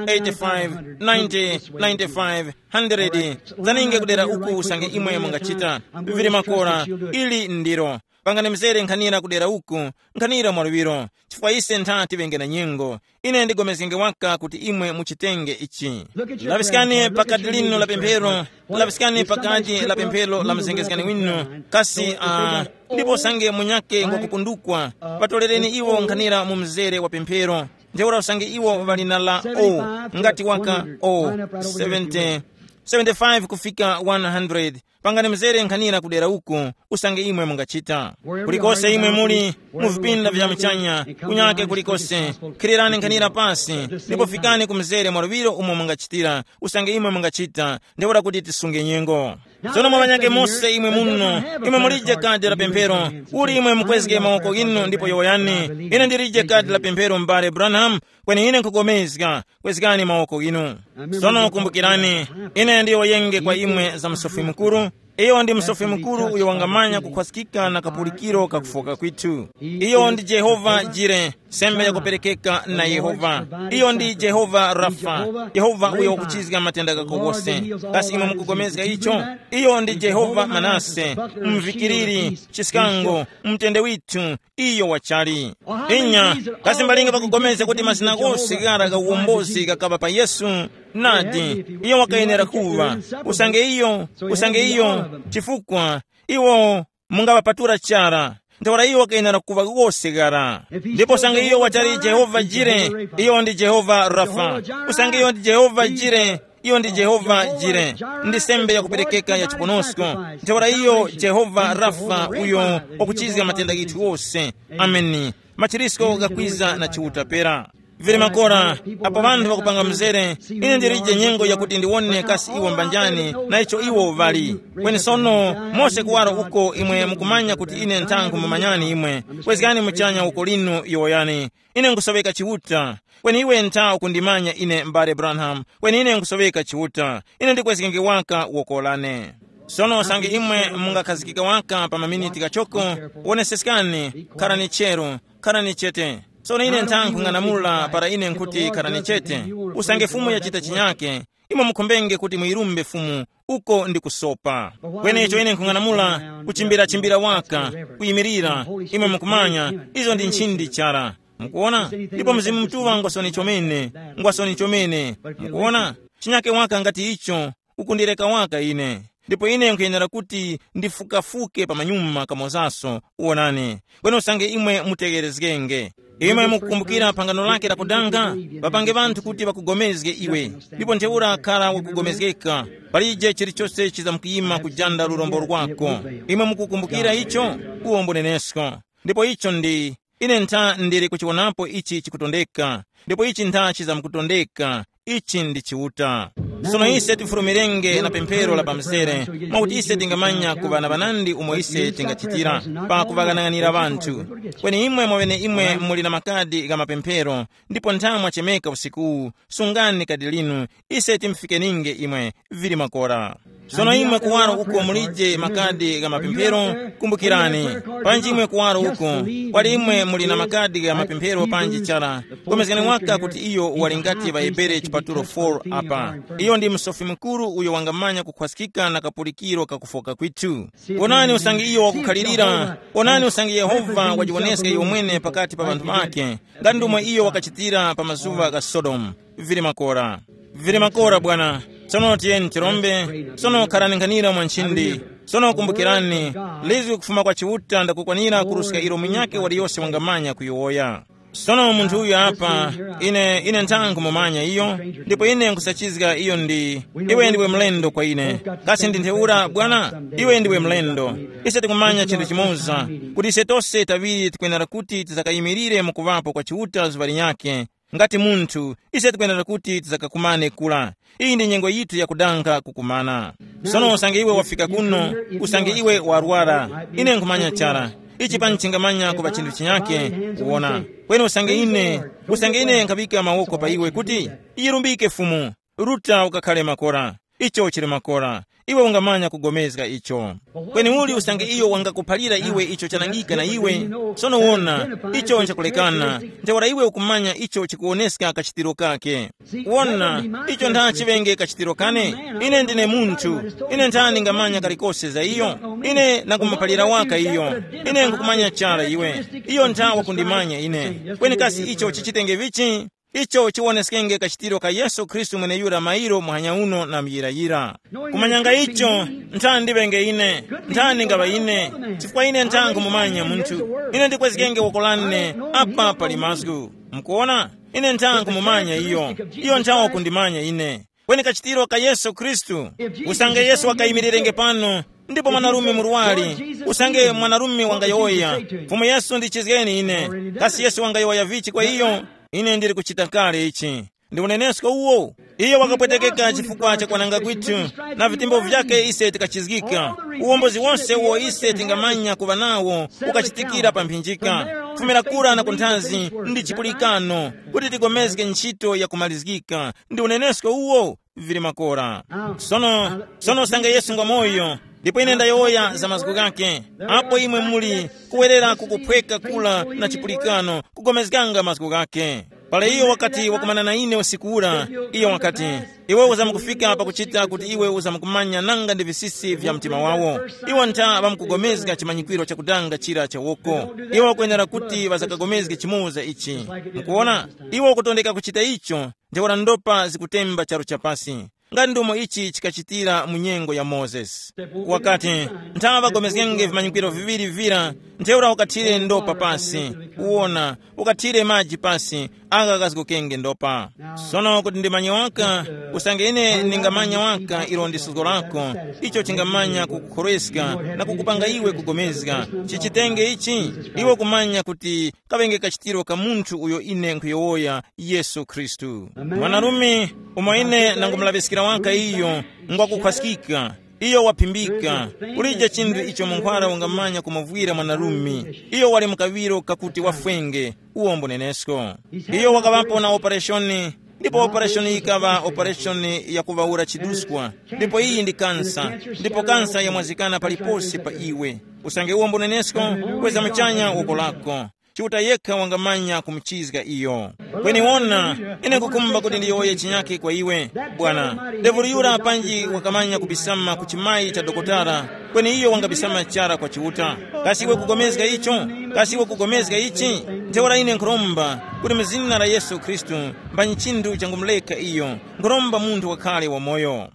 eighty-five, ninety, ninety-five, hundred. Zaninge kudera uku usange imwe mungachita. Vili makora. Ili ndiro. Pangani mzere nkhanira kudera uku, nkhanira mwaluŵiro, chifukwa ise ntha tiŵenge na nyengo. Ine ndigomezgenge waka kuti imwe muchitenge ichi. Laŵiskani pakati lino la pemphero, laŵiskani pakati la pemphero la mzengezgani winu, kasi uh, ndipo usange munyake ngwakupundukwa, ŵatolereni iwo nkhanira mu mzere wa pemphero. Ntheura usange iwo ŵali na la o, ngati waka o, seventy, seventy-five kufika one hundred. Pangani mzere nkhanira kudera uku, usange imwe mungachita. Kulikose imwe muli, mu vipinda vya muchanya, kunyake kulikose, khirirani nkhanira pasi, ndipo fikani ku mzere mwaluŵiro umo mungachitira, usange imwe mungachita, ntheura kuti tisunge nyengo. Tsono mwa ŵanyake mose imwe muno, imwe mulije kadi la pemphero, uli imwe mukwezge mawoko ghinu ndipo yowoyani, ine ndilije kadi la pemphero m'bale Branham, kweni ine nkhukomezga, kwezgani mawoko ghinu. Sono kumbukirani, ine ndiyowoyenge kwa imwe za Musofi Mukuru. Iyo ndi Musofi Mukuru uyo wangamanya kukhwaskika na kapulikiro ka kufoka kwithu. Iyo ndi Jehova Jire, sembe yakuperekeka na Yehova. Iyo ndi Jehova Rafa, Yehova uyo wakuchizga matenda gako gose. Kasi imwe mukupulikana icho? Iyo ndi Jehova Manase, mvikiriri, chiskango, mtende withu, iyo wachali. Inya, kasi mbalinga pakupulikana kuti mazina ghose ghara gha uwombozi ghakaŵa pa Yesu? Nadi, iyo wakayenera kuŵa. Usange iyo, usange iyo, chifukwa iwo mungaŵapatula chara. Ntheura iyo wakayenera kuŵa ghose ghara. Ndipo usange iyo wachali Jehova Jire, iyo ndi Jehova Rafa. Usange iyo ndi Jehova Jire, iyo ndi Jehova Jire, ndi sembe yakuperekeka ya chiponosko. Ntheura iyo Jehova Rafa uyo wakuchizga matenda ghithu ghose. Ameni. Machirisko ghakwiza na Chiuta pera. Vili makora, apo ŵanthu ŵakupanga mzere, ine ndilije nyengo yakuti ndiwone kasi iwo mbanjani na icho iwo ŵali. Kweni sono, mose kuwaro uko imwe mukumanya kuti ine ntha nkhumumanyani imwe. Kwezgani muchanya uko linu yowoyani. Ine nkusoweka Chiuta. Kweni iwe ntha ukundimanya ine m'bale Branham. Kweni ine nkusoweka Chiuta. Ine ndikwezgenge waka woko lane. Sono usange imwe mungakhazikika waka pa maminiti ghachoko, woneseskani, kharani cheru, kharani chete. Sono ine ntha nkhung'anamula para ine nkhuti kharani chete. Usange Fumu yachita chinyake, imwe mukhombenge kuti muyirumbe Fumu, uko ndi kusopa. Kwenecho ine nkhung'anamula kuchimbira-chimbira waka, kuyimirira, imwe mukumanya, izo ndi nchindi chara. Mukuona? Ndipo Mzimu Mutuŵa ngwasoni chomene, ngwasoni chomene. Mukuona? Chinyake waka ngati icho, ukundireka waka ine. Ndipo ine nkhuyenera kuti ndifukafuke pa manyuma kamozaso, uwonani. Kweni usange imwe mutegherezgenge. Imwe mukukumbukira phangano lake lakudanga, ŵapange ŵanthu kuti ŵakugomezge iwe, ndipo ntheura khara wakugomezgeka. Palije chilichose chizamkuyima kujanda lurombo lwako. Imwe mukukumbukira icho? Uwo mbunenesko. Ndipo icho ndi, ine ntha ndili kuchiwonapo ichi chikutondeka, ndipo ichi ntha chizamkutondeka. Ichi ndi Chiuta. Sono ise tifulumirenge na pemphero la pamzere, mwakuti ise tingamanya kuŵa na ŵanandi umo ise tingachitira pa kuŵaghanaghanira ŵanthu. Kweni imwe mwaŵene imwe muli na makadi gha mapemphero, ndipo nthawi mwachemeka usiku uwu, sungani kadi linu, ise timufikeninge imwe, vili makora. Sono imwe kuwaro uko mulije makadi gha mapemphero, kumbukirani, panji imwe kuwaro uko, kwali imwe muli na makadi gha mapemphero panji chara, komezgani waka kuti iyo wali ngati ŵaHebere chipatulo four apa. Iyo ndi Musofi Mukuru uyo wangamanya kukhwaskika na kapulikiro ka kufoka kwithu. Wonani usange iyo wakukhalirira, wonani usange Yehova wajiwoneska iyo mwene pakati pa ŵanthu ŵake, ngati ndomwe iyo wakachitira pa mazuŵa gha Sodomu. Vili makora. Vili makora, bwana. Sono tiyeni tirombe. Sono kharani nkhanira mwa nchindi. Sono kumbukirani, lizwi kufuma kwa Chiuta ndakukwanira kuruska ilo munyakhe waliyose wangamanya kuyowoya. Sono munthu uyu apa, ine ine nthankhu mumanya iyo, ndipo ine nkusachizga iyo ndi, iwe ndiwe mlendo kwa ine. Kasi ndi ntheura, bwana? Iwe ndiwe mlendo. Ise tikumanya chinthu chimoza, kuti ise tose taŵiri tikwenera kuti tizakayimirire mu kuŵapo kwa Chiuta zuŵa linyakhe. Ngati munthu, ise tikwenera kuti tizakakumane kula. Iyi ndi nyengo yithu yakudanga kukumana. Sono usange iwe wafika kuno, usange iwe warwara, ine nkhumanya chara. Ichi pani chingamanya kupa chinthu chinyake, kuwona. Kweni usange ine, usange ine nkhaŵika mawoko pa iwe kuti, yirumbike Fumu, ruta ukakhale makora. Icho chili makora. Iwe ungamanya kugomezga icho. Kweni uli usange iyo wangakuphalira iwe icho chanangika na iwe? Sono wona, icho nchakulekana. Ntheura iwe ukumanya icho chikuwoneska kachitiro kake. Wona, icho ntha chiŵenge kachitiro kane. Ine ndine munthu. Ine nthani ngamanya kalikose za iyo? Ine nakumuphalira waka iyo. Ine nkukumanya chara iwe. Iyo ntha wakundimanya ine. Kweni kasi icho chichitenge vichi? Icho chiwoneskenge kachitiro ka Yesu Khristu mweneyura mairo muhanya uno na muyirayira. Kumanyanga icho, nthani ndiŵenge ine, nthani ngaŵa ine, chifukwa ine nthankhu mumanya munthu. Ine ndikwezgenge woko lane apa pali mazgu. Mukuona? Ine nthankhu mumanya iyo. Iyo nthawo kundimanya ine. Kweni kachitiro ka Yesu Khristu. Usange Yesu wakayimirirenge pano, ndipo mwanarume murwari, usange mwanarume wangayowoya, Fumu Yesu ndichizgeni ine. Kasi Yesu wangayowoya vichi kwa iyo? Ine ndili kuchita kale ichi. Ndi unenesko uwo. Iyo wakapwetekeka chifukwa cha kwananga kwithu, na vitembo vyake ise tikachizgika. Uwombozi wonse uwo ise tingamanya kuŵa nawo ukachitikira pa mphinjika. Kufumira kura na kunthazi ndi chipulikano kuti tigomezge ntchito yakumalizgika. Ndi unenesko uwo. Vili makora. Sono, sono usange Yesu ngwa moyo, ndipo ine ndayowoya za mazgu ghake, apo imwe muli kuwerera kukuphweka kula na chipulikano kugomezganga mazgu ghake. Pala iyo wakati wakumana na ine usiku ura, iyo wakati, iwe uzamkufika pakuchita kuti iwe uzamkumanya nanga ndi visisi vya mtima wawo. Iwo ntha ŵamkugomezga chimanyikwiro chakudanga chira cha woko. Iwo wakwenera kuti ŵazakagomezge chimoza ichi. Mukuona, iwo wakutondeka kuchita icho. Ntheura ndopa zikutemba charu chapasi, ngati ndomo ichi chikachitira mu nyengo ya Mozesi. Wakati, nthawa ŵagomezgenge vimanyikwiro viŵiri vira, ntheura ukathire ndopa pasi, uwona, ukathire maji pasi, agha ghazgokenge ndopa. Sono kuti ndimanye waka, usange ine ndingamanya waka ilo ndi suzgo lako, icho chingamanya kukukhorweska na kukupanga iwe kugomezga. Chichitenge ichi, iwe kumanya kuti kaŵenge kachitiro ka munthu uyo ine nkhuyowoya, Yesu Khristu. Mwanarume umo ine nangumulaŵiskira waka iyo, ngwakukhwaskika, iyo waphimbika. Kulije chinthu icho munkhwara ungamanya kumuvwira mwanarume. Iyo wali mu kaŵiro kakuti wafwenge, uwo mbunenesko. Iyo wakaŵapo na opereshoni, ndipo opereshoni yikaŵa opereshoni yakuŵawura chiduskwa, ndipo iyi ndi kansa, ndipo kansa yamwazikana paliponse pa iwe. Usange uwo mbunenesko, kweza muchanya woko lako. Chiuta yekha wangamanya kumuchizga iyo. Kweni wona, ine nkukhumba kuti ndiyowoye chinyakhe kwa iwe, bwana. Devulu yura panji wakamanya kubisama ku chimayi cha dokotala, kweni iyo wangabisama chara kwa Chiuta. Kasi iwe kugomezga icho? Kasi iwe kugomezga ichi? Ntheura ine nkhuromba kuti mu zina la Yesu Khristu, mbanyi chinthu changumuleka iyo. Nkhuromba munthu wakhale wamoyo.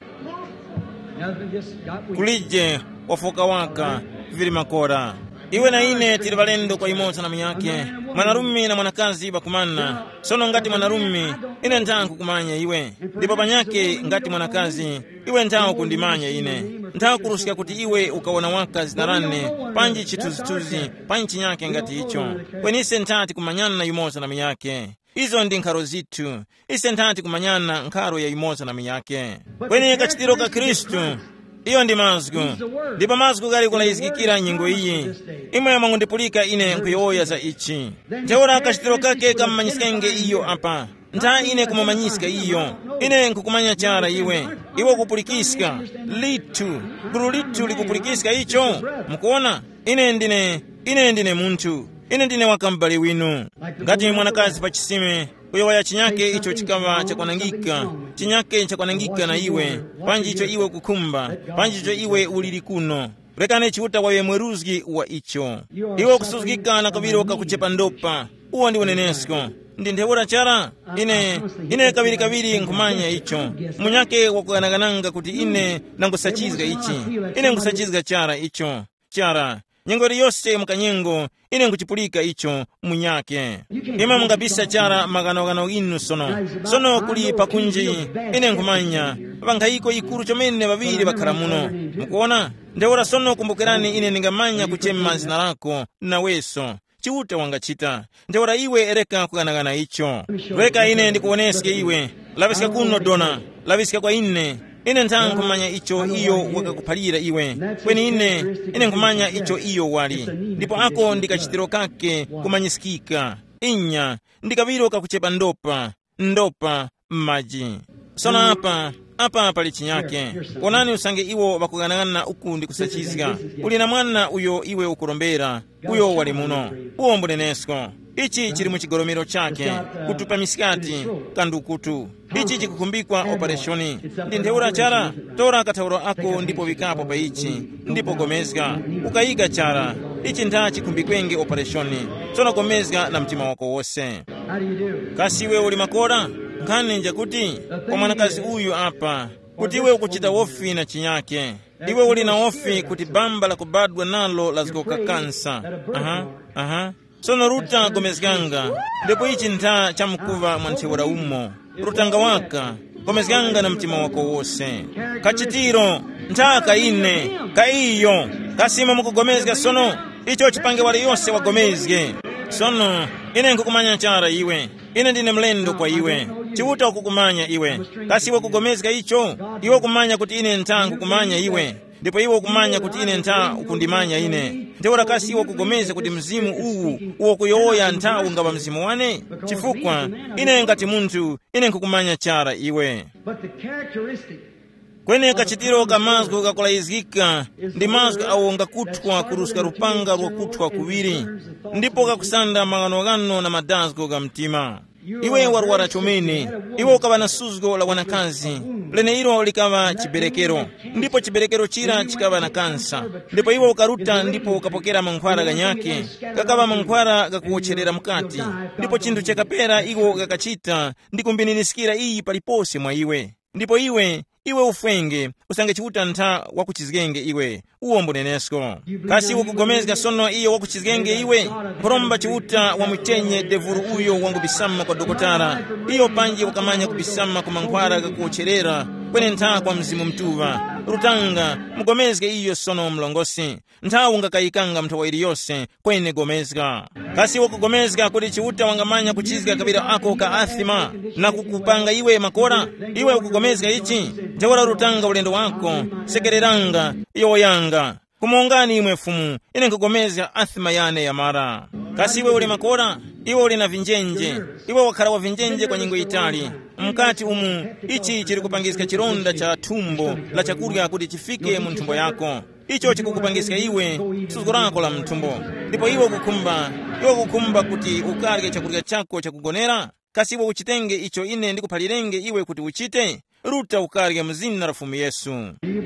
Kulije wafoka waka, vili makora. Iwe na ine tili ŵalendo kwa yumoza na munyakhe, mwanarume na mwanakazi ŵakumana. Sono ngati mwanarume, ine ntha nkukumanya iwe, ndipo panyakhe ngati mwanakazi, iwe ntha ukundimanya ine. Ntha kuruska kuti iwe ukawona waka zina lane, panji chithunzithunzi, panji chinyakhe ngati icho. Kweni ise ntha tikumanyana yumoza na munyakhe. Izo ndi nkharo zithu. Ise nthati kumanyana nkharo ya yumoza na munyakhe. Kweni kachitiro ka Khristu, iyo ndi mazgu. Ndipo mazgu ghali kulayizgikira nyengo iyi. Imwe mwangundipulika ine nkuyowoya za ichi. Ntheura kachitiro kake kamumanyiskenge iyo apa. Ntha ine kumumanyiska iyo. Ine nkukumanya chara iwe. Iwe ukupulikiska. Lithu. Gulu lithu likupulikiska icho. Mukuona? Ine ndine, ine ndine munthu. Ine ndine wakam'bale winu. Ngati mwanakazi pa chisime, kuyowoya chinyake icho chikaŵa chakwanangika, chinyake chakwanangika na iwe, panji icho iwe ukukhumba, panji icho iwe uliri kuno. Rekani Chiuta waŵe mweruzgi wa icho. Iwe ukusuzgika na kaŵiro kakuchepa ndopa. Uwo ndi unenesko. Ndi ntheura chara? Ine, ine kaŵirikaŵiri nkhumanya icho. Munyake wakuganagananga kuti ine ndangusachizga ichi. Ine nkhusachizga chara icho. Chara, nyengo iliyose mu kanyengo, ine nkuchipulika icho munyake. Imwe mungabisa chara maghanoghano ghinu sono. Sono kuli pakunji, ine nkhumanya, ŵankhayiko yikuru chomene ŵaŵiri ŵakhala muno. Mukuona? Ntheura sono kumbukirani ine ndingamanya kuchema zina lako, naweso. Chiuta wangachita. Ntheura iwe reka kughanaghana icho. Reka ine ndikuwoneske iwe. Laŵiska kuno dona. Laŵiska kwa ine. Ine ntha nkhumanya icho iyo wakakuphalira iwe. Kweni ine, ine nkhumanya icho iyo wali. Ndipo ako ndi kachitiro kake kumanyiskika. Inya, ndi kaŵiro kakuchepa ndopa, ndopa m'maji. Sono apa, apa pali chinyake. Wonani usange iwo ŵakughanaghanana uku ndi kusachizga. Uli na mwana uyo iwe ukurombera, uyo wali muno. Uwo mbunenesko. Ichi chili mu chigolomero chake, kutupa misikati, kandukutu. Ichi chikukhumbikwa opereshoni. Ndi ntheura chara, tora kathauro ako ndipo wikapo pa ichi, ndipo gomezga. Ukayika chara. Ichi ntha chikhumbikwenge opereshoni. Tsono gomezga na mtima wako wose. Kasi iwe uli makora? Nkhani njakuti, kwa mwanakazi uyu apa, kuti iwe ukuchita wofi na chinyake. Iwe uli na wofi kuti bamba lakubadwa nalo lazgoka kansa. Aha, aha. Sono ruta gomezganga, ndipo ichi ntha chamkuva mwa ntheura umo. Rutanga waka, gomezganga na mtima wako wose. Kachitiro, ntha ka ine, ka iyo. Kasima mukugomezga sono, icho chipange wali yose wagomezge. Sono, ine nkukumanya chara iwe. Ine ndine mlendo kwa iwe. Chiuta ukukumanya iwe. Kasi iwe kugomezga icho? Iwe ukumanya kuti ine ntha nkukumanya iwe. Ndipo iwe ukumanya kuti ine ntha ukundimanya ine. Ntheura kasi iwe ukugomezga kuti mzimu uwu uwo kuyowoya ntha ungaŵa mzimu wane? Chifukwa ine ngati munthu, ine nkukumanya chara iwe. But the characteristic Kweni kachitiro ka mazgu kakulayizgika ndi mazgu awo ngakuthwa kuruska lupanga lwakuthwa kuŵiri, ndipo kakusanda maghanoghano na madazgo ga mtima. Iwe warwara chomene, iwe ukaŵa na suzgo la wanakazi, leneilo likaŵa chiberekero, ndipo chiberekero chira chikaŵa na kansa, ndipo iwe ukaruta ndipo ukapokera mankhwara ghanyakhe, gakaŵa mankhwara ghakuwotcherera mukati, ndipo chinthu chakapera iwo gakachita ndi kumbiniriskira iyi palipose mwa iwe. Ndipo iwe, iwe ufwenge, usange Chiuta ntha wakuchizgenge iwe, uwo mbunenesko. Kasi ukugomezga sono iyo wakuchizgenge iwe? Nkhoromba Chiuta wamuchenye devuru uyo wangubisama kwa dokotala, iyo panji wakamanya kubisama ku mankhwara ghakuwotcherera, kweni ntha kwa Mzimu Mutuŵa. Rutanga, mugomezge iyo sono mlongosi. Nthawi ungakayikanga nthawi iliyose kweni gomezga. Kasi wakugomezga kuti Chiuta wangamanya kuchizga kaŵiro ako ka athima na kukupanga iwe makora? Iwe ukugomezga ichi? Ntheura rutanga ulendo wako, sekereranga, yowoyanga. Kumongani imwe Fumu, ine nkugomezga athima yane yamara. Kasi iwe uli makora? Iwe uli na vinjenje. Iwe wakhala wa vinjenje kwa nyengo yitali. Mkati umu, ichi chili kupangiska chilonda cha thumbo la chakurya kuti chifike mu nthumbo yako. Icho chikukupangiska iwe suzgo lako la mthumbo. Ndipo iwe ukukhumba, iwe ukukhumba kuti ukarye chakurya chako chakugonera? Kasi iwe uchitenge icho ine ndikuphalirenge iwe kuti uchite? Ruta ukarye mu zina la Fumu Yesu.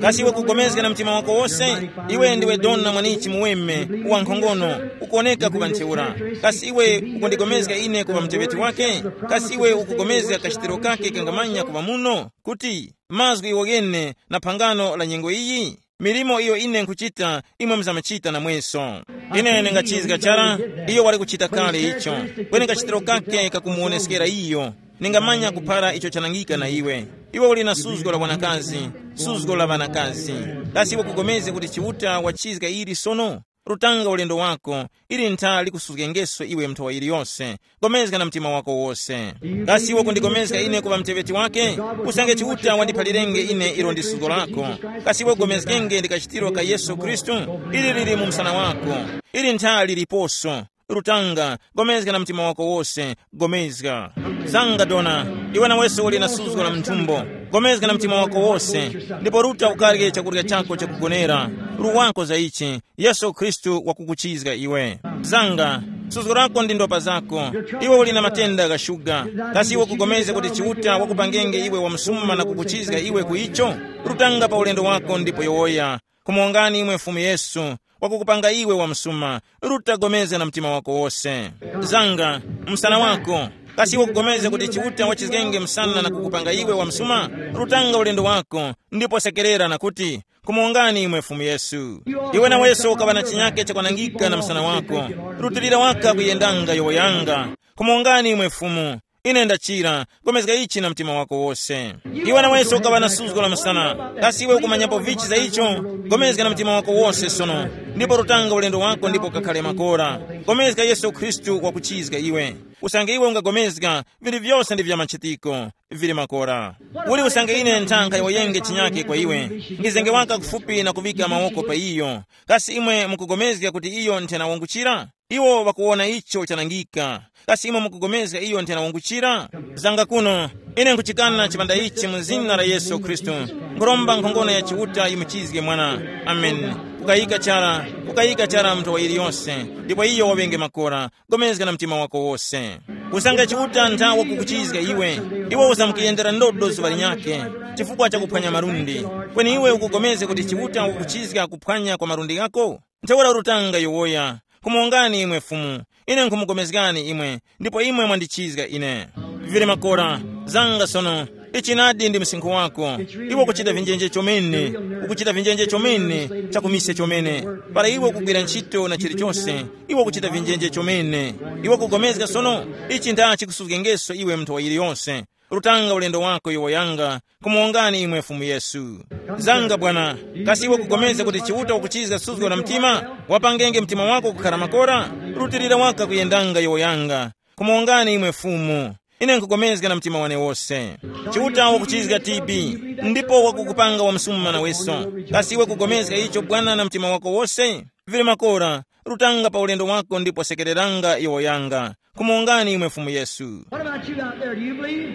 Kasi iwe kugomezga na mtima wako wose? Iwe ndiwe dona mwanichi muweme, wankhongono, ukuwoneka kuŵa ntheura. Kasi iwe ukundigomezga ine kuŵa muteŵeti wake? Kasi iwe ukugomezga kachitiro kake kangamanya kuŵa muno, kuti mazgu iwo ghene na phangano la nyengo iyi? Milimo iyo ine nkhuchita, imwe muzamachita namweso. Ine ndingachizga chara, iyo wali kuchita kale icho. Kweni kachitiro kake kakumuwoneskera iyo. Ningamanya kuphara icho chanangika na iwe. Iwe uli na suzgo la wanakazi, suzgo la ŵanakazi. Kasi iwe kugomezga kuti Chiuta wachizga ili sono? Rutanga ulendo wako, ili ntha likusuzgengeso iwe mnthowa yiliyose. Gomezga na mtima wako wose. Kasi iwe kundigomezga ine kuŵa mteŵeti wake? Usange Chiuta wandiphalirenge ine ilo ndi suzgo lako. Kasi iwe ugomezgenge ndi kachitiro ka Yesu Khristu? Ili lili mu msana wako. Ili ntha liliposo. Rutanga, gomezga na mtima wako wose. Gomezga. Zanga dona, iwe naweso uli na suzgo la mnthumbo. Gomezga na mtima wako wose. Ndipo ruta ukarye chakurya chako chakugonera. Ruwako za ichi. Yesu Khristu wakukuchizga iwe. Zanga, suzgo lako ndi ndopa zako. Iwe uli na matenda gha shuga. Kasi iwe kugomezga kuti Chiuta wakupangenge iwe wamsuma na kukuchizga iwe ku icho? Rutanga pa ulendo wako ndipo yowoya. Kumongani imwe Fumu Yesu, wakukupanga iwe wamsuma. Ruta, gomezga na mtima wako wose. Zanga, msana wako. Kasi iwe kugomezga kuti Chiuta wachizgenge msana na kukupanga iwe wamsuma? Rutanga ulendo wako, ndipo sekerera na kuti, kumongani imwe Fumu Yesu. Iwe naweso ukaŵa na chinyake chakwanangika na msana wako. Rutilira waka kuyendanga yowoyanga. Kumongani imwe Fumu. Ine ndachira. Gomezga ichi na mtima wako wose. Iwe naweso ukaŵa na suzgo la msana. Kasi iwe ukumanyapo vichi za icho? Gomezga na mtima wako wose sono. Ndipo rutanga ulendo wako ndipo ukakhale makora. Gomezga Yesu Khristu wakuchizga iwe. Usange iwe ungagomezga, vili vyose ndi vya machitiko. Vili makora. Uli usange ine nthankha yoyenge chinyake kwa iwe. Ngizenge waka kufupi na kuvika mawoko pa iyo. Kasi imwe mukugomezga kuti iyo nthena wanguchira? Iwo ŵakuwona icho chanangika. Kasi imwe mukugomezga iyo nthena wanguchira? Zanga kuno. Ine nkuchikana chipanda ichi mu zina la Yesu Khristu. Nkhuromba nkhongono ya Chiuta yimuchizge mwana. Amen. Kukayika chara, kukayika chara munthu wa yiliyonse. Ndipo iyo waŵenge makora. Gomezga na mtima wako wose. Usange Chiuta ntha wakukuchizga iwe, iwe usamukuyendera ndodo zuŵa linyakhe, chifukwa cha kuphwanya malundi. Kweni iwe ukugomezga kuti Chiuta wakukuchizga kuphwanya kwa malundi ghako? Ntheura rutanga yowoya, nkhumuwongani imwe Fumu, ine nkhumugomezgani imwe, ndipo imwe mwandichizga ine. Vili makora, zanga sono, ichi nadi ndi msinkhu wako. Iwe ukuchita vinjenje chomene, ukuchita vinjenje chomene, chakumise chomene. Para iwe ukugwira ntchito na chilichonse, iwe ukuchita vinjenje chomene. Iwe ukugomezga sono, ichi nda chikusuzgengeso iwe munthu wa yiliyonse. Rutanga ulendo wako yowoyanga, kumuwongani imwe Fumu Yesu. Zanga Bwana, kasi iwe ukugomezga kuti Chiuta wakuchizga suzgo la mtima? Wapangenge mtima wako kukhala makora, rutilira waka kuyendanga yowoyanga. Kumuwongani imwe Fumu. Ine nkugomezga na mtima wane wose. Chiuta wakuchizga T B, ndipo wakukupanga wamsuma naweso. Kasi iwe kugomezga icho Bwana na mtima wako wose? Vili makora, rutanga pa ulendo wako ndipo sekereranga yowoyanga. Kumuwongani imwe Fumu Yesu. What about you out there? Do you believe?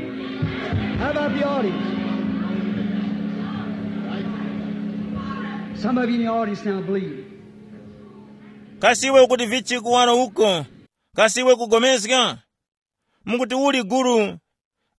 How about the audience? Some of you in the audience now believe. Kasi iwe ukuti vichi kuwaro uko? Kasi iwe kugomezga? Mukuti uli guru?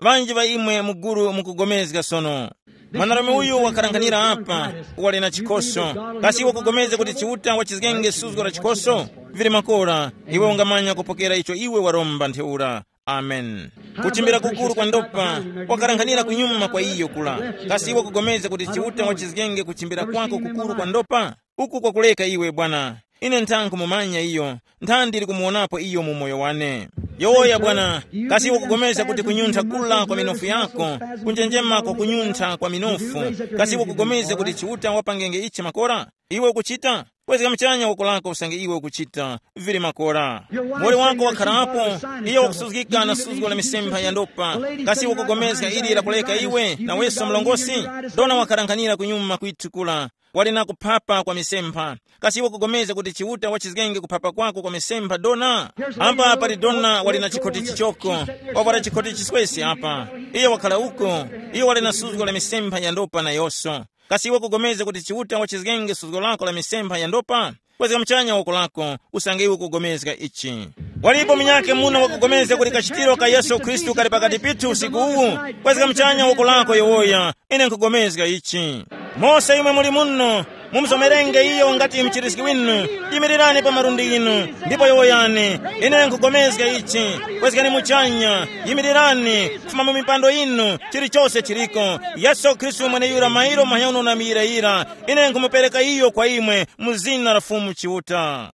Ŵanji ŵa imwe mu guru mukugomezga sono. Mwanarume uyu wakharanghanira apa, wali na chikhoso. Kasi iwe ukugomezga kuti Chiuta wachizgenge suzgo la chikhoso? Vili makora, iwe ungamanya kupokera icho iwe waromba ntheura. Amen. Kuchimbira kukuru kwa ndopa, wakharanghanira kunyuma kwa iyo kula. Kasi iwe ukugomezga kuti Chiuta wachizgenge kuchimbira kwako kukuru kwa ndopa? Uku kwakuleka iwe Bwana. Ine ntha nkhumumanya iyo, ntha ndili kumuwonapo iyo mu moyo wane. Yowoya Bwana, kasi iwe ukugomezga kuti kunyuntha kula kwa minofu yako, kunjenjema kwa kunyuntha kwa minofu, kasi iwe ukugomezga kuti Chiuta wapangenge ichi makora? Iwe ukuchita? Kwezga muchanya woko lako usange iwe ukuchita. Vili makora. Muwoli wako wakharapo, iye wakusuzgika na suzgo la misempha ya ndopa. Kasi iwe ukugomezga ili lakuleka iwe, naweso mlongosi? Dona wakharanghanira kunyuma kwithu kula. Wali na kuphapa kwa misempha. Kasi iwe ukugomezga kuti Chiuta wachizgenge kuphapa kwako kwa misempha dona? Apa pali dona wali na chikhoti chichoko, wavwara chikhoti chiswesi apa. Iye wakhala uko, iye wali na suzgo la misempha ya ndopa nayoso. Kasi iwe ukugomezga kuti Chiuta wachizgenge suzgo lako la misempha ya ndopa? Kwezga muchanya woko lako, usange iwe ukugomezga ichi. Walipo munyakhe muno wakugomezga kuti kachitiro ka Yesu Khristu kali pakati pithu usiku uwu? Kwezga muchanya woko lako yowoya, ine nkugomezga ichi. Mose imwe muli muno, mumuzomerenge iyo ngati mchiriski winu. Yimirirani pa malundi inu, ndipo yowoyani, ine nkugomezga ichi. Kwezgani muchanya, yimirirani, kufuma mu mipando inu, chilichose chiliko. Yesu Khristu mweneyura mairo manyauno na miyirayira, ine nkumupereka iyo kwa imwe, mu zina la Fumu Chiuta.